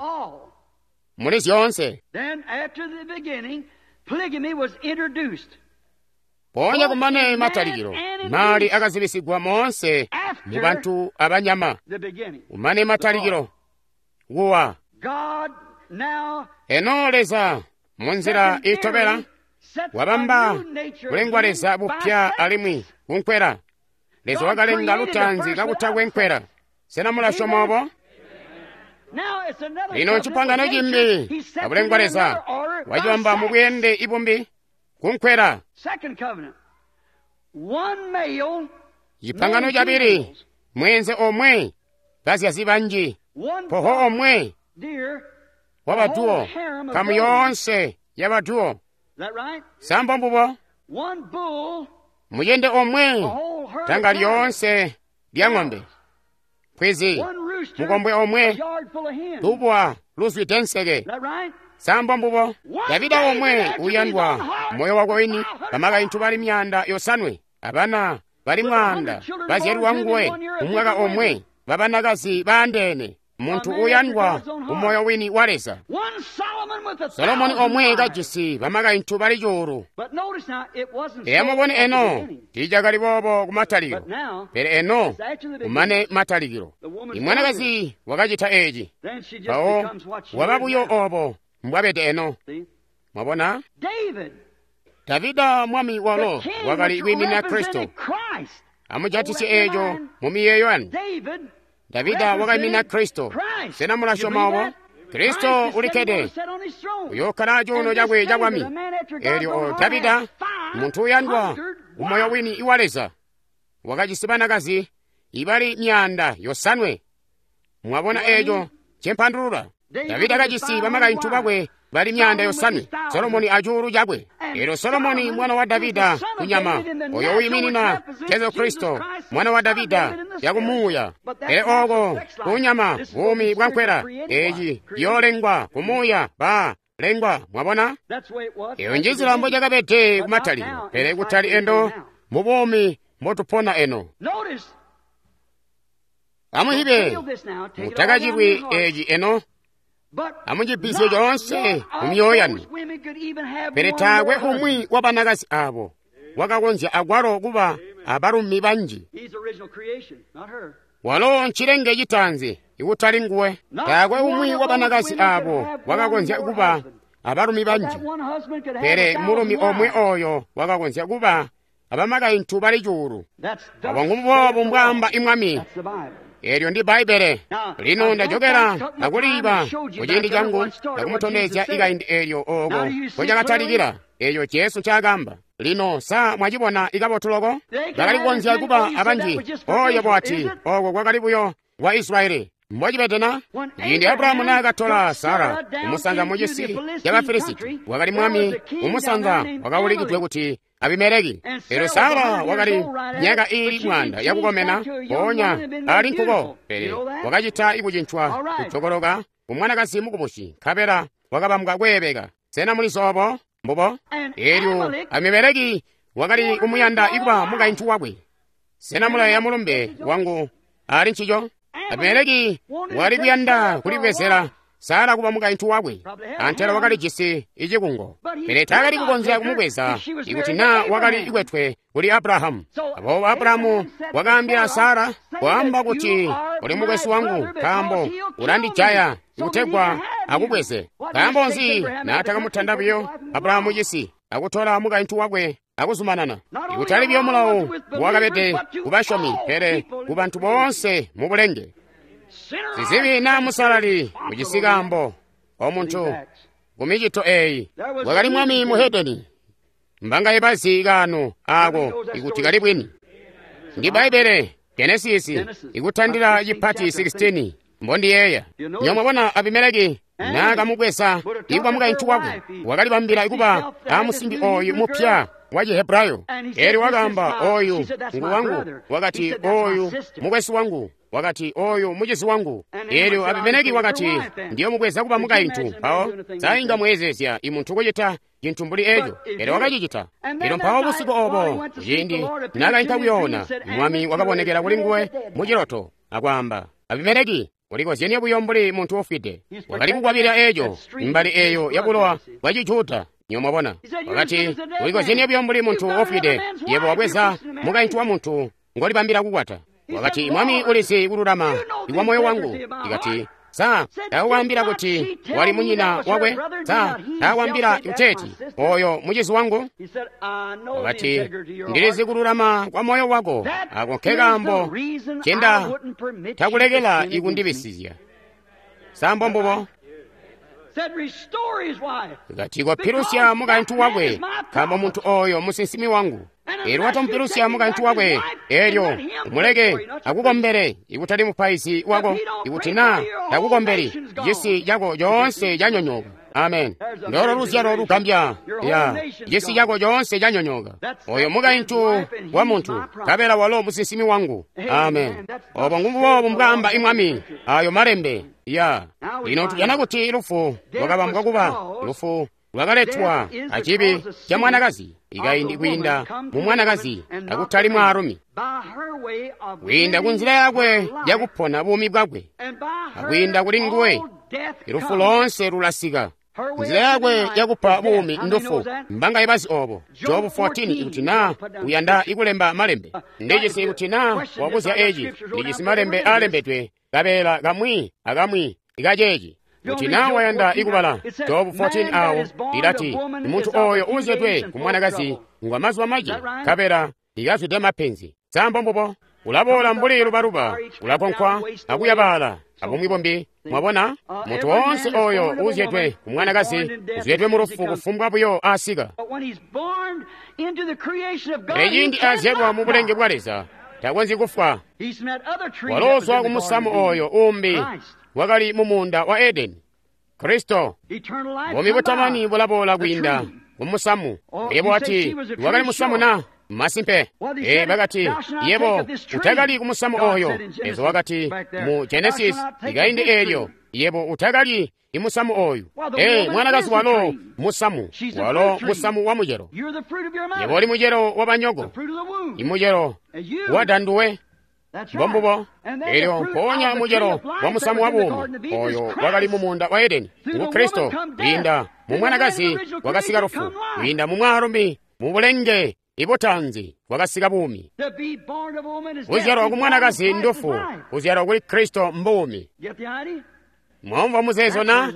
muli zyoonse. Mpoonya kumane matalikilo, mali akazibisigwa moonse mu bantu abanyama. Kumane matalikilo, kuwa. Eno Leza munzila itobela wabamba kulengwa Leza bupya alimwi kunkwela. Leza wakalenga lutaanzi kakutakwe nkwela. Sena mulasyoma obo? Lino ncipangano cimbi abulengwa Leza wacibamba mu bweende ibumbi kunkwela. Cipangano cabili, mweenze omwe, bazyazi banji, poho omwe wabaduwo, nkamu yoonse yabaduwo. Sambo mbubo? Muyende omwe, tanga lyoonse lya ng'ombe, pwizi, mukombwe omwe, lubwa luzwide nseke. Sambo mbubo? Davida omwe uyandwa moyo wakwe wini, bamakaintu bali 500, abana bali 100 bazyalwa nguwe umwaka omwe, babanakazi baandeene, muntu uyandwa umoyo wini wa Leza. Solomoni omwe kajisi bamakaintu bali 1,000. Eyamubone eno tiicakali boobo kumatalikilo, pele eno kumane matalikilo imwanakazi wakacita eeci, mpawo waba buyo obo mbwabede eno. Mwabona? Davida mwami walo wakali kwiiminina Kristo. Amujatisye eeco mu miyeeyo yanu. Davida wakaimina Kristo. Sena mulasyoma obo? Kristo ulikkede, uyookkala acuuno cakwe cabwami. Eelyo Davida, muntu uyandwa umoyo wini iwa Leza, wakajisi banakazi ibali 500. Mwabona eeco cempandulula? Davida kajisi bamakaintu bakwe bali 500, Solomoni acuulu cakwe. Eelyo Solomoni mwana wa Davida kunyama, oyo wiiminina Jesu Kristo, mwana wa Davida yakumuuya. Pele ooko kunyama buumi bwa nkwela, eeci ciyoolengwa kumuuya ba lengwa. Mwabona? Eyo njinzila mbocakabede kumatalikilo, pele kutali endo mu buumi mbotupona eno. Amuhibe, mutakacilwi eeci eno. Amucibisye coonse mu myoyo yanu. Pele taakwe umwi wa banakazi abo wakakonzya akwalo kuba abalumi banji. Walo ncilenge citaanzi, ikutali nguwe. Taakwe umwi wa banakazi abo wakakonzya kuba abalumi banji, pele mulumi omwe oyo wakakonzya kuba abamakaintu bali 1,000. Obo ngumuboobu mbwaamba imwami. Eelyo ndi Bbaibbele. Lino ndajokela akuliiba kuciindi cangu ndakumutondezya ikaindi eelyo ooko nkocakatalikila, eeyo Jesu ncaakaamba. Lino sa mwacibona ikabotu loko? Bakali kukonzya kuba abanji. Oyo wati ooko kwakali buyo wa Israyeli. Mbocibede na? Ciindi Abrahamu naakatola Sara kumusanza mucisi ca Bafilisiti, wakali mwami kumusanza wakaulikidwe kuti Abimeleki. Eelyo Sara wakali myaka iili 100 yakukomena, mpoonya ali nkuko, pele wakacita ikucincwa kujokoloka kumwanakazi mukubusi, nkabela wakabambwa kweebeka. Sena muli zoobo? Mbubo. Eelyo Abimeleki wakali kumuyanda ikuba mukaintu wakwe. Sena mulayeeya mulumbe wangu ali ncico? Abimeleki wakali kuyanda kulibwezela Sara kuba mukaintu wakwe, antela wakalijisi icikungo, pele taakali kukonzya kumubweza ikuti naa wakali ikwetwe kuli Abrahamu. Aboobo Abrahamu wakaambila Sara, kwaamba kuti uli mukwesu wangu, nkaambo ulandijaya kutegwa akubweze. Nkaambo nzi naatakamutanda buyo Abrahamu cisi akutola mukaintu wakwe akuzumanana? Ikutali buyo mulawo wakabede kubasyomi, pele kubantu boonse mubulenge. Sizibi naa musalali ujisi kaambo omuntu kumicito eeyi. Wakali mwami muhedeni. Mbangaye bazi kaano aako ikuti kali bwini? Ndi Bbaibbele, Genesisi, ikutandila cipati 16 mbondiyeeya. Nyomwabona Abimeleki naakamubweza ikuba mukaintu wakwe, wakalibambila ikuba amusimbi ooyu mupya wa Chihebrayo. Eelyo wakaamba, ooyu ngu wangu. Wakati, ooyu mukwesu wangu. Wakati, ooyu mucizi wangu. Eelyo Abimeleki wakati, ndiyomubweza kuba mukaintu. Mpawo sainga mweezezya imuntu kucita cintu mbuli eeco, pele wakacicita. Eelyo mpawo busiku oobo, ciindi naakainka kuyoona, mwami wakabonekela kulinguwe muciloto akwaamba, Abimeleki, ulikozyenie buyo mbuli muntu ufwide. Wakali kukwabilila eeco, imbali eeyo yabulowa bwa Chijuda. Nyomwabona, wakati, ulikozyenie buyo mbuli muntu ufwide, yebo wabweza mukaintu wa muntu ngolibambila kukwata. Wakati, mwami ulizi kululama ikwa moyo wangu. Ikati, sa taakwaambila kuti wali munyina wakwe? Sa taakwaambila kuteeti oyo mucizi wangu? Wakati, ndilizi kululama kwa moyo wako, ako nkekaambo cenda takulekela ikundibisizya. Sa mbombubo? Kati kopilusya mukaintu wakwe, nkaambo muntu oyo musinsimi wangu. Eelyo watomupilusya mukaintu wakwe, eelyo umuleke akukombele, ikutali mupaizi wako, ikuti naa takukombeli, cisi cako coonse canyonyooka. Amen. Ndolo luzyalo lugambya ya cisi cako coonse canyonyooka. Oyo mukaintu wa muntu, nkabela walo musinsimi wangu. Amen. Obo ngumuboobu mbwaamba imwami ayo malembe ya. Lino tujana kuti lufu lwakabambwa kuba lufu lwakaletwa acibi ca mwanakazi, ikaindi kwiinda mu mwanakazi akutali mwaalumi, kwiinda ku nzila yakwe yakupona buumi bwakwe, akwiinda kuli nguwe ilufu loonse lulasika. Nzila yakwe yakupa buumi ndufu. Mbangaye bazi obo? Jobu 14, ikuti naa uyanda ikulemba malembe. Ndijisi ikuti naa wabuzya eci, ndijisi malembe aalembedwe kabeela kamwi akamwi ikaceeci. Kuti naa wayanda ikubala Jobu 14 awo lilati, muntu oyo uuzyedwe ku mwanakazi ngwa mazuba mace, nkabela likazwide mapenzi. Sa mbombubo? Ulaboola mbuli lubaluba, ulakonkwa akuyabaala abumwi bumbi. Mwabona, muntu woonse oyo uuzyedwe ku mwanakazi uzyedwe mu lufu kufumbwa buyo asika. Pele ciindi azyedwa mu bulenge bwa Leza, takonzyi kufwa. Waloozwa ku musamu oyo uumbi wakali mu muunda wa Edeni, Kristo. Buumi butamani bulaboola kwiinda ku musamu. Yebo wati, wakali musamu na? Masimpe. Bakati, yebo utakali ku musamu oyo. Leza wakati mu Genesis ikaindi eelyo, yebo utakali imusamu oyu. Mwanakazi walo musamu, walo musamu wa mucelo. Yebo uli mucelo wa banyoko, imucelo wa danduwe. Mbombubo. Eelyo mpoonya mucelo wa musamu wa buumi oyo wakali mu muunda wa Edeni ngu Kristo. Kwiinda mu mwanakazi wakasika lufu, kwiinda mu mwaalumi mu bulenge ibutanzi wakasika buumi. Kuzyalwa ku mwanakazi ndufu, kuzyalwa kuli Kristo mbuumi. Mwamva muzeezo na?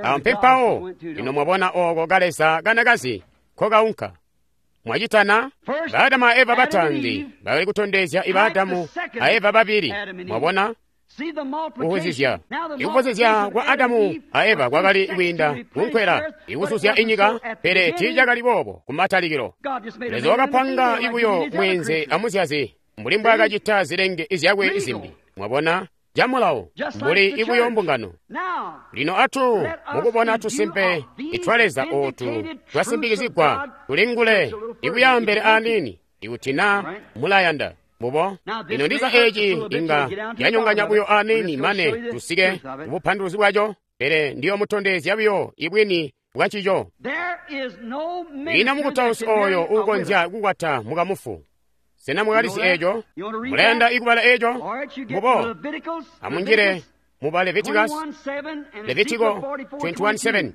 Awo mpempawo. Lino mwabona ooko kaleza kanakazi nkokaunka. Mwacitana? Ba Adamu a Eva bataanzi bakali kutondezya iba Adamu a Eva babili. Mwabona? Kuvuzizya. Ikuvuzizya kwa Adamu a Eva kwakali kwiinda kunkwela ikuzuzya inyika, pele tiicakali boobo kumatalikilo. Leza wakapanga ibuyo mweenze amuzyazi mbuli mbwaakacita zilenge zyakwe zimbi. Mwabona? Camulawo mbuli ibuyo mbungano. Lino atu mukubona tusimpe itwa Leza ootu twasimbikizigwa tulingule ikuyambele aniini ikuti na mulayanda. Mbubo lino ndiza eci inga yanyonganya buyo aniini mane tusike kubupanduluzi bwaco, pele ndiyomutondezya buyo ibwini bwancico. Ina mukutausi oyo uukonzya kukwata mukamufu. Sena mwakalizi eco? Mulayanda ikubala eco? Mbubo amunjile muba Leviticus, Levitiko 21:7,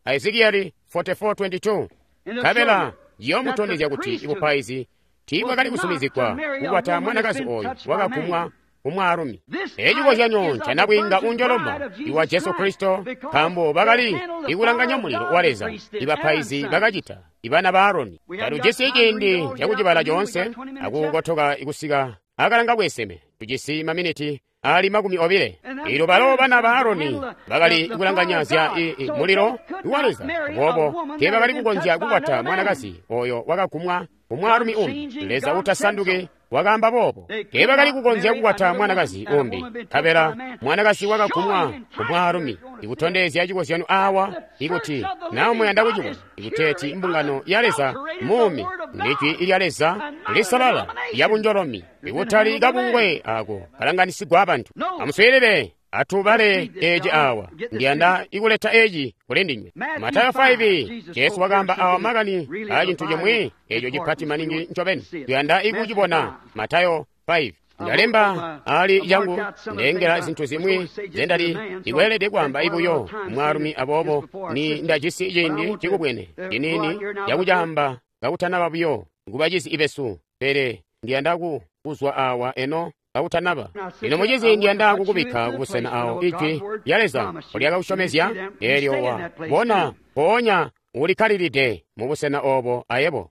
Ezekieli 44:22. Nkabela yomutondezya kuti ibupaizi tiibwakali kusumizigwa kukwata mwanakazi oyu wakagumwa kumwaalumi. Eci cikozyanyo ncanabwiinga unjoloma iwa Jesu Kristo, nkaambo bakali ikulanganya mulilo wa Leza ibapaizi bakacita ibana ba Aroni. Tatujisi ciindi cakucibala coonse akukotoka ikusika akalanga bweseme. Tujisi maminiti ali 20. Ilo balo bana ba Aroni bakali kulanganya zya mulilo wa Leza, aboobo teebakali kukonzya kukwata mwanakazi oyo wakagumwa kumwaalumi umbi. Leza utasanduki wakaamba boobo. Teebakali kukonzya kukwata mwanakazi umbi, nkabela mwanakazi wakagumwa kumwaalumi. Ikutondezya cikozyanyo awa ikuti na muyanda kucibona ikuteeti mbungano ya Leza muumi ndijwi lya Leza lisalala lyabunjolomi, ikutali kabungwe ako kalanganisigwa abantu. Amuswiilile, atubale eci awa. Ndiyanda ikuleta eci kuli ndinywe. Matayo 5, Jesu wakaamba awa makani a cintu cimwi eco cipati maningi ncobeni. Tuyanda ikucibona. Matayo 5. Ndalemba ali yangu ndengela zintu zimwi zendali ikweelede kwaamba ibuyo mwaalumi, aboobo ni ndajisi ciindi cikubwene ciniini cakucaamba kakutanaba buyo kubacizi ibesu, pele ndiyanda kuzwa awa eno kakutanaba. Lino mucizi ndiyanda kukubikka kubusena awo ijwi lya Leza lyakakusyomezya, eelyo wa bona mpoonya ulikkalilide mubusena obo ayebo.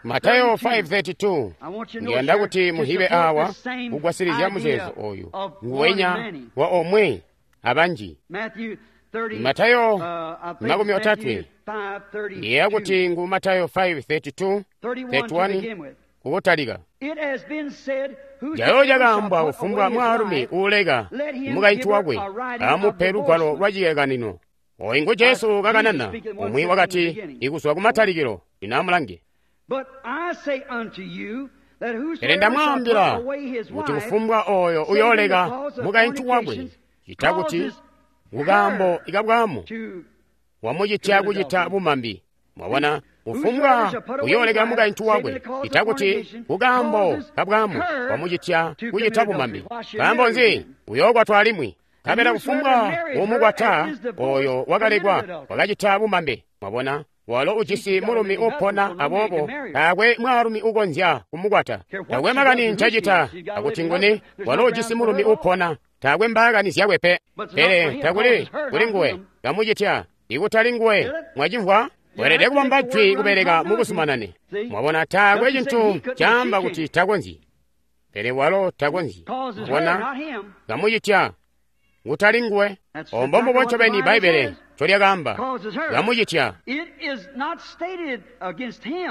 Matayo 5:32. Ndiyanda kuti muhibe awa kugwasilizya muzeezo oyu nguwenya wa omwe abanji. Matayo 30, ndiyeeya kuti ngu Matayo 5:32 31 kukutalika. Calo cakaambwa kufumbwa mwaalumi uuleka mukaintu wakwe amupe lugwalo lwa cilekanino. Oyu ngu Jesu kakanana, umwi wakati ikuzwa kumatalikilo. Lino amulange. Pele ndamwaambila kuti kufumbwa oyo uyooleka mukaintu wakwe, cita kuti kukaambo ikabwamu wamucitya kucita bumambi. Mwabona, kufumbwa uyooleka mukaintu wakwe, cita kuti kukaambo kabwamu wamucitya kucita bumambi. Nkaambo nzi? Uyookwatwa alimwi. Nkabela kufumbwa umukwata oyo wakalekwa wakacita bumambe. Mwabona, walo ujisi mulumi upona, aboobo taakwe mwaalumi ukonzya kumukwata. Taakwe makani ncacita akuti nguni, walo ujisi mulumi upona, taakwe mbaakani zyakwe pe. Pele takuli kuli nguwe kamucitya ikutali nguwe. Mwacimvwa? Weelede kubamba jwi kubeleka mukuzumanane. Mwabona, taakwe cintu caamba kuti takonzyi, pele walo takonzyi. Mwabona, kamucitya kutali nguwe. Ombo mbubo ncobeni Bbaibbele ncolyakaamba, kamucitya.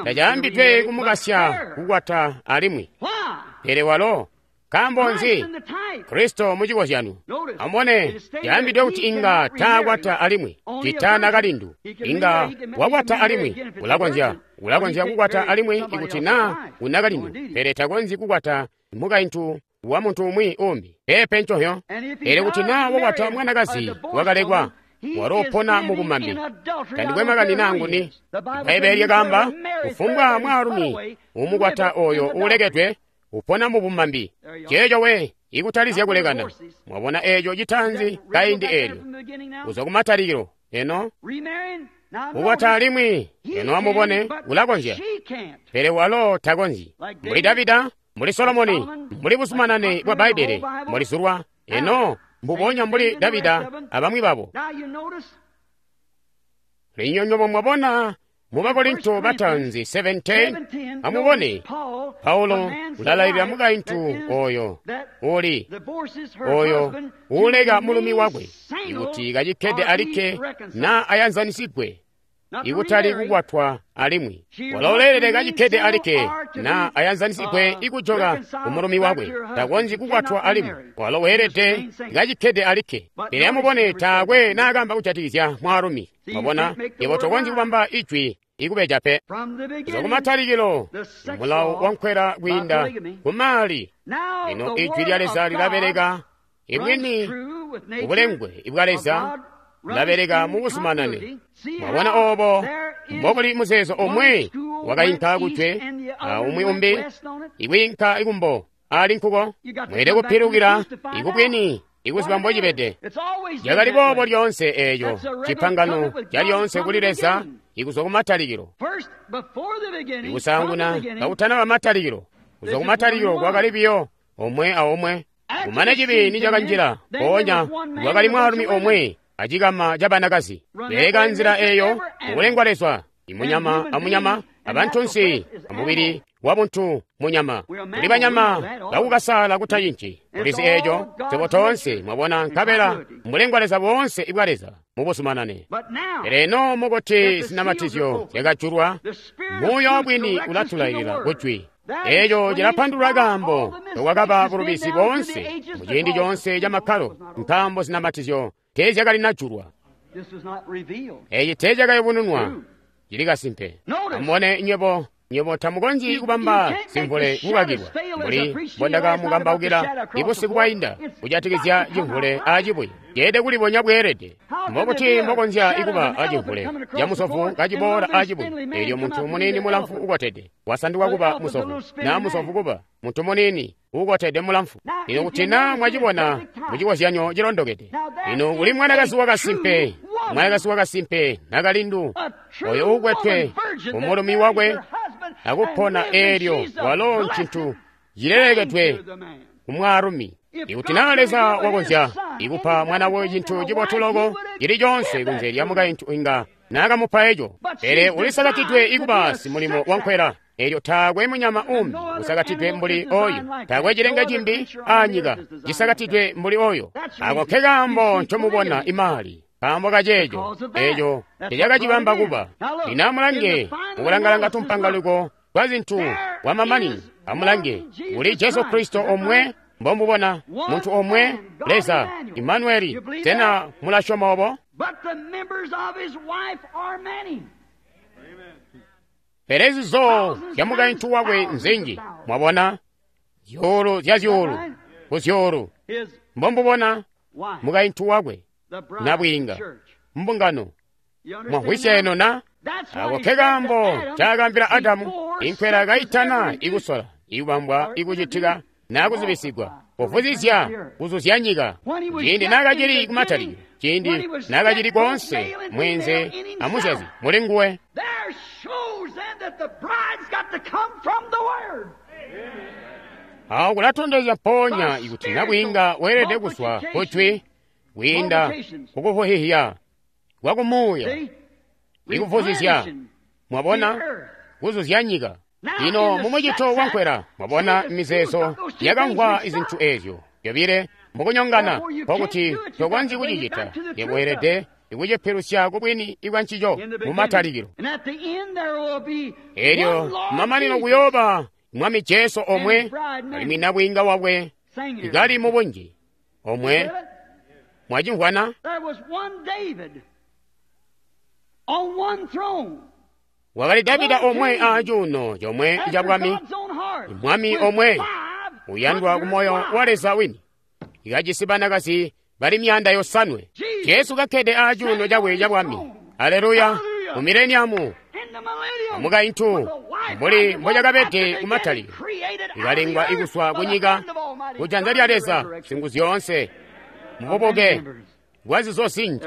Tacaambidwe kumukasya kukwata alimwi, pele walo nkaambo nzi? Kristo mucikozyano. Amubone, caambidwe kuti inga taakwata alimwi, cita nakalindu. Inga wakwata alimwi, ulakonzya kukwata alimwi ikuti naa unakalindu, pele takonzyi kukwata mukaintu wa muntu umwi umbi. Peepe ncohyo. Pele kuti naa wakwata mwanakazi wakalekwa, walo upona mubumambi. Tandikwe makani naa nguni. Bbaibbele lyakaamba, kufumbwa mwaalumi umukwata oyo uulekedwe upona mubumambi. Ceeco we ikutalizya kulekana. Mwabona eeco citaanzi kaindi eelyo kuzwa kumatalikilo. Eno kukwata alimwi, eno amubone, ulakonzya, pele walo takonzyi. Mbuli Davida, mbuli Solomoni, mbuli buzumanane bwa Bbaibbele mbulizulwa. Eno mbubonya mbuli Davida abamwi babo. Lino nywebo mwabona Mu Bakorinto bataanzi 7:10, amubone Paulo ulalailila mukaintu oyo uli oyo uuleka mulumi wakwe ikuti kacikkede alikke na ayanzanisigwe, ikutali kukwatwa alimwi. Walo uleelede kacikkede alikke na ayanzanisigwe ikujoka kumulumi wakwe, takonzyi kukwatwa alimwi. Walo weelede kacikkede alikke. Pele amubone, taakwe naakamba kujatikizya mwaalumi. Mwabona, yebo tokonzyi kubamba ijwi ikubeja pe. Kuzwa kumatalikilo, mulawo wankwela kwiinda kumaali. Lino ijwi lya Leza lilabeleka ibwini, ubulengwe ibwa Leza bulabeleka mubuzumanane. Mwabona obo mbobuli muzeezo omwe wakainka kujwe aumwi umbi ikwiinka ikumbo ali nkuko. Mweelede kupilukila ikubwini ikuziba mbocibede. Cakali boobo lyoonse eeco cipangano calyoonse kuli Leza ikuzwa kumatalikilo. Ikusaanguna kakutanaba matalikilo, kuzwa kumatalikilo kwakali biyo omwe aomwe. Kumane cibi nicakanjila, mpoonya kwakali mwaalumi omwe acikama ca banakazi. Beleka nzila eeyo mukulengwa Leza, imunyama amunyama, abantunsi amubili wabuntu munyama. Kuli banyama bakukasala kutacinci. Kulizi eeco swebo toonse mwabona, nkabela mbulengwa Leza boonse ibwa Leza mubuzumanane. Pele eno mukuti zinamatizyo zyakajulwa, muuya wabwini ulatulailila kujwi. Eeco cilapandulula kaambo ndokwakaba bulubizi boonse muciindi coonse ca makkalo, nkaambo zinamatizyo teezyakalinajulwa. Eeci teecakayubununwa, cili kasimpe. Amubone nywebo, nywebo tamukonzyi kubamba zimvule kukakilwa, mbuli mbondakamukambaukila ibusiku bwainda kujatikizya cimvule acibuye. Ceelede kulibonya bweelede. Mbokuti mbokonzya ikuba acimvule camusovu kaciboola acibuye, eelyo muntu muniini mulamfu ukotede wasanduka kuba musovu, naa musovu kuba muntu muniini ukotede mulamfu. Lino kuti naa mwacibona mucikozyanyo cilondokede. Lino kuli mwanakazi wakasimpe, mwanakazi wakasimpe nakalindu oyo uukwetwe kumulumi wakwe akupona, eelyo walo ncintu cilelekedwe kumwaalumi. Ikuti naa Leza wakonzya ikupa mwana we cintu cibotu loko cili coonse kunze lya mukaintu, inga naakamupa eco. Pele ulisakatidwe ikuba simulimo wankwela. Eelyo taakwe munyama umbi usakatidwe mbuli oyo, taakwe cilenge cimbi aanyika cisakatidwe mbuli oyo. Ako ke kaambo ncomubona imali, kaambo kaceeco eeco tecakacibamba kuba. Lino amulange mukulangalanga tumpangaliko twa zintu kwamamanino. Amulange kuli Jesu Kristo omwe, mbomubona muntu omwe, Leza Imanueli. Sena mulasyoma obo? Pele zizo zya mukaintu wakwe nzinji. Mwabona, zyuulu zya zyuulu ku zyuulu. Mbombubona mukaintu wakwe, nabwiinga, mbungano. Mwamvwisya eno na? Ako ke kaambo ncaakaambila Adamu, inkwela kaitana ikusola, ikubambwa ikucitika naa kuzibisigwa, kuvuzizya kuzuzya nyika. Ciindi naakacili kumatalikilo, ciindi naakacili koonse mweenze amuzyazi muli nguwe. Awo kulatondezya mpoonya ikuti nabwiinga weelede kuzwa kujwi kwiinda kukuvuhihya kwa kumuuya ikuvuzizya, mwabona, kuzuzya nyika. Lino mumucito wankwela, mwabona mizeezo yakamvwa izintu eezyo zyobile mukunyongana, nkokuti tokonzyi kucicita. Yebo weelede ikucipilusya kubwini ibwa ncico mumatalikilo. Eelyo kumamanino kuyooba Mwami Jesu omwe, alimwi nabwiinga wakwe ikali mubunji omwe. Mwacimvwana? Wakali Davida omwe acuuno comwe ca bwami, mwami omwe uyandwa kumoyo wa Leza wini, ikajisi banakazi bali 500. Jesu kakkede acuuno cakwe ca bwami. Aleluya! Mu mileniamu amukaintu mbuli mbocakabede kumatalikilo, ikalengwa ikuswa kunyika kujanza lya Leza Singuzyoonse mububuke bwazizo zinji.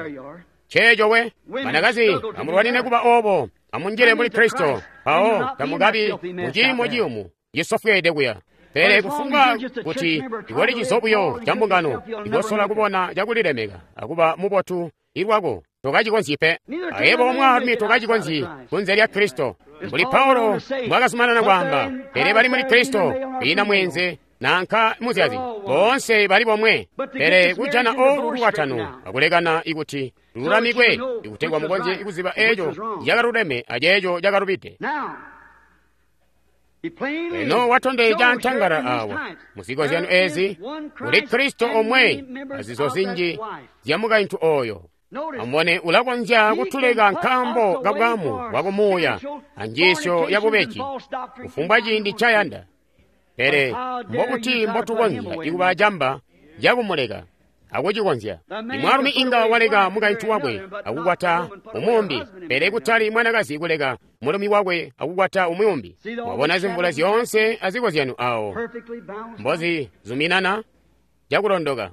Ceeco we banakazi, amulwanine kuba obo, amunjile muli Kristo, mpawo tamukabi muciimo ciyumu cisofweede kuya. Pele kufumbwa kuti ikoli cizo buyo ca mbungano, ikosola kubona cakulilemeka akuba mubotu ilwako, Tokacikonzyi pe. Ayebo omwaalumi tokacikonzyi kunze lya Kristo. Mbuli Paulo mbwakazumanana kwaamba, pele bali muli Kristo, kwiina mweenze nanka muzyazi, boonse bali bomwe. Pele kujana olu lukwatano akulekana ikuti lululamikwe, ikutegwa mukonzye kuziba eco cakaluleme aceeco cakalubide. Eno watondezya antangala awa muzikozyanyo ezi kuli Kristo omwe azizo zinji zya mukaintu oyo. Amubone, ulakonzya kutuleka nkaambo kabwamu bwakumuuya anjiisyo yabubeji kufumbwa ciindi ncayanda. Pele mbokuti mbotukonzya ikuba acamba cakumuleka akucikonzya. Imwaalumi inga waleka mukaintu wakwe akukwata umwi, pele kutali mwanakazi kuleka mulumi wakwe akukwata umwi. Mwabona zimvula zyoonse azikozyanyo awo mbozizuminana cakulondoka.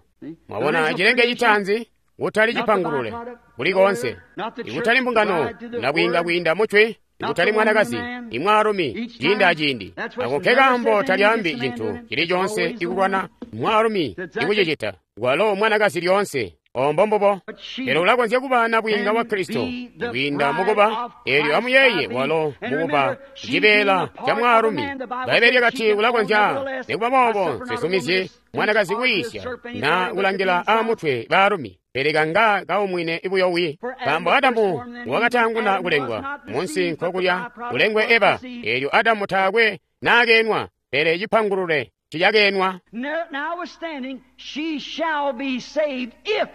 Mwabona cilenge citaanzi kutali cipangulule kuli koonse, ikutali mbungano nabwiinga kwiinda mucwi, ikutali mwanakazi, imwaalumi ciindi aciindi. Ako nkekaambo talyaambi cintu cili coonse ikulwana mwaalumi ikucicita, walo mwanakazi lyoonse. Ombo mbubo. Pele ulakonzya kuba nabwiinga wa Kristo kwiinda mukuba, eelyo amuyeeye walo mukuba cibeela ca mwaalumi. Bbaibbele lyakati ulakonzya. Nikuba boobo nsizumizyi mwanakazi kuyiisya na kulangila aamutwe baalumi, pele kanga kaumwine buyowi. Nkaambo Adamu wakataanguna kulengwa munsi nkokulya kulengwe Eva, eelyo Adamu taakwe naakeenwa, pele cipangulule cicakenwa. Notwithstanding, she shall be saved if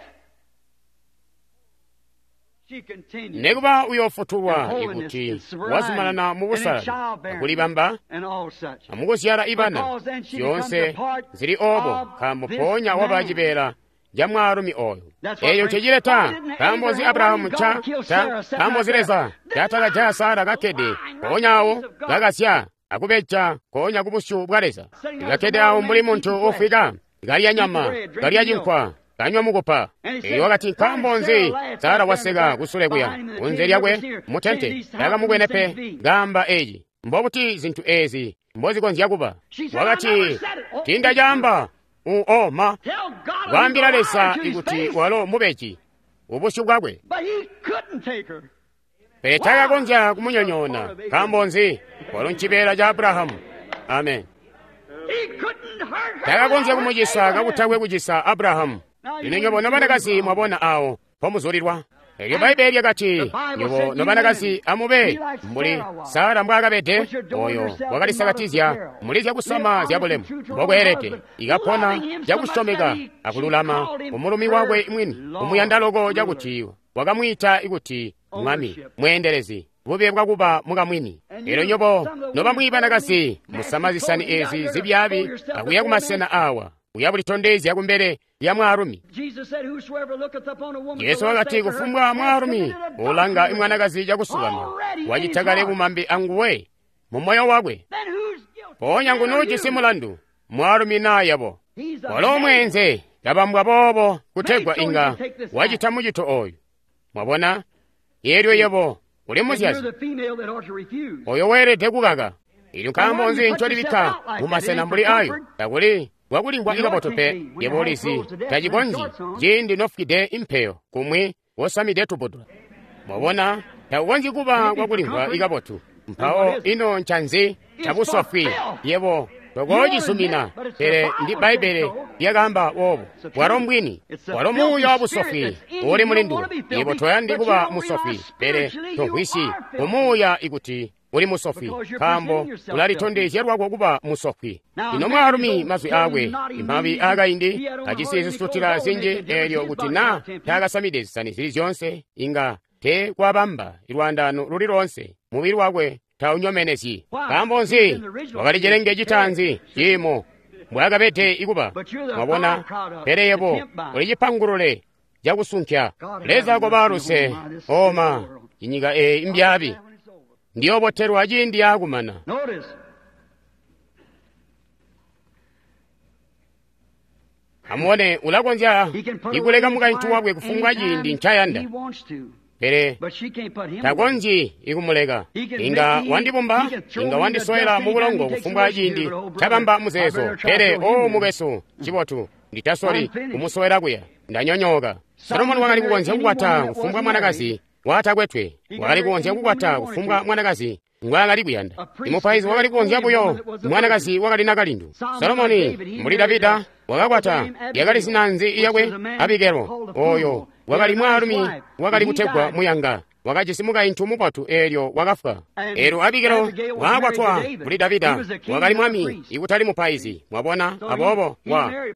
she continues Nekuba uyoofutulwa in holiness ikuti and sobriety wazumanana mu and in busalali childbearing akulibamba and all such. amukuzyala ibana Because then she becomes zyoonse a part zili obo, of nkaambo this mpoonya waba man. cibeela ca mwaalumi oyo. That's what Eeyo brings- ncecileta. Why didn't Nkaambo nzi Abraham- Abrahamu why didn't nca God kill ta Sarah sitting nkaambo right nzi Leza there? ncatakajaya Sara kakkede mpoonya awo kakasya akubeja nkoonya kubusyu bwa Leza, kakkede awo mbuli muntu uufwika, kalya nyama, kalya cinkwa, kanywa mukupa. Eelyo wakati, nkaambo nzi Sara waseka kusule kuya kunze lyakwe mutente takamubwene pe kaamba eci. Mbobuti zintu ezi mbozikonzya kuba? Wakati, tindacaamba uoma Tell God kwaambila he's a liar Leza to his ikuti face. walo mubeji ubusyu bwakwe. But he couldn't take her. Pele takakonzya kumunyonyoona. Nkaambo nzi? Walo ncibeela ca Abrahamu. Amen. He couldn't hurt her. Takakonzya kumucisa kakutakwe kucisa Abrahamu. Lino nywebo nobanakazi mwabona awo mpomuzulilwa. Elyo Bbaibbele lyakati, nywebo nobanakazi amube mbuli Sara mbwaakabede, oyo wakalisakatizya muli zyakusama zyabulemu mbokweelede, ikapona cakusyomeka akululama kumulumi wakwe mwini, kumuyanda loko cakuti wakamwiita ikuti mwami, mweendelezi, bube bwakuba mukamwini. Elyo nywebo nobamwi banakazi musama zisani ezi zibyaabi akuya kumasena awa, kuya bulitondezya kumbele lya mwaalumi. Jesus said, "Whosoever looketh upon a woman Yesu to lust wakati after her kufumbwa hath mwaalumi committed adultery ulanga with her." imwanakazi cakusukama Already in wacita his kale heart. bumambi anguwe mu moyo wakwe. Then who's guilty? Mpoonya Man or ngunuujisi you? mulandu, mwaalumi naayabo. He's a Walo man. mweenze kabambwa boobo kutegwa inga wacita mucito oyu. Mwabona? Eelyo yebo uli And you're muzyazi the female that ought to refuse. oyo weelede kukaka. Ilyo nkaambo nzi ncolibikka mu masena mbuli ayo? Takuli bwakulingwa ikabotu pe. Yebo ulizi tacikonzyi ciindi nofwide impeyo kumwi wosamide tubudula. Mwabona, takukonzyi kuba kwakulingwa ikabotu. Mpawo ino ncanzi cabusofwi yebo tokoocisumina, pele ndi Bbaibbele lyakaamba boobo. Walo mbwini, walo muuya wabusofwi uli muli nduwe. Yebo toyandi kuba musofwi, pele tomvwisyi kumuuya ikuti uli musofwi, nkaambo ulalitondezya lwako kuba musofwi. Lino mwaalumi mazwi aakwe imabi aakaindi ajisi zisutila zinji, eelyo kuti naa taakasamide zisani zili zyoonse inga te kwabamba lwaandaano luli loonse, mubili wakwe taunyomenezyi. Nkaambo nzi? Wakali cilenge citaanzi ciimo mbwaakabede ikuba. Mwabona? Pele yebo uli cipangulule cakusunkya. Leza koba luse, oma inyika eyi imbyaabi ndiyobotelwa ciindi yaakumana. Notice, Amubone, ulakonzya he can put ikuleka away his mukaintu wife wakwe kufumbwa anytime ciindi ncayanda, he wants to, pele but she can't put him away. takonzyi ikumuleka. Inga wandibumba, inga wandisowela mu bulongo kufumbwa ciindi cabamba muzeezo, pele o mukwesu, cibotu. Nditasoli kumusowela kuya. Ndanyonyooka. Solomoni wakali kukonzya kukwata kufumbwa mwanakazi watakwetwe. Wakali kukonzya kukwata kufumbwa mwanakazi ngwaakali kuyanda. Imupaizi wakali kukonzya buyo mwanakazi wakali nakalindu. Solomoni mbuli Davida wakakwata yakali zina nzi yakwe? Abigelo. Oyo wakali mwaalumi wakali kutegwa muyanga. Wakajisi mukaintu mubotu eelyo wakafwa. Eelyo Abigelo waakwatwa kuli Davida, wakali mwami ikutali mupaizi. Mwabona, aboobo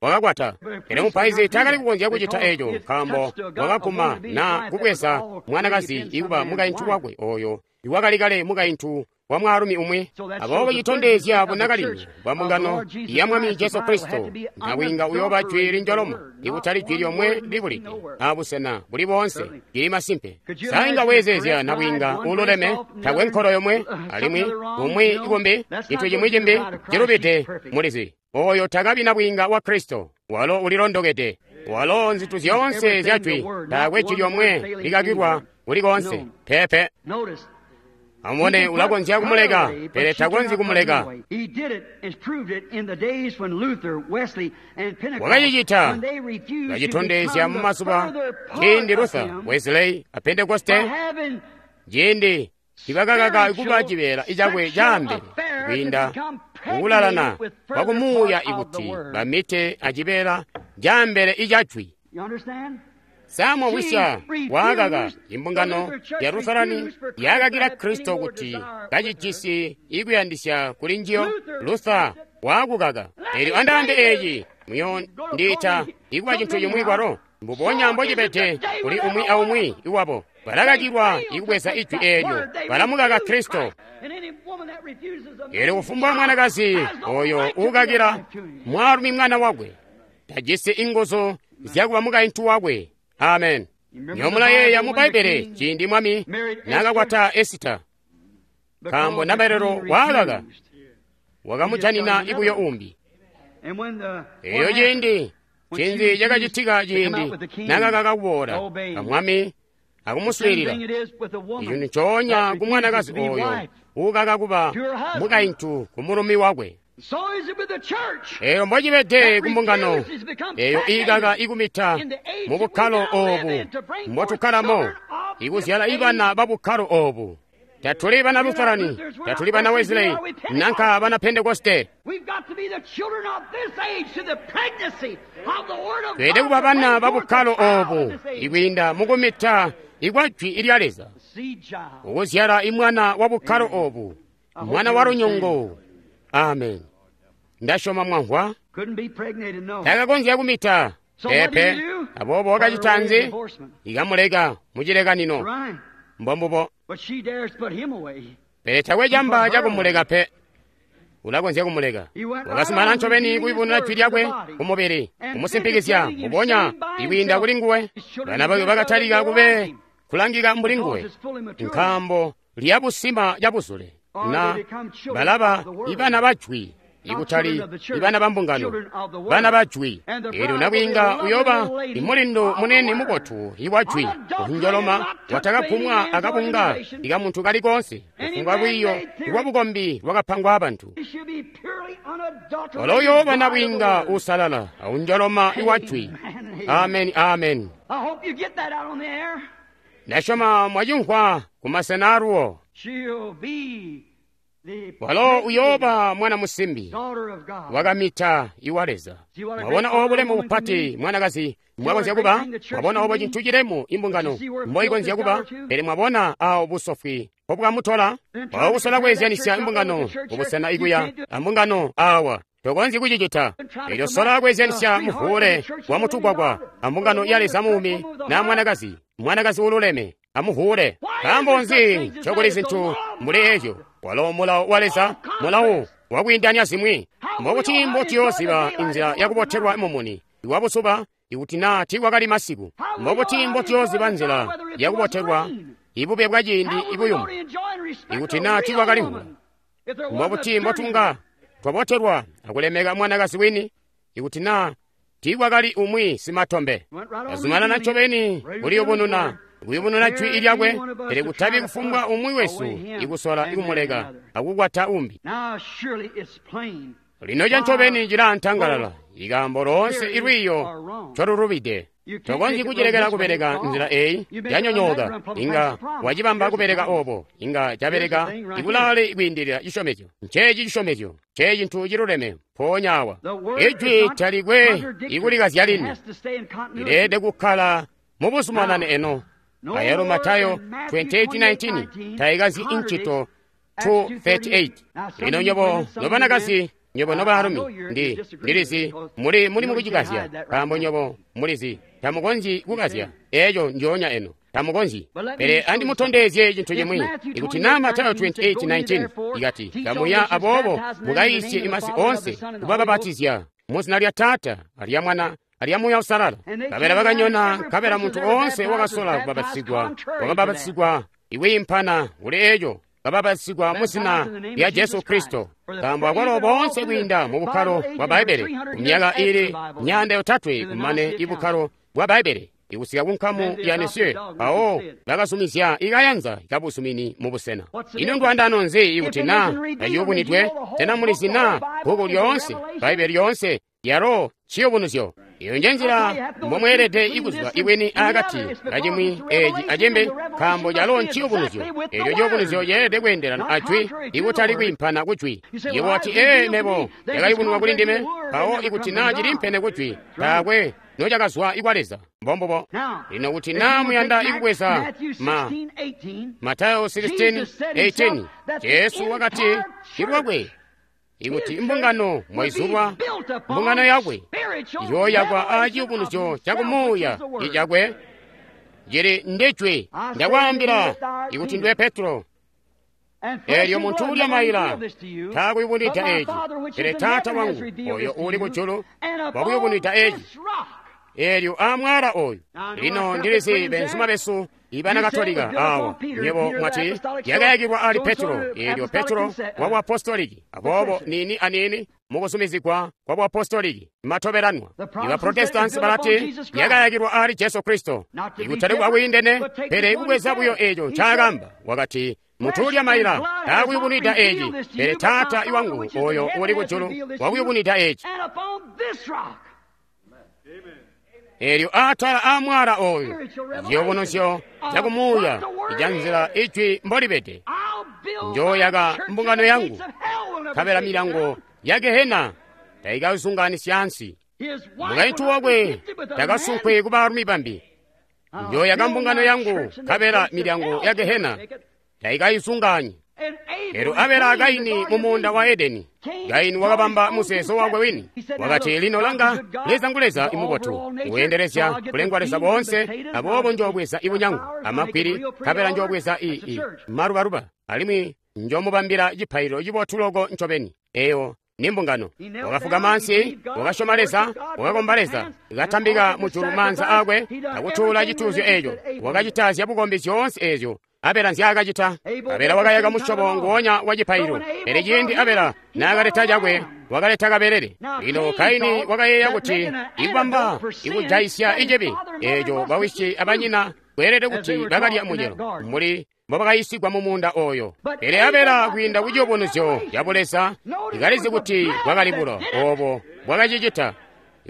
wakakwata. Pele mupaizi taakali kukonzya kucita eeco nkaambo wakaguma na kubweza mwanakazi ikuba mukaintu wakwe oyo iwakali kale mukaintu wa mwaalumi umwi. Aboobo citondezya bunakalindu bwa mbungano ya Mwami Jesu Kristo. Nabwiinga uyooba jwi linjoloma, ikutali jwi lyomwe libulide abusena buli boonse. Lili masimpe. Sainga weezeezya nabwiinga ululeme, takwe nkolo yomwe, alimwi umwi ikumbi, cintu cimwi cimbi cilubide mulizi. Oyo takabi nabwiinga wa Kristo, walo ulilondokede. Walo nzintu zyoonse zya jwi, taakwe jwi lyomwe likakilwa kuli koonse. Pepe. Amubone, ulakonzya kumuleka, pele takonzyi kumuleka. Wakacicita, kacitondezya mu mazuba ciindi Luther, Wesley a Pentekoste, ciindi ibakakaka kuba cibeela cakwe caambele kwiinda kukulalana kwa kumuuya ikuti bamite acibeela caambele ica jwi. Samwa wisya waakaka imbungano ya Lutherani yaakakila Kristo kuti kacijisi ikuyandisya kuli njiyo. Luther waakukaka. Eelyo andaambe eeci muyondiita ikuba cintu cimwi kwalo mbubonya mbocibede kuli umwi aumwi iwabo. Balakakilwa ikubweza ijwi eelyo, balamukaka Kristo. Eelyo kufumbwa mwanakazi oyo uukakila mwaalumi mwana wakwe tajisi inguzu zyakuba mukaintu wakwe. Amen. Nyomulayeeya mu Bbaibbele ciindi mwami naakakwata Esita, nkaambo namalelo waakaka wakamujanina ibuyo umbi. Eyo ciindi cinzi cakacitika ciindi naakakaka kuboola amwami akumuswiilila. Ico ncoonya ku mwanakazi oyo uukaka kuba mukaintu ku mulumi wakwe. Eyo mbocibede ku mbungano eyo iikaka ikumita mu bukkalo oobu mbotukkalamo, ikuzyala ibana ba bukkalo oobu. Tatuli bana Lutherani, tatuli bana Wesley, nanka bana Pentekoste. Tweede kuba bana ba bukkalo oobu ikwiinda mukumita ikwa jwi lya Leza, ukuzyala imwana wa bukkalo oobu, mwana wa lunyungu. Amen. Ndasyoma mwamvwa. Takakonzya kumita pepe. Aboobo wakacita nzi? Ikamuleka mucilekanino. Mbombubo. Pele takwe camba cakumuleka pe. Ulakonzya kumuleka. Wakasumana ncobeni kuyubununa jwi lyakwe kumubili, kumusimpikizya mbubonya ikwiinda kuli nguwe. Bana bakwe bakatalika kube kulangika mbuli nguwe, nkaambo lyabusima cabuzule. Na balaba ibana ba jwi, ikutali ibana ba mbungano, bana ba jwi. Eelyo nabwiinga uyoba imulindu munene mubotu iwa jwi, unjoloma watakagumwa akabunga ikamuntu kali koonse, kufumbwa lwiiyo lwa bukombi lwakapangwa abantu. Walo uyooba nabwiinga uusalala aunjoloma iwa jwi. Amen, amen. Ndasyoma mwacimvwa kumasena aluwo. Walo uyooba mwana musimbi wakamita iwa Leza. Mwabona obo bulemu bupati mwanakazi mbwakonzya kuba? Mwabona obo cintu cilemu imbungano mboikonzya kuba? Pele mwabona awo busofwi mbobwamutola? Walo kusola kweezyanisya imbungano kubusena ikuya ambungano awa. Tokonzyi kucicita. Elyo sola kweezyanisya muvuule wa mutugwagwa ambungano ya Leza muumi na mwanakazi, mwanakazi ululeme amuvuule. Nkaambo nzi ncokuli zintu mbuli eezyo? Walo mulawo wa Leza, mulawo wakwiindanya zimwi. Mbokuti mbotuyooziba inzila yakubotelwa mumuni iwabuzuba ikuti naa tiikwakali masiku? Mbokuti mbotuyooziba nzila yakubotelwa ibube bwa ciindi ibuyumu ikuti naa tiikwakali mvula? Mbokuti mbotunga twabotelwa akulemeka mwanakazi wini ikuti naa tiikwakali umwi simatombe? Azumanana ncobeni kuliyubununa kuyubununa jwi lyakwe, pele kutabi kufumbwa umwi wesu ikusola ikumuleka akukwata umbi. Lino cancobeni cilaantangalala ikaambo loonse ilwiiyo ncolulubide. Tokonzyi kucilekela kubeleka nzila eyi yanyonyooka. Inga wacibamba kubeleka obo, inga cabeleka ikulaale kwiindilila cisyomezyo. Nceeci cisyomezyo, ncecintu ciluleme mpoonya awa. Ijwi talikwe ikulikazya lini, lileelede kukkala mubuzumanane eno. Ayalo Matayo 28:19 taikazyi incito 2:38. Lino nywebo nobanakazi, nywebo nobaalumi, ndilizi muli mukucikazya, nkaambo nywebo mulizi tamukonzyi kukazya eco njoonya eno, tamukonzyi. Pele andimutondezye cintu cimwi. Ikuti naa Matayo 28:19 ikati, kamuya aboobo mukayiisye imasi oonse, kubabapatizya muzina lya Taata alya Mwana alya Muuya Uusalala. Nkabela bakanyona, nkabela muntu oonse wakasola kubapatizigwa wakabapatizigwa ikwiimpana kuli eco, kabapatizigwa muzina lya Jesu Kristo. Nkaambo akwalo boonse kwiinda mu bukkalo bwa Bbaibbele kumyaka ili 300 kumane ibukkalo bwa Bbaibbele ikusika ku nkamu ya Nicaea, mpawo bakazumizya ikayanza kabuzumini mu busena. Ino ndwandano nzi ikuti naa taciyubunidwe? Sena mulizi naa bbuku lyoonse, Bbaibbele lyoonse, yalo ciyubunuzyo? Iyo nje nzila mbomweelede ikuziba ibwini akati kacimwi eci acimbi, nkaambo calo nciyubunuzyo. Elyo ciyubunuzyo ceelede kweendelana ajwi, ikutali kwiimpana kujwi. Yebo wati, ee, mebo yakayubununwa kuli ndime. Mpawo ikuti naa ciliimpene kujwi, taakwe nocakazwa ikwa Leza. Mbombubo. Lino kuti naa muyanda ikubweza Matayo 16:18, Jesu wakati ilwakwe, ikuti mbungano mwaizulwa, mbungano yakwe iyooyakwa aciyubunuzyo cakumuuya icakwe cili ndijwi. Ndakwaambila ikuti ndiwe Petro, eelyo muntu ulya maila taakuyubunwida eci, pele Taata wangu oyo uuli kujulu wakuyubunwida eci. Eelyo aamwaala oyu. Lino ndilizi benzuma besu ibana Katolika awa, nywebo mwati yakayakilwa ali Petro, eelyo Petro wa buapostoliki. Aboobo nini anini mukuzumizigwa kwa buapostoliki matobelanwa. Iba Protestansi balati yakayakilwa ali Jesu Kristo, ikutali kwakwiindene, pele kubweza buyo eco ncaakamba. Wakati muntu ulya maila taakuyubunwida eci, pele Taata iwangu oyo uuli kujulu wakuyubunwida eci. Eelyo atala aamwaala oyu, ciyubunuzyo cakumuuya ica nzila ijwi mbolibede, njooyaka mbungano yangu, nkabela milyango ya Gehena taikazunganisya ansi. Mukaintu wakwe takasunkwe ku baalumi bambi. Njooyaka mbungano yangu, nkabela milyango ya Gehena taikayizunganyi. Elyo Abela a Kaini mu muunda wa Edeni, Kaini wakabamba muzeezo wakwe wini. Wakati, lino langa, Leza ngu Leza imubotu, uendelezya kulengwa Leza boonse, aboobo njoobweza ibunyangu amagwili, nkabela njoobweza malubaluba, alimwi njoomubambila cipaililo cibotu loko ncobeni. Eyo ni mbungano. Wakafuka mansi, wakasyoma Leza, wakakomba Leza, katambika mujulu maanza akwe akutuula cituuzyo eco. Wakacita zyabukombi zyoonse ezyo Abela nzyaakacita. Abela wakayaka musyobo nguonya wa cipaililo, pele ciindi Abela naakaleta cakwe, wakaleta kabelele. Lino Kaini wakayeeya kuti ikubamba ikujayisya icibi eco bawisi abanyina kweelede kuti bakalya mucelo mbuli mbobakayisigwa mu muunda oyo. Pele Abela kwiinda ku ciyubunuzyo ca Buleza ikalizi kuti bwakali bulo obo bwakacicita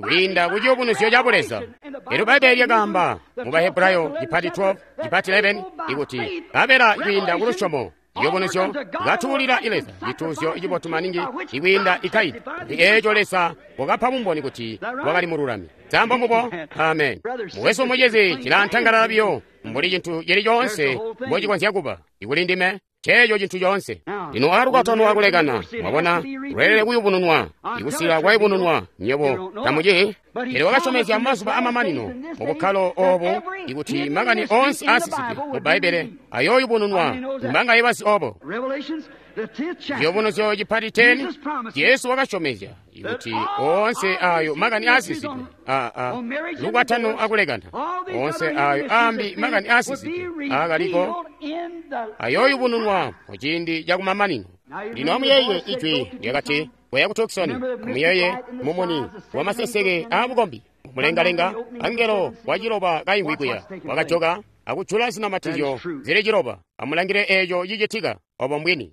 kwiinda ku ciyubunuzyo ca Buleza. Elyo Bbaibbele lyakaamba mu Bahebrayo cipati 12 cipati 11 ikuti Abela kwiinda ku lusyomo ciyubunuzyo katuulila Leza cituuzyo cibotu maningi ikwiinda Kaini, kuti eeco Leza wakapa bumboni kuti wakali mululami. Sambo mbubo. Amen. Mukwesu mucizi, cilaantangalala biyo mbuli cintu cili coonse mbocikonzya kuba ikuli ndime. Ceeco cintu coonse. Lino alukwatano akulekana, mwabona, lweelede kuyubununwa, ikusila kwayubununwa, nywebo tamuci. Pele wakasyomezya mazuba amamanino mu bukkalo obo ikuti makani oonse aasisidwe mu Bbaibbele ayooyubununwa. Mbangaye bazi obo? Ciyubunuzyo cipati 10, Jesu wakasyomezya ikuti oonse ayo makani aasisidwe lukwatano akulekana, oonse ayo aambi makani aasisidwe aakaliko ayooyubununwa muciindi cakumamanino. Lino amuyeeye ijwi lyakati koya ku Tucson, amuyeeye mumuni wamaseseke aabukombi mulengalenga, angelo waciloba kaimvwi kuya wakajoka akujula zinamatizyo zili ciloba. Amulangile eeco cicitika obo mbwini.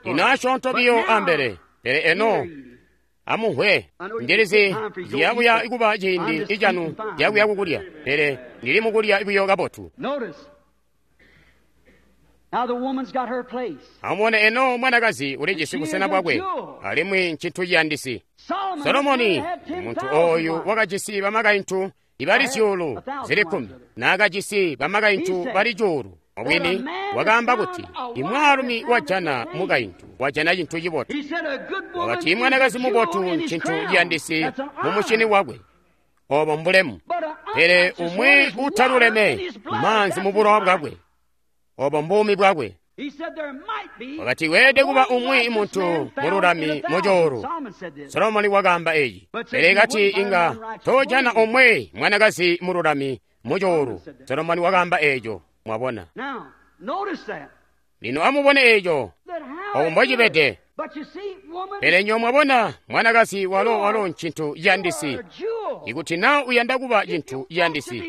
Lino asyoonto biyo ambele. Pele eno amumvwe, ndilizi ciyabuya kuba ciindi icanu cakuya kukulya, pele ndili mukulya buyo kabotu. Amubone eno mwanakazi ulijisi busena bwakwe, alimwi ncintu ciyandisi. Solomoni, muntu oyu wakajisi bamakaintu ibali 10,000, naakajisi bamakaintu bali 1,000. Mubwini wakaamba kuti imwaalumi wajana mukaintu wajana cintu cibotu. Wakati imwanakazi mubotu ncintu ciyandisi mumushini wakwe, obo mbulemu. Pele umwi utaluleme maanzi mubulowa bwakwe, obo mbuumi bwakwe. Wakati weelede kuba umwi muntu mululami mucoolu. Solomoni wakaamba eci. Pele kati inga tojana umwi mwanakazi mululami mucoolu. Solomoni wakaamba eco. Mwabona. Lino amubone eco obo mbocibede. Pele nyo mwabona mwanakazi walo ncintu ciyandisi. Ikuti na uyanda kuba cintu ciyandisi,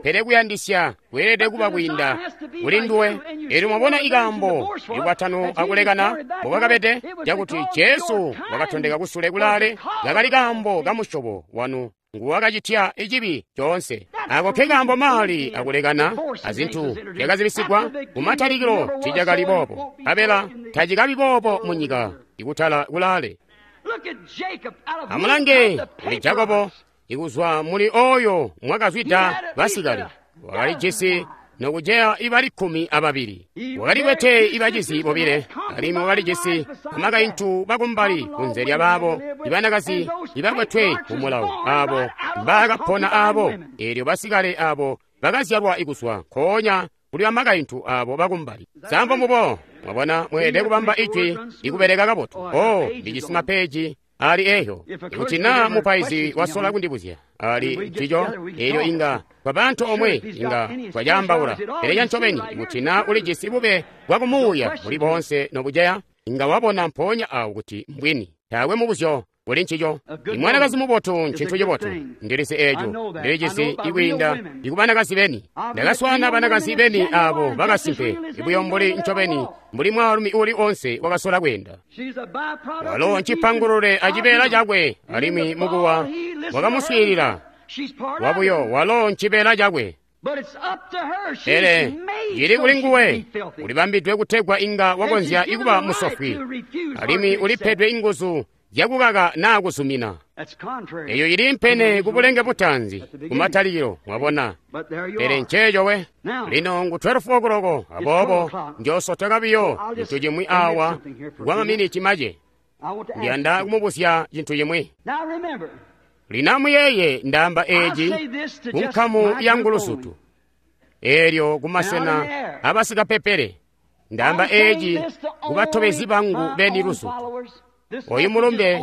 pele kuyandisya kweelede kuba kwiinda kuli nduwe. Elyo mwabona ikaambo ikwatano akulekana mbobakabede, cakuti Jesu wakatondeka kusule kulaale, kakali kaambo kamusyobo wanu nguwakacitya icibi coonse. Ako ke kaambo maali akulekana azintu zyakazibisigwa kumatalikilo ticakali boobo, nkabela tacikabi boobo munyika ikutala kulaale. Amulange kuli Jakobo, ikuzwa muli oyo mwakazwida basikali, wakalijisi nokujeya ibali 12. Wakalikwete ibacizi 2, alimwi wakalijisi bamakaintu bakumbali kunze lyabaabo ibanakazi ibakwetwe kumulawo abo mbaakapona abo. Eelyo basikale abo bakazyalwa ikuzwa nkoonya kuli bamakaintu abo bakumbali. Sambo mubo, mwabona, mweelede kubamba ijwi ikubeleka kabotu. Oh, ndijisi mapeji ali eyo. Ikuti na mupaizi wasola kundibuzya ali ncico, eelyo inga twabantu omwe inga twacaambaula. Pele cancobeni, ikuti na ulijisi bube bwakumuuya buli boonse nobuceya, inga wabona mpoonya awo kuti mbwini. Taakwe mubuzyo kuli ncico. Imwanakazi mubotu ncintu cibotu. Ndilisi eco, ndilijisi ikwiinda ikubanakazi beni. Ndakaswaana banakazi beni abo bakasimpe, ibuyo mbuli ncobeni mbuli mwaalumi uli onse wakasola kweenda. Walo ncipangulule acibeela cakwe, alimwi mukuwa wakamuswiilila wabuyo. Walo ncibeela cakwe, pele cili kuli nguwe, ulibambidwe kutegwa inga wakonzya ikuba musofwi, alimwi ulipedwe inguzu zyakukaka naa kuzumina. Eyo ili mpene kubulenge butaanzi kumatalikilo, mwabona. Pele nceeco we. Lino ngu 12 o'clock, aboobo njoosoteka biyo cintu cimwi awa kwa maminiti mace. Ndiyanda kumubuzya cintu cimwi. Lino amuyeeye, ndaamba eci kunkamu ya ngulusutu, eelyo kumasena abasikapepele. Ndaamba eci kubatobezi bangu beni lusutu. Oyu mulumbe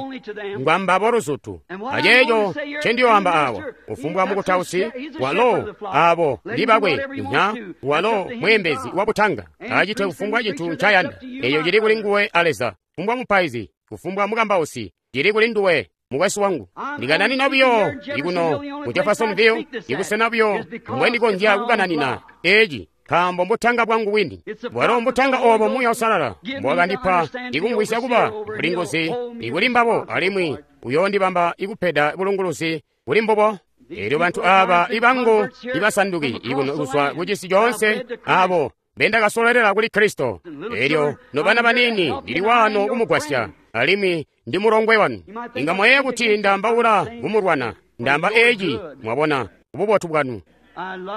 ngwambabo lusutu. Aceeco ncendiyoamba awa, ufumbwa mukutausi walo abo ndi bakwe nya walo mweembezi wabutanga, acite kufumbwa cintu ncayanda. Eyo cili kuli nguwe a Leza. Kufumbwa mupaizi, kufumbwa mukambausi, cili kuli nduwe mukwesu wangu. Ndikananina buyo ikuno ku Jeffersonville, ibusena buyo mbwendikonzya kukananina eci, nkaambo mbutanga bwangu bwini. Bwalo mbutanga obo Muuya Uusalala mbwakandipa ikumvwisya kuba bulinguzi ikuli mbabo, alimwi uyoondibamba ikupeda bulunguluzi kuli mbubo. Eelyo bantu aba ibangu ibasanduki ikuno kuzwa kucisi coonse, abo bendakasolelela kuli Kristo. Eelyo nobana banini, ndili wano kumugwasya, alimwi ndi mulongwe wanu. Inga mwayeeya kuti ndaambaula kumulwana. Ndaamba eci, mwabona, kububotu bwanu.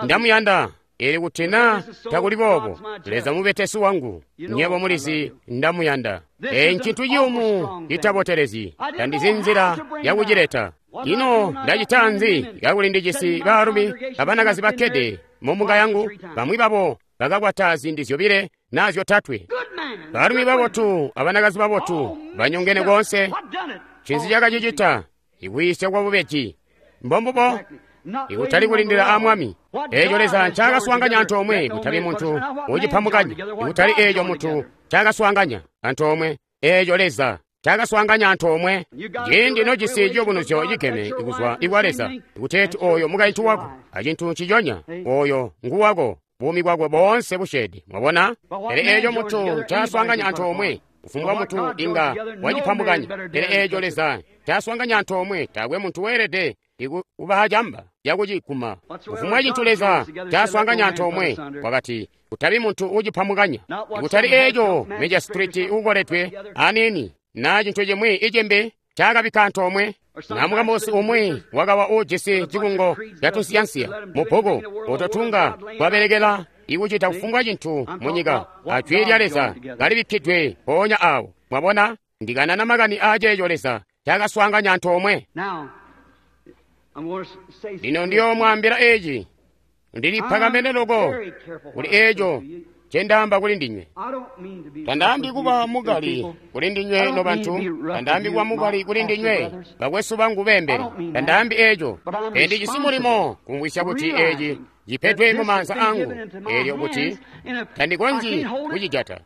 Ndamuyanda. Eli kuti na takuli boobo, Leza mubetesi wangu, nyebo mulizi ndamuyanda. Eyi ncintu ciyumu citabotelezi, tandizi nzila yakucileta. Ino ndacita nzi kakuli ndijisi baalumi abanakazi bakkede mumbunga yangu, bamwi babo bakakwata ziindi 2 naa 3. Baalumi babotu abanakazi babotu banyongene koonse. Ncinzi cakacicita? Ikwiisya kwa bubeji. Mbombubo. Ikutali kulindila a Mwami. Eeco Leza ncaakaswaanganya antoomwe, kutabi muntu ucipambukanya. Ikutali eeco muntu ncaakaswaanganya antoomwe, eeco Leza ncaakaswaanganya antoomwe. Ciindi nojisi ciyubunuzyo cigeme kuzwa ikwa Leza, kuteeti oyo mukaintu wako, acintu nciconya, oyo nguwako, buumi bwakwe boonse busyeede. Mwabona? Pele eeco muntu ncaaswaanganya antoomwe, Kufumbwa muntu inga wacipambukanya, pele eeco Leza ncaaswaanganya antoomwe, taakwe muntu weelede kuba acamba cakuciguma. Kufumbwa cintu Leza ncaaswaanganya antoomwe, wakati kutabi muntu uucipambukanya. Kutali eeco magistrate uukoledwe aniini naa cintu cimwi icimbi ncaakabikka antoomwe. Na mukambusi umwi wakawa uujisi cikungo catunsiyansiya mubbuku oto tunga twabelekela ikucita kufumbwa cintu munyika, ajwi lya Leza kalibikkidwe mpoonya awo. Mwabona, ndikanana makani aaceeco Leza ncaakaswaanganya antoomwe. Lino ndiyoomwaambila eeci, ndilipakamene loko kuli eeco ncendaamba kuli ndinywe. Tandaambi kuba mukali kuli ndinywe nobantu, tandaambi kuba mukali kuli ndinywe bakwesu bangu beembeli, tandaambi eeco. Pele ndijisi mulimo kumvwisya kuti eeci cipedwe mumaanza angu, eelyo kuti tandikonzyi kucijata.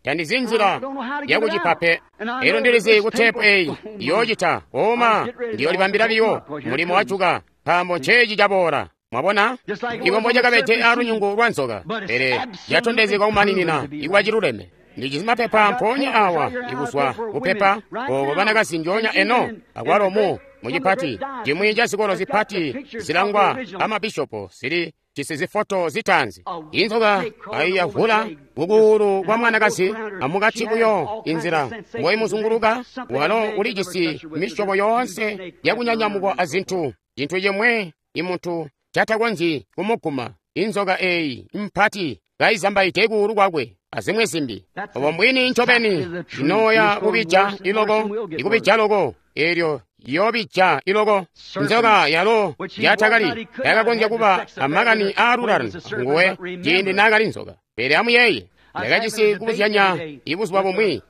Tandizi nzila yakucipa pe. Elyo ndilizi ku teepu eyi iyoocita oma ndiyolibambila biyo mulimo wajuka, nkaambo nceeci caboola. Mwabona, ikombo cakabede alunyungu lwa nzoka, pele catondezegwa kumaninina ikuba ciluleme. Ndijisi mapepa mpoonya awa ikuzwa kupepa oko banakazi njoonya eno akwalo mu mucipati cimwi ca zikolo zipati zilangwa amabishopo zili jisi zifoto zitaanzi. Inzoka aiyavula kukuulu kwa mwanakazi amukati buyo inzila mboimuzunguluka, walo ulijisi misyobo yoonse yakunyanyamukwa azintu, cintu cimwe imuntu catakonzyi kumuguma. Inzoka eeyi mpati kaizambaide kuulu kwakwe azimwi zimbi. Obo mbwini ncobeni inooya kubija iloko, ikubija loko, eelyo yoobija iloko. Nzoka yalo yatakali yakakonzya kuba amakani aalulano nguwe ciindi naakali nzoka. Pele amuyeeye, ndakajisi kubuzyanya ibuzuba bumwi,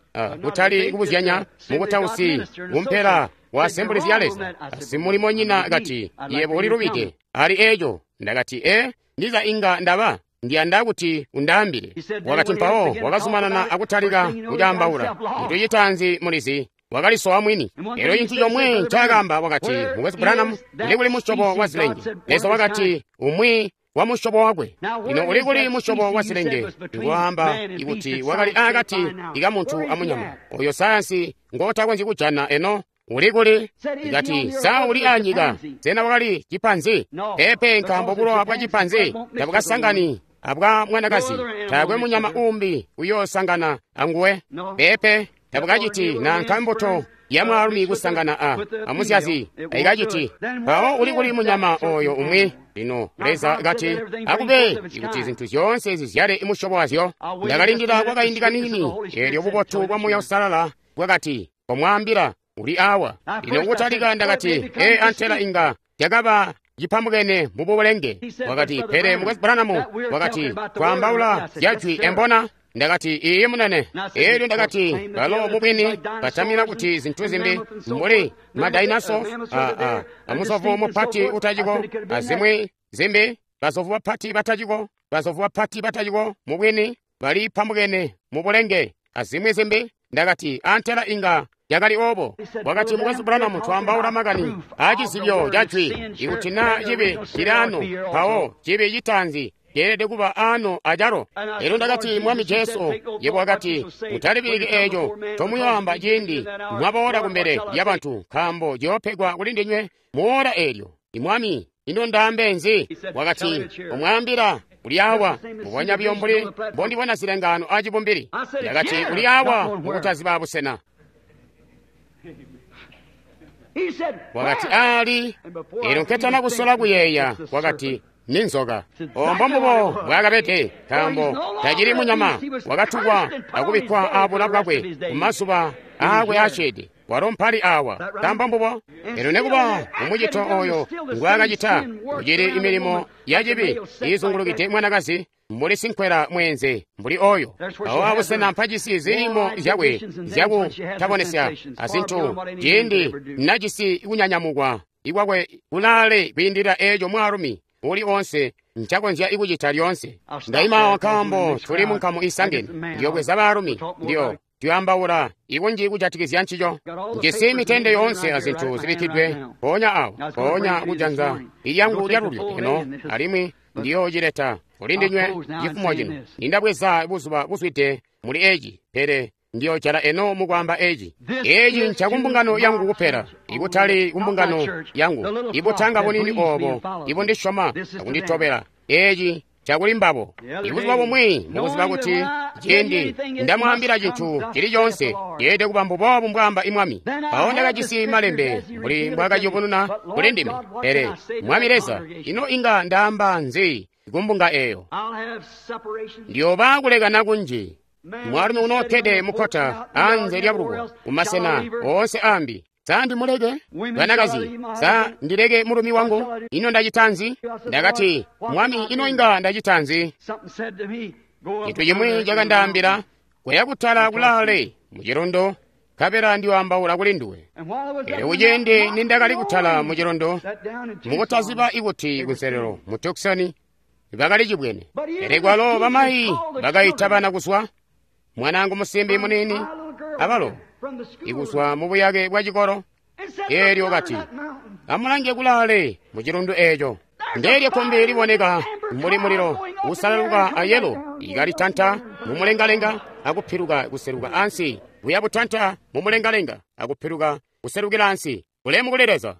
kutali kubuzyanya mukutausi kumpela wa Assemblies ya Leza. Simulimonyina kati, yebo ulilubide ali eeco. Ndakati, ndiza inga ndaba ndiyanda kuti undaambile. Wakati mpawo wakazumanana akutalika kucaambaula. Cintu citaanzi mulizi, wakalisowa mwini. Elyo cintu comwe ncaakaamba wakati, Mukwesu Branham, uli kuli musyobo wa zilenge? Leza wakati, umwi wa musyobo wakwe. Lino uli kuli musyobo wa zilenge? Ngwaamba ikuti wakali aakati ikamuntu amunyama oyo sayansi ngotakonzyi kujana eno. Uli kuli? Ikati, sa uli anyika? Sena wakali cipanzi? Peepe, nkaambo bulowa bwa cipanzi tabukasangani abwa mwanakazi. Taakwe munyama uumbi uyoosangana anguwe. Peepe, tabukaciti nanka mbuto ya mwaalumi kusangana amuzyazi aikaciti. Mpawo uli kuli munyama oyo umwi? Lino Leza kati, akube ikuti zintu zyoonse zizyale musyobo wazyo. Ndakalindila kwakaindi kaniini, eelyo bubotu bwa Muuya Uusalala bwakati, komwaambila uli awa. Lino kutalika ndakati, antela inga yakaba cipambukene mubulenge. Wakati, pele Mukwesu Branham, wakati, twaambaula zya jwi embona? Ndakati, iiyi munene. Eelyo ndakati, balo mubwini batamina kuti zintu zimbi mbuli madainaso, amusovu mupati utaciko, azimwi zimbi, basovu bapati bataciko, basovu bapati bataciko, mubwini bali pambukene mubulenge, azimwi zimbi. Ndakati, antela inga yakali obo. Wakati, Mukwesu Branham, twaambaula makani aacizibyo ca jwi. Ikuti naa cibi cili ano, mpawo cibi citaanzi ceelede kuba ano acalo. Elyo ndakati, Mwami Jesu, yebo wakati, mutalibiliki eeco ncomuyoamba ciindi mwaboola kumbele lyabantu, nkaambo ciyoopegwa kuli ndinywe muola eelyo. Imwami, ino ndaambe nzi? Wakati, umwaambila uli awa, mbubonya buyo mbuli mbondibona zilengaano acibumbili. Ndakati, uli awa mukutaziba busena. Wakati, ali. Elyo nketana kusola kuyeeya, wakati, ni nzoka. Ombo mbubo bwakabede, nkaambo tacili munyama, wakatukwa akubikkwa abula bwakwe kumazuba aakwe aceede. Walo mpali awa, nkaambo mbubo. Elyo nekuba mumucito oyo ngwaakacita, kucili imilimo yacibi iizungulukide mwanakazi mbuli sinkwela mweenze mbuli oyo. Awo abusena mpajisi zilimo zyakwe zyakutabonesya azintu, ciindi najisi kunyanyamukwa ikwakwe kulaale kwiindilila eeco mwaalumi uli onse ncakonzya ikucita lyoonse. Ndaimawa nkaambo tuli munkamu isangene, ndiyobweza baalumi, ndiyo tuyambaula ikunji kujatikizya ncico. Njisi mitende yoonse azintu zibikkidwe mpoonya awo, mpoonya kujanza ilyangu lyalulyo eno, alimwi ndiyoocileta kuli ndinywe cifumo cino. Nindabweza buzuba buzwide muli eci, pele Ndiyo jala eno mukwaamba eci. Eci nca kumbungano yangu kupela, ikutali kumbungano yangu, ibutanga bunini obo ibundisyoma akunditobela. Eci cakuli mbabo. Ibuzuba bumwi mukuziba kuti ciindi ndamwaambila cintu cili coonse ceelede kuba mbuboobu mbwaamba imwami. Mpawo ndakajisi malembe mbuli mbwaakayubununa kuli ndime. Pele Mwami Leza, ino inga ndaamba nzi kumbunga eyo? Ndiyooba kulekana kunji. Mwaalumi unookkede mukkota anze lya buluko kumasena oonse ambi. Sa ndimuleke? Banakazi, sa ndileke mulumi wangu? Ino ndacita nzi? Ndakati, Mwami, ino inga ndacita nzi? Cintu cimwi cakandaambila, kuya kutala kulaale mu cilondo, nkabela ndiyoambaula kuli nduwe. Elyo kuciindi nindakali kutala mu cilondo, mukutaziba ikuti kunselelo mu Tucson bakali cibwene. Pele kwalo bamayi bakaita bana kuzwa, mwanaangu musimbi muniini abalo ikuzwa mu buyake bwa cikolo. Eelyo kati, amulange kulaale mu cilundu eeco. Ndeelyo kkumbi liboneka mbuli mulilo usalaluka ayelo ikalitanta mumulengalenga akupiluka kuseluka ansi, buya butanta mumulengalenga akupiluka kuselukila ansi. Ulemu kuli Leza.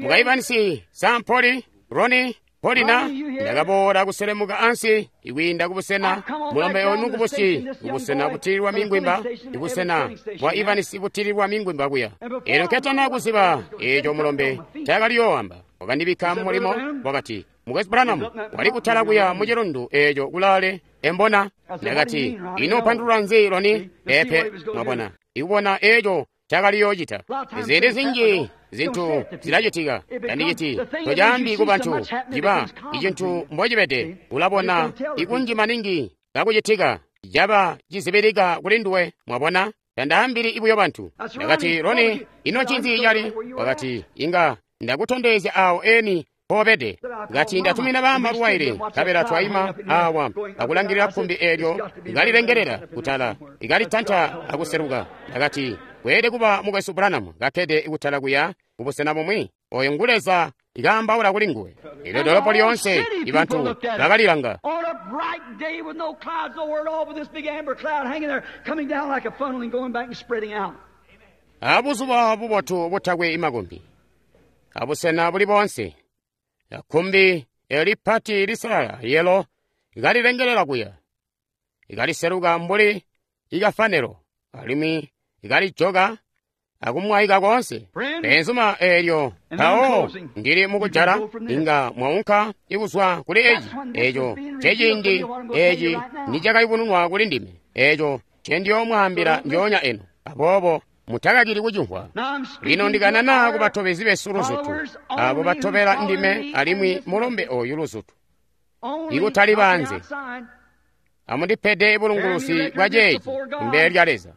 Mukaibanisi Sampoli, Roni, Polina, ndakaboola kuselemuka ansi ikwiinda kubusena mulombe oyu mukubusi, kubusena butililwa mingwimba, ibusena bwa Ivanisi butililwa mingwimba kuya. Elyo nketana kuziba eco mulombe ncaakali yoowamba, wakandibikka mumulimo, wakati, Mukwesu Branham, wali kutala kuya mu cilundu eco kulaale embona. Ndakati, ino upandulula nzi Loni? Peepe, mwabona, ikubona eco ncaakali yoocita. Ziindi zinji zintu zilacitika, tandiciti tocaambi ku bantu ciba icintu mbocibede. Ulabona ikunji maningi kakucitika, caba cizibilika kuli nduwe, mwabona. Tandaambili ibuyo bantu. Ndakati, Roni, ino ncinzi cali? Wakati, inga ndakutondezya awo eni poobede. Ngati ndatumina baama luwaile, nkabela twaima awa akulangilila kkumbi eelyo ikalilengelela kutala, ikalitanta akuseluka. Ndakati, kweelede kuba mukwesu Branham kakkede kutala kuya kubusena bumwi. Oyo ngu Leza ikaambaula kuli nguwe. Elyo dolopo lyoonse ibantu bakalilanga. On a bright day with no clouds nowhere at all, but this big amber cloud hanging there, coming down like a funnel and going back and spreading out. Abuzuba bubotu butakwe imakumbi, abusena buli boonse, kkumbi elipati lisalala yelo ikalilengelela kuya, ikaliseluka mbuli ikafanelo, alimwi ikalijoka akumwaika koonse. Benzuma eelyo mpawo ndili mukujala, inga mwaunka ikuzwa kuli eci. Eco ceciindi eci nicakayubununwa kuli ndime, eco ncendiyoomwaambila ndyoonya eno. Aboobo mutakakili kucimvwa. Lino ndikanana ku batobezi besu luzutu, abo batobela ndime alimwi mulombe oyu luzutu, ikutali banze. Amundipede bulunguluzi bwa ceeci kumbele lya Leza,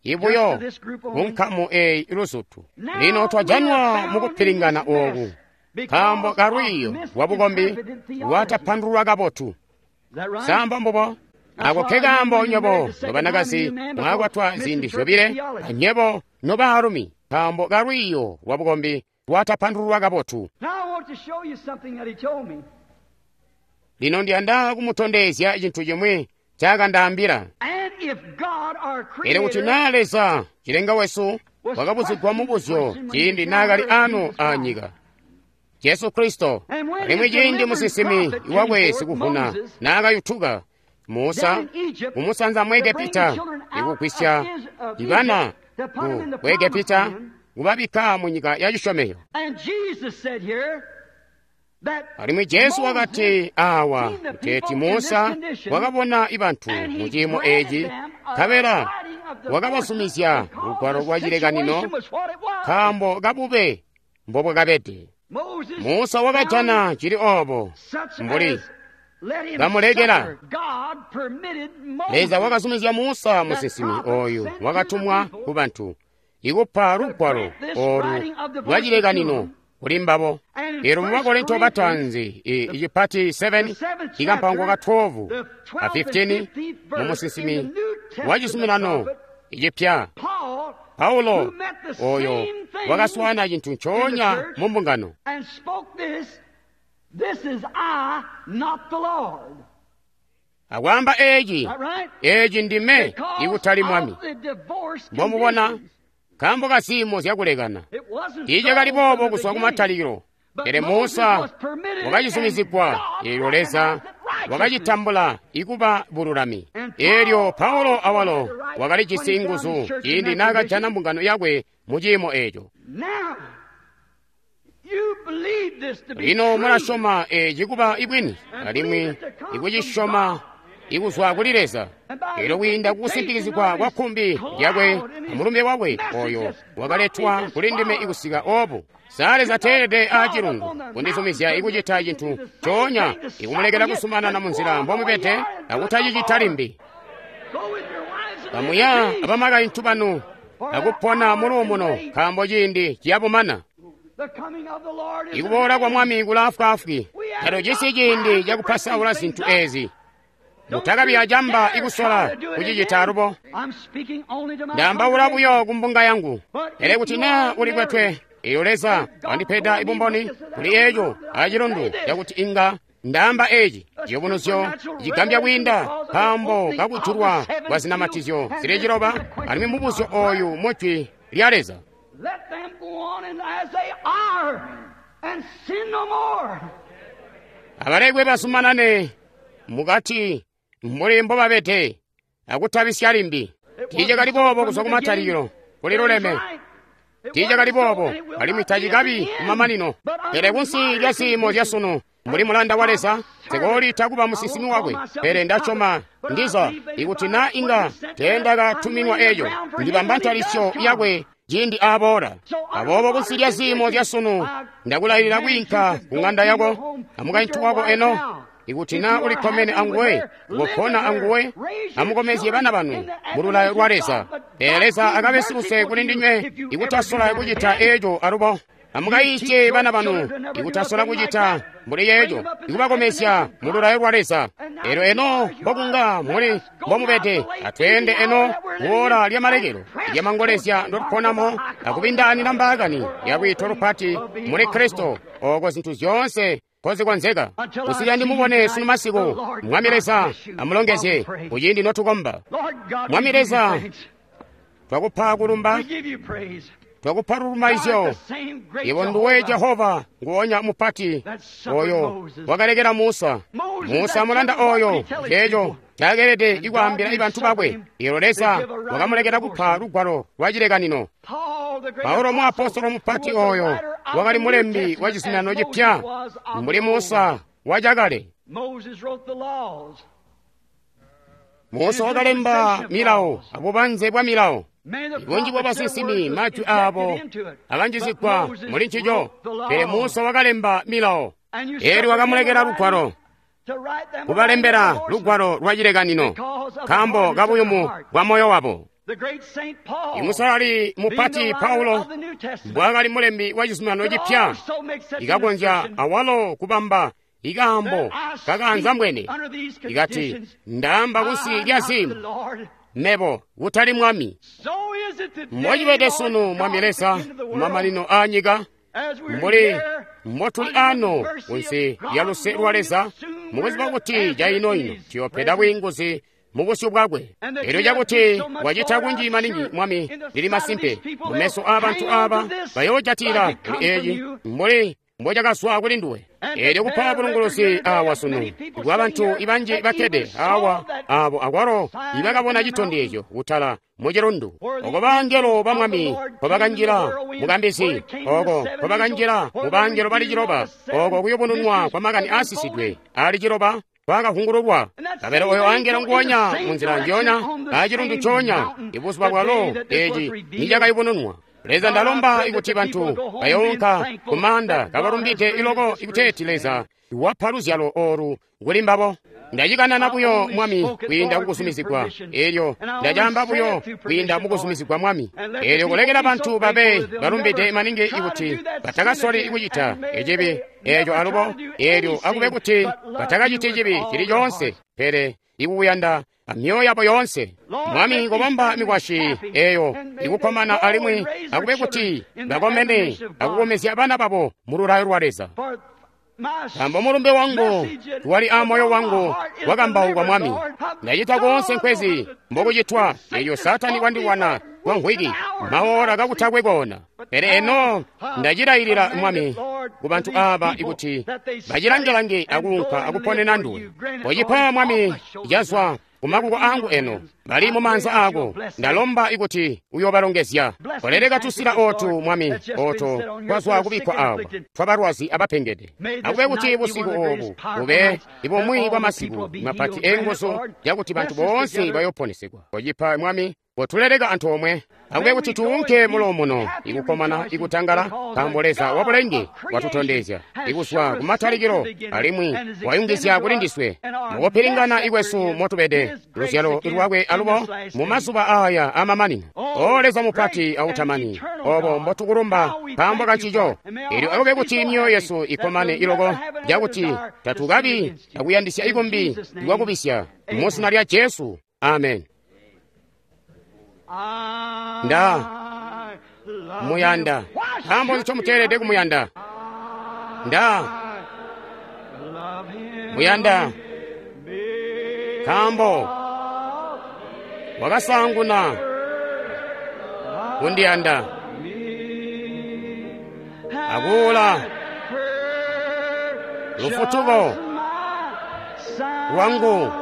ibuyo kunkamu eyi luzutu. Lino twajanwa mukupilingana ooku nkaambo kalwiiyo lwa bukombi lwatapandululwa kabotu. Samba mbubo. Ako ke kaambo nywebo nobanakazi mwakwatwa ziindi zyobile, anywebo nobaalumi, nkaambo kalwiiyo lwa bukombi lwatapandululwa kabotu. Now I want to show you something that he told me. Lino ndiyanda kumutondezya cintu chimwi ncakandaambila. And if God, our Pele kuti Creator, naa Leza cilenga wesu wakabuzigwa mubuzyo ciindi naakali ano anyika, Jesu Kristo, alimwi ciindi musinsimi wakwe sikuvuna naakayutuka Musa kumusanza mu Egepita ikugwisya ibana ku Egepita kubabikka mu nyika ya cisyomezyo. and Jesus said here that Alimwi Jesu wakati awa kuteeti Musa wakabona ibantu mu ciimo eci, nkabela wakabazumizya lugwalo lwa cilekanino nkaambo kabube mbobwakabede. Musa wakajana cili obo mbuli bamulekela. Leza wakazumizya Musa musinsimi oyu wakatumwa ku bantu ikupa lugwalo olu lwa cilekanino kuli mbabo. Elo mu Bakorinto batanzi icipati 7 ikampango ka 12 a 15 mu musinsimi wa cizuminano icipya Paulo oyo wakaswana cintu ncoonya mu mbungano. and spoke this, this is I, not the Lord. Akwaamba eeci, eeci ndime ikutali Mwami. Mbomubona, nkaambo ka ziimo zyakulekana. Tiicakali boobo kuzwa kumatalikilo. Pele Musa wakacizumizigwa, eelyo Leza wakacitambula ikuba bululami. Eelyo Paulo awalo wakalijisi nguzu ciindi naakajana mbungano yakwe mu ciimo eeco. Lino mulasyoma eeci kuba ibwini, alimwi ikucisyoma ikuzwa kuli Leza. Eelyo kwiinda kukusimpikizigwa kwa kkumbi lyakwe amulumbe wakwe oyo wakaletwa kuli ndime ikusika obu. Sa Leza teelede aacilundu kundizumizya ikucita cintu ncoonya ikumulekela kusumanana munzila mbomubede akutacicita limbi. Kamuya abamakaintu banu akupona muluumuno, nkaambo ciindi ciyabumana. Ikuboola kwa Mwami kulaafwaafwi. Tatujisi ciindi cakupasaula zintu eezi. Mutakabi acamba ikusola kucicita alubo. Ndaambaula buyo kumbunga yangu. Pele kuti naa ulikwetwe, eelyo Leza wandipeda ibumboni kuli eeco acilundu cakuti inga ndaamba eeci ciyubunuzyo cigambya kwiinda, nkaambo kakujulwa kwa zinamatizyo zili ciloba, alimwi mubuzyo ooyu mujwi lya Leza. Abalekwe basumanane mukati mbuli mbobabede akutabisya limbi. Tiicakali boobo kuzwa kumatalikilo, kuli luleme. Tiicakali boobo alimwi tacikabi kumamanino. Pele kunsi lya ziimo zyasunu, mbuli mulanda wa Leza, nsikoliita kuba musinsimi wakwe. Pele ndasyoma ndiza ikuti naa inga teendakatuminwa eeco, ndibamba ntalisyo yakwe ciindi aaboola. Aboobo kunsi lya ziimo zyasunu, ndakulailila kwiinka ku ŋanda yako amukaintu wako eno. Ikuti naa ulikkomene anguwe, kopona anguwe, amukomezye bana banu mululayo lwa Leza. Pele Leza akabe siluse kuli ndinywe ikutasola kucita eeco alubo. Amukayiisye bana banu ikutasola kucita mbuli yeeco, ikubakomezya mululayo lwa Leza. Eelyo eno mbokunga muli mbomubede, atweende eno kuola lyamalekelo lyamangolezya ndotuponamo akubindaanina mbaakani ya lwiito lupati muli Kristo, ooko zintu zyoonse kozikonzeka. Kusikila ndimubone sunu masiku, Mwami Leza amulongezye kuciindi notukomba. Mwami Leza, twakupa kulumba, twakupa lulumaizyo. Iwe nduwe Jehova nguonya mupati oyo wakalekela Musa. Musa mulanda oyo eeco caakelede ikwaambila ibantu bakwe. Eelyo Leza wakamulekela kupa lugwalo lwa cilekanino. Paulo muapostolo mupati oyo wakali mulembi wa cizuminano cipya mbuli Musa wacakale. Musa wakalemba milawo abubanze bwa milawo. Bunji bwa basinsimi majwi aabo akanjizigwa muli ncico, pele Musa wakalemba milawo. Eelyo wakamulekela lugwalo, kubalembela lugwalo lwa cilekanino, nkaambo kabuyumu bwa moyo wabo. Imusalali mupati Paulo mbwaakali mulembi wa cizuminano cipya, ikakonzya awalo kubamba ikaambo kakaanzambwene ikati, ndaamba kunsi lya ziimo, mebo kutali Mwami. Mbocibede sunu, Mwami Leza, kumamanino aanyika, mbuli mbotuli ano kunsi lya luse lwa Leza, mukuziba kuti caino-ino tuyopeda bwiinguzi mubusyu bwakwe. Eelyo cakuti wacita kunji maningi, Mwami, lili masimpe mumeso aabantu aaba bayoojatila kuli eeci mbuli mbocakazwa kuli nduwe. Eelyo kupa bulunguluzi awa sunu bwa bantu ibanji bakkede awa aabo akwalo ibakabona citondezyo kutala mucilundu, oko bangelo ba Mwami nkobakanjila mukambizi, oko nkobakanjila mubangelo bali ciloba, oko kuyubununwa kwa makani aasisidwe ali ciloba kwakavungululwa. Kabele oyo angelo nguonya munzila njoonya acilundu coonya ibuzuba bwalo eeci nicakayubununwa. Leza, ndalomba ikuti bantu bayounka kumaanda kabalumbide iloko ikuteeti Leza wapa luzyalo oolu kuli mbabo. Ndacikanana buyo, Mwami, kwiinda kukuzumizigwa. Eelyo ndacaamba buyo kwiinda mukuzumizigwa, Mwami. Eelyo kulekela bantu babe balumbide maningi ikuti batakasoli kucita ecibi eeco alubo, eelyo akube kuti batakaciti cibi cili coonse, pele ikukuyanda amyoyo yabo yoonse. Mwami, kobamba mikwasyi eeyo ikukkomana alimwi akube kuti bakomene akukomezya bana babo mululayo lwa Leza. Nkaambo mulumbe wangu wali aamoyo wangu wakambaukwa Mwami. Ndacita koonse nkwezi mbokucitwa elyo Saatani wandilwana kwa nkhwiki maora kakutakwe koona. Pele eno ndacilailila Mwami ku bantu aaba ikuti bacilangelange akuunka akuponena nduwe. Kocipa Mwami cazwa kumakuko angu eno bali mumaanza ako. Ndalomba ikuti uyobalongezya. Koleleka tusila otu Mwami oto twazwa kubikkwa awa twabalwazi abapengede. Akube kuti busiku obu bube ibumwi bwa masiku mapati enguzu yakuti bantu boonse bayoponesegwa. Kocipa Mwami kotuleleka antoomwe. Akube kuti tuunke mulomuno ikukomana ikutangala, nkaambo Leza wabulenge watutondezya ikuzwa kumatalikilo alimwi wayungizya kuli ndiswe mukupilingana ikwesu motubede luzyalo lwakwe alubo mu mazuba aya amamanino. O Leza mupati autamani, obo mbotukulumba nkaambo kancico. Elyo akube kuti myoyo yesu ikomane iloko yakuti tatukabi akuyandisya ikumbi ikwakubisya mu zina lya Jesu. Amen. Nda muyanda. Nkaambo nco muteelede kumuyanda? Nda muyanda nkaambo wakasaanguna kundiyanda akuula lufutuko lwangu.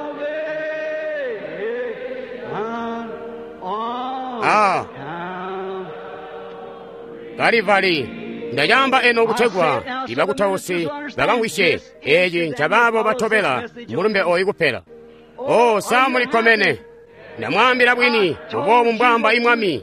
Kalivali. Ndayamba eno kutegwa ibakutausi bakamwisye eci ncabaabo batobela mulumbe oyu kupela. O sa mulikkomene? Ndamwaambila bwini uboobu mbwaamba imwami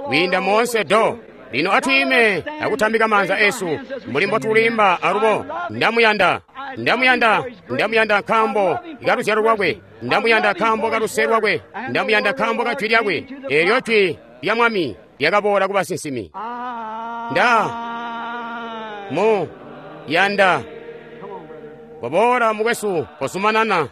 kwiinda moonse do. Lino atwiime akutambika maanza esu mbuli mbotulimba alubo. Ndamuyanda, ndamuyanda, ndamuyanda nkaambo kaluzyalo lwakwe. Ndamuyanda nkaambo kaluse lwakwe. Ndamuyanda nkaambo ka jwi lyakwe. Eelyo jwi lya Mwami lyakaboola ku basinsimi. Nda mu yanda. Koboola mukwesu, kozumanana.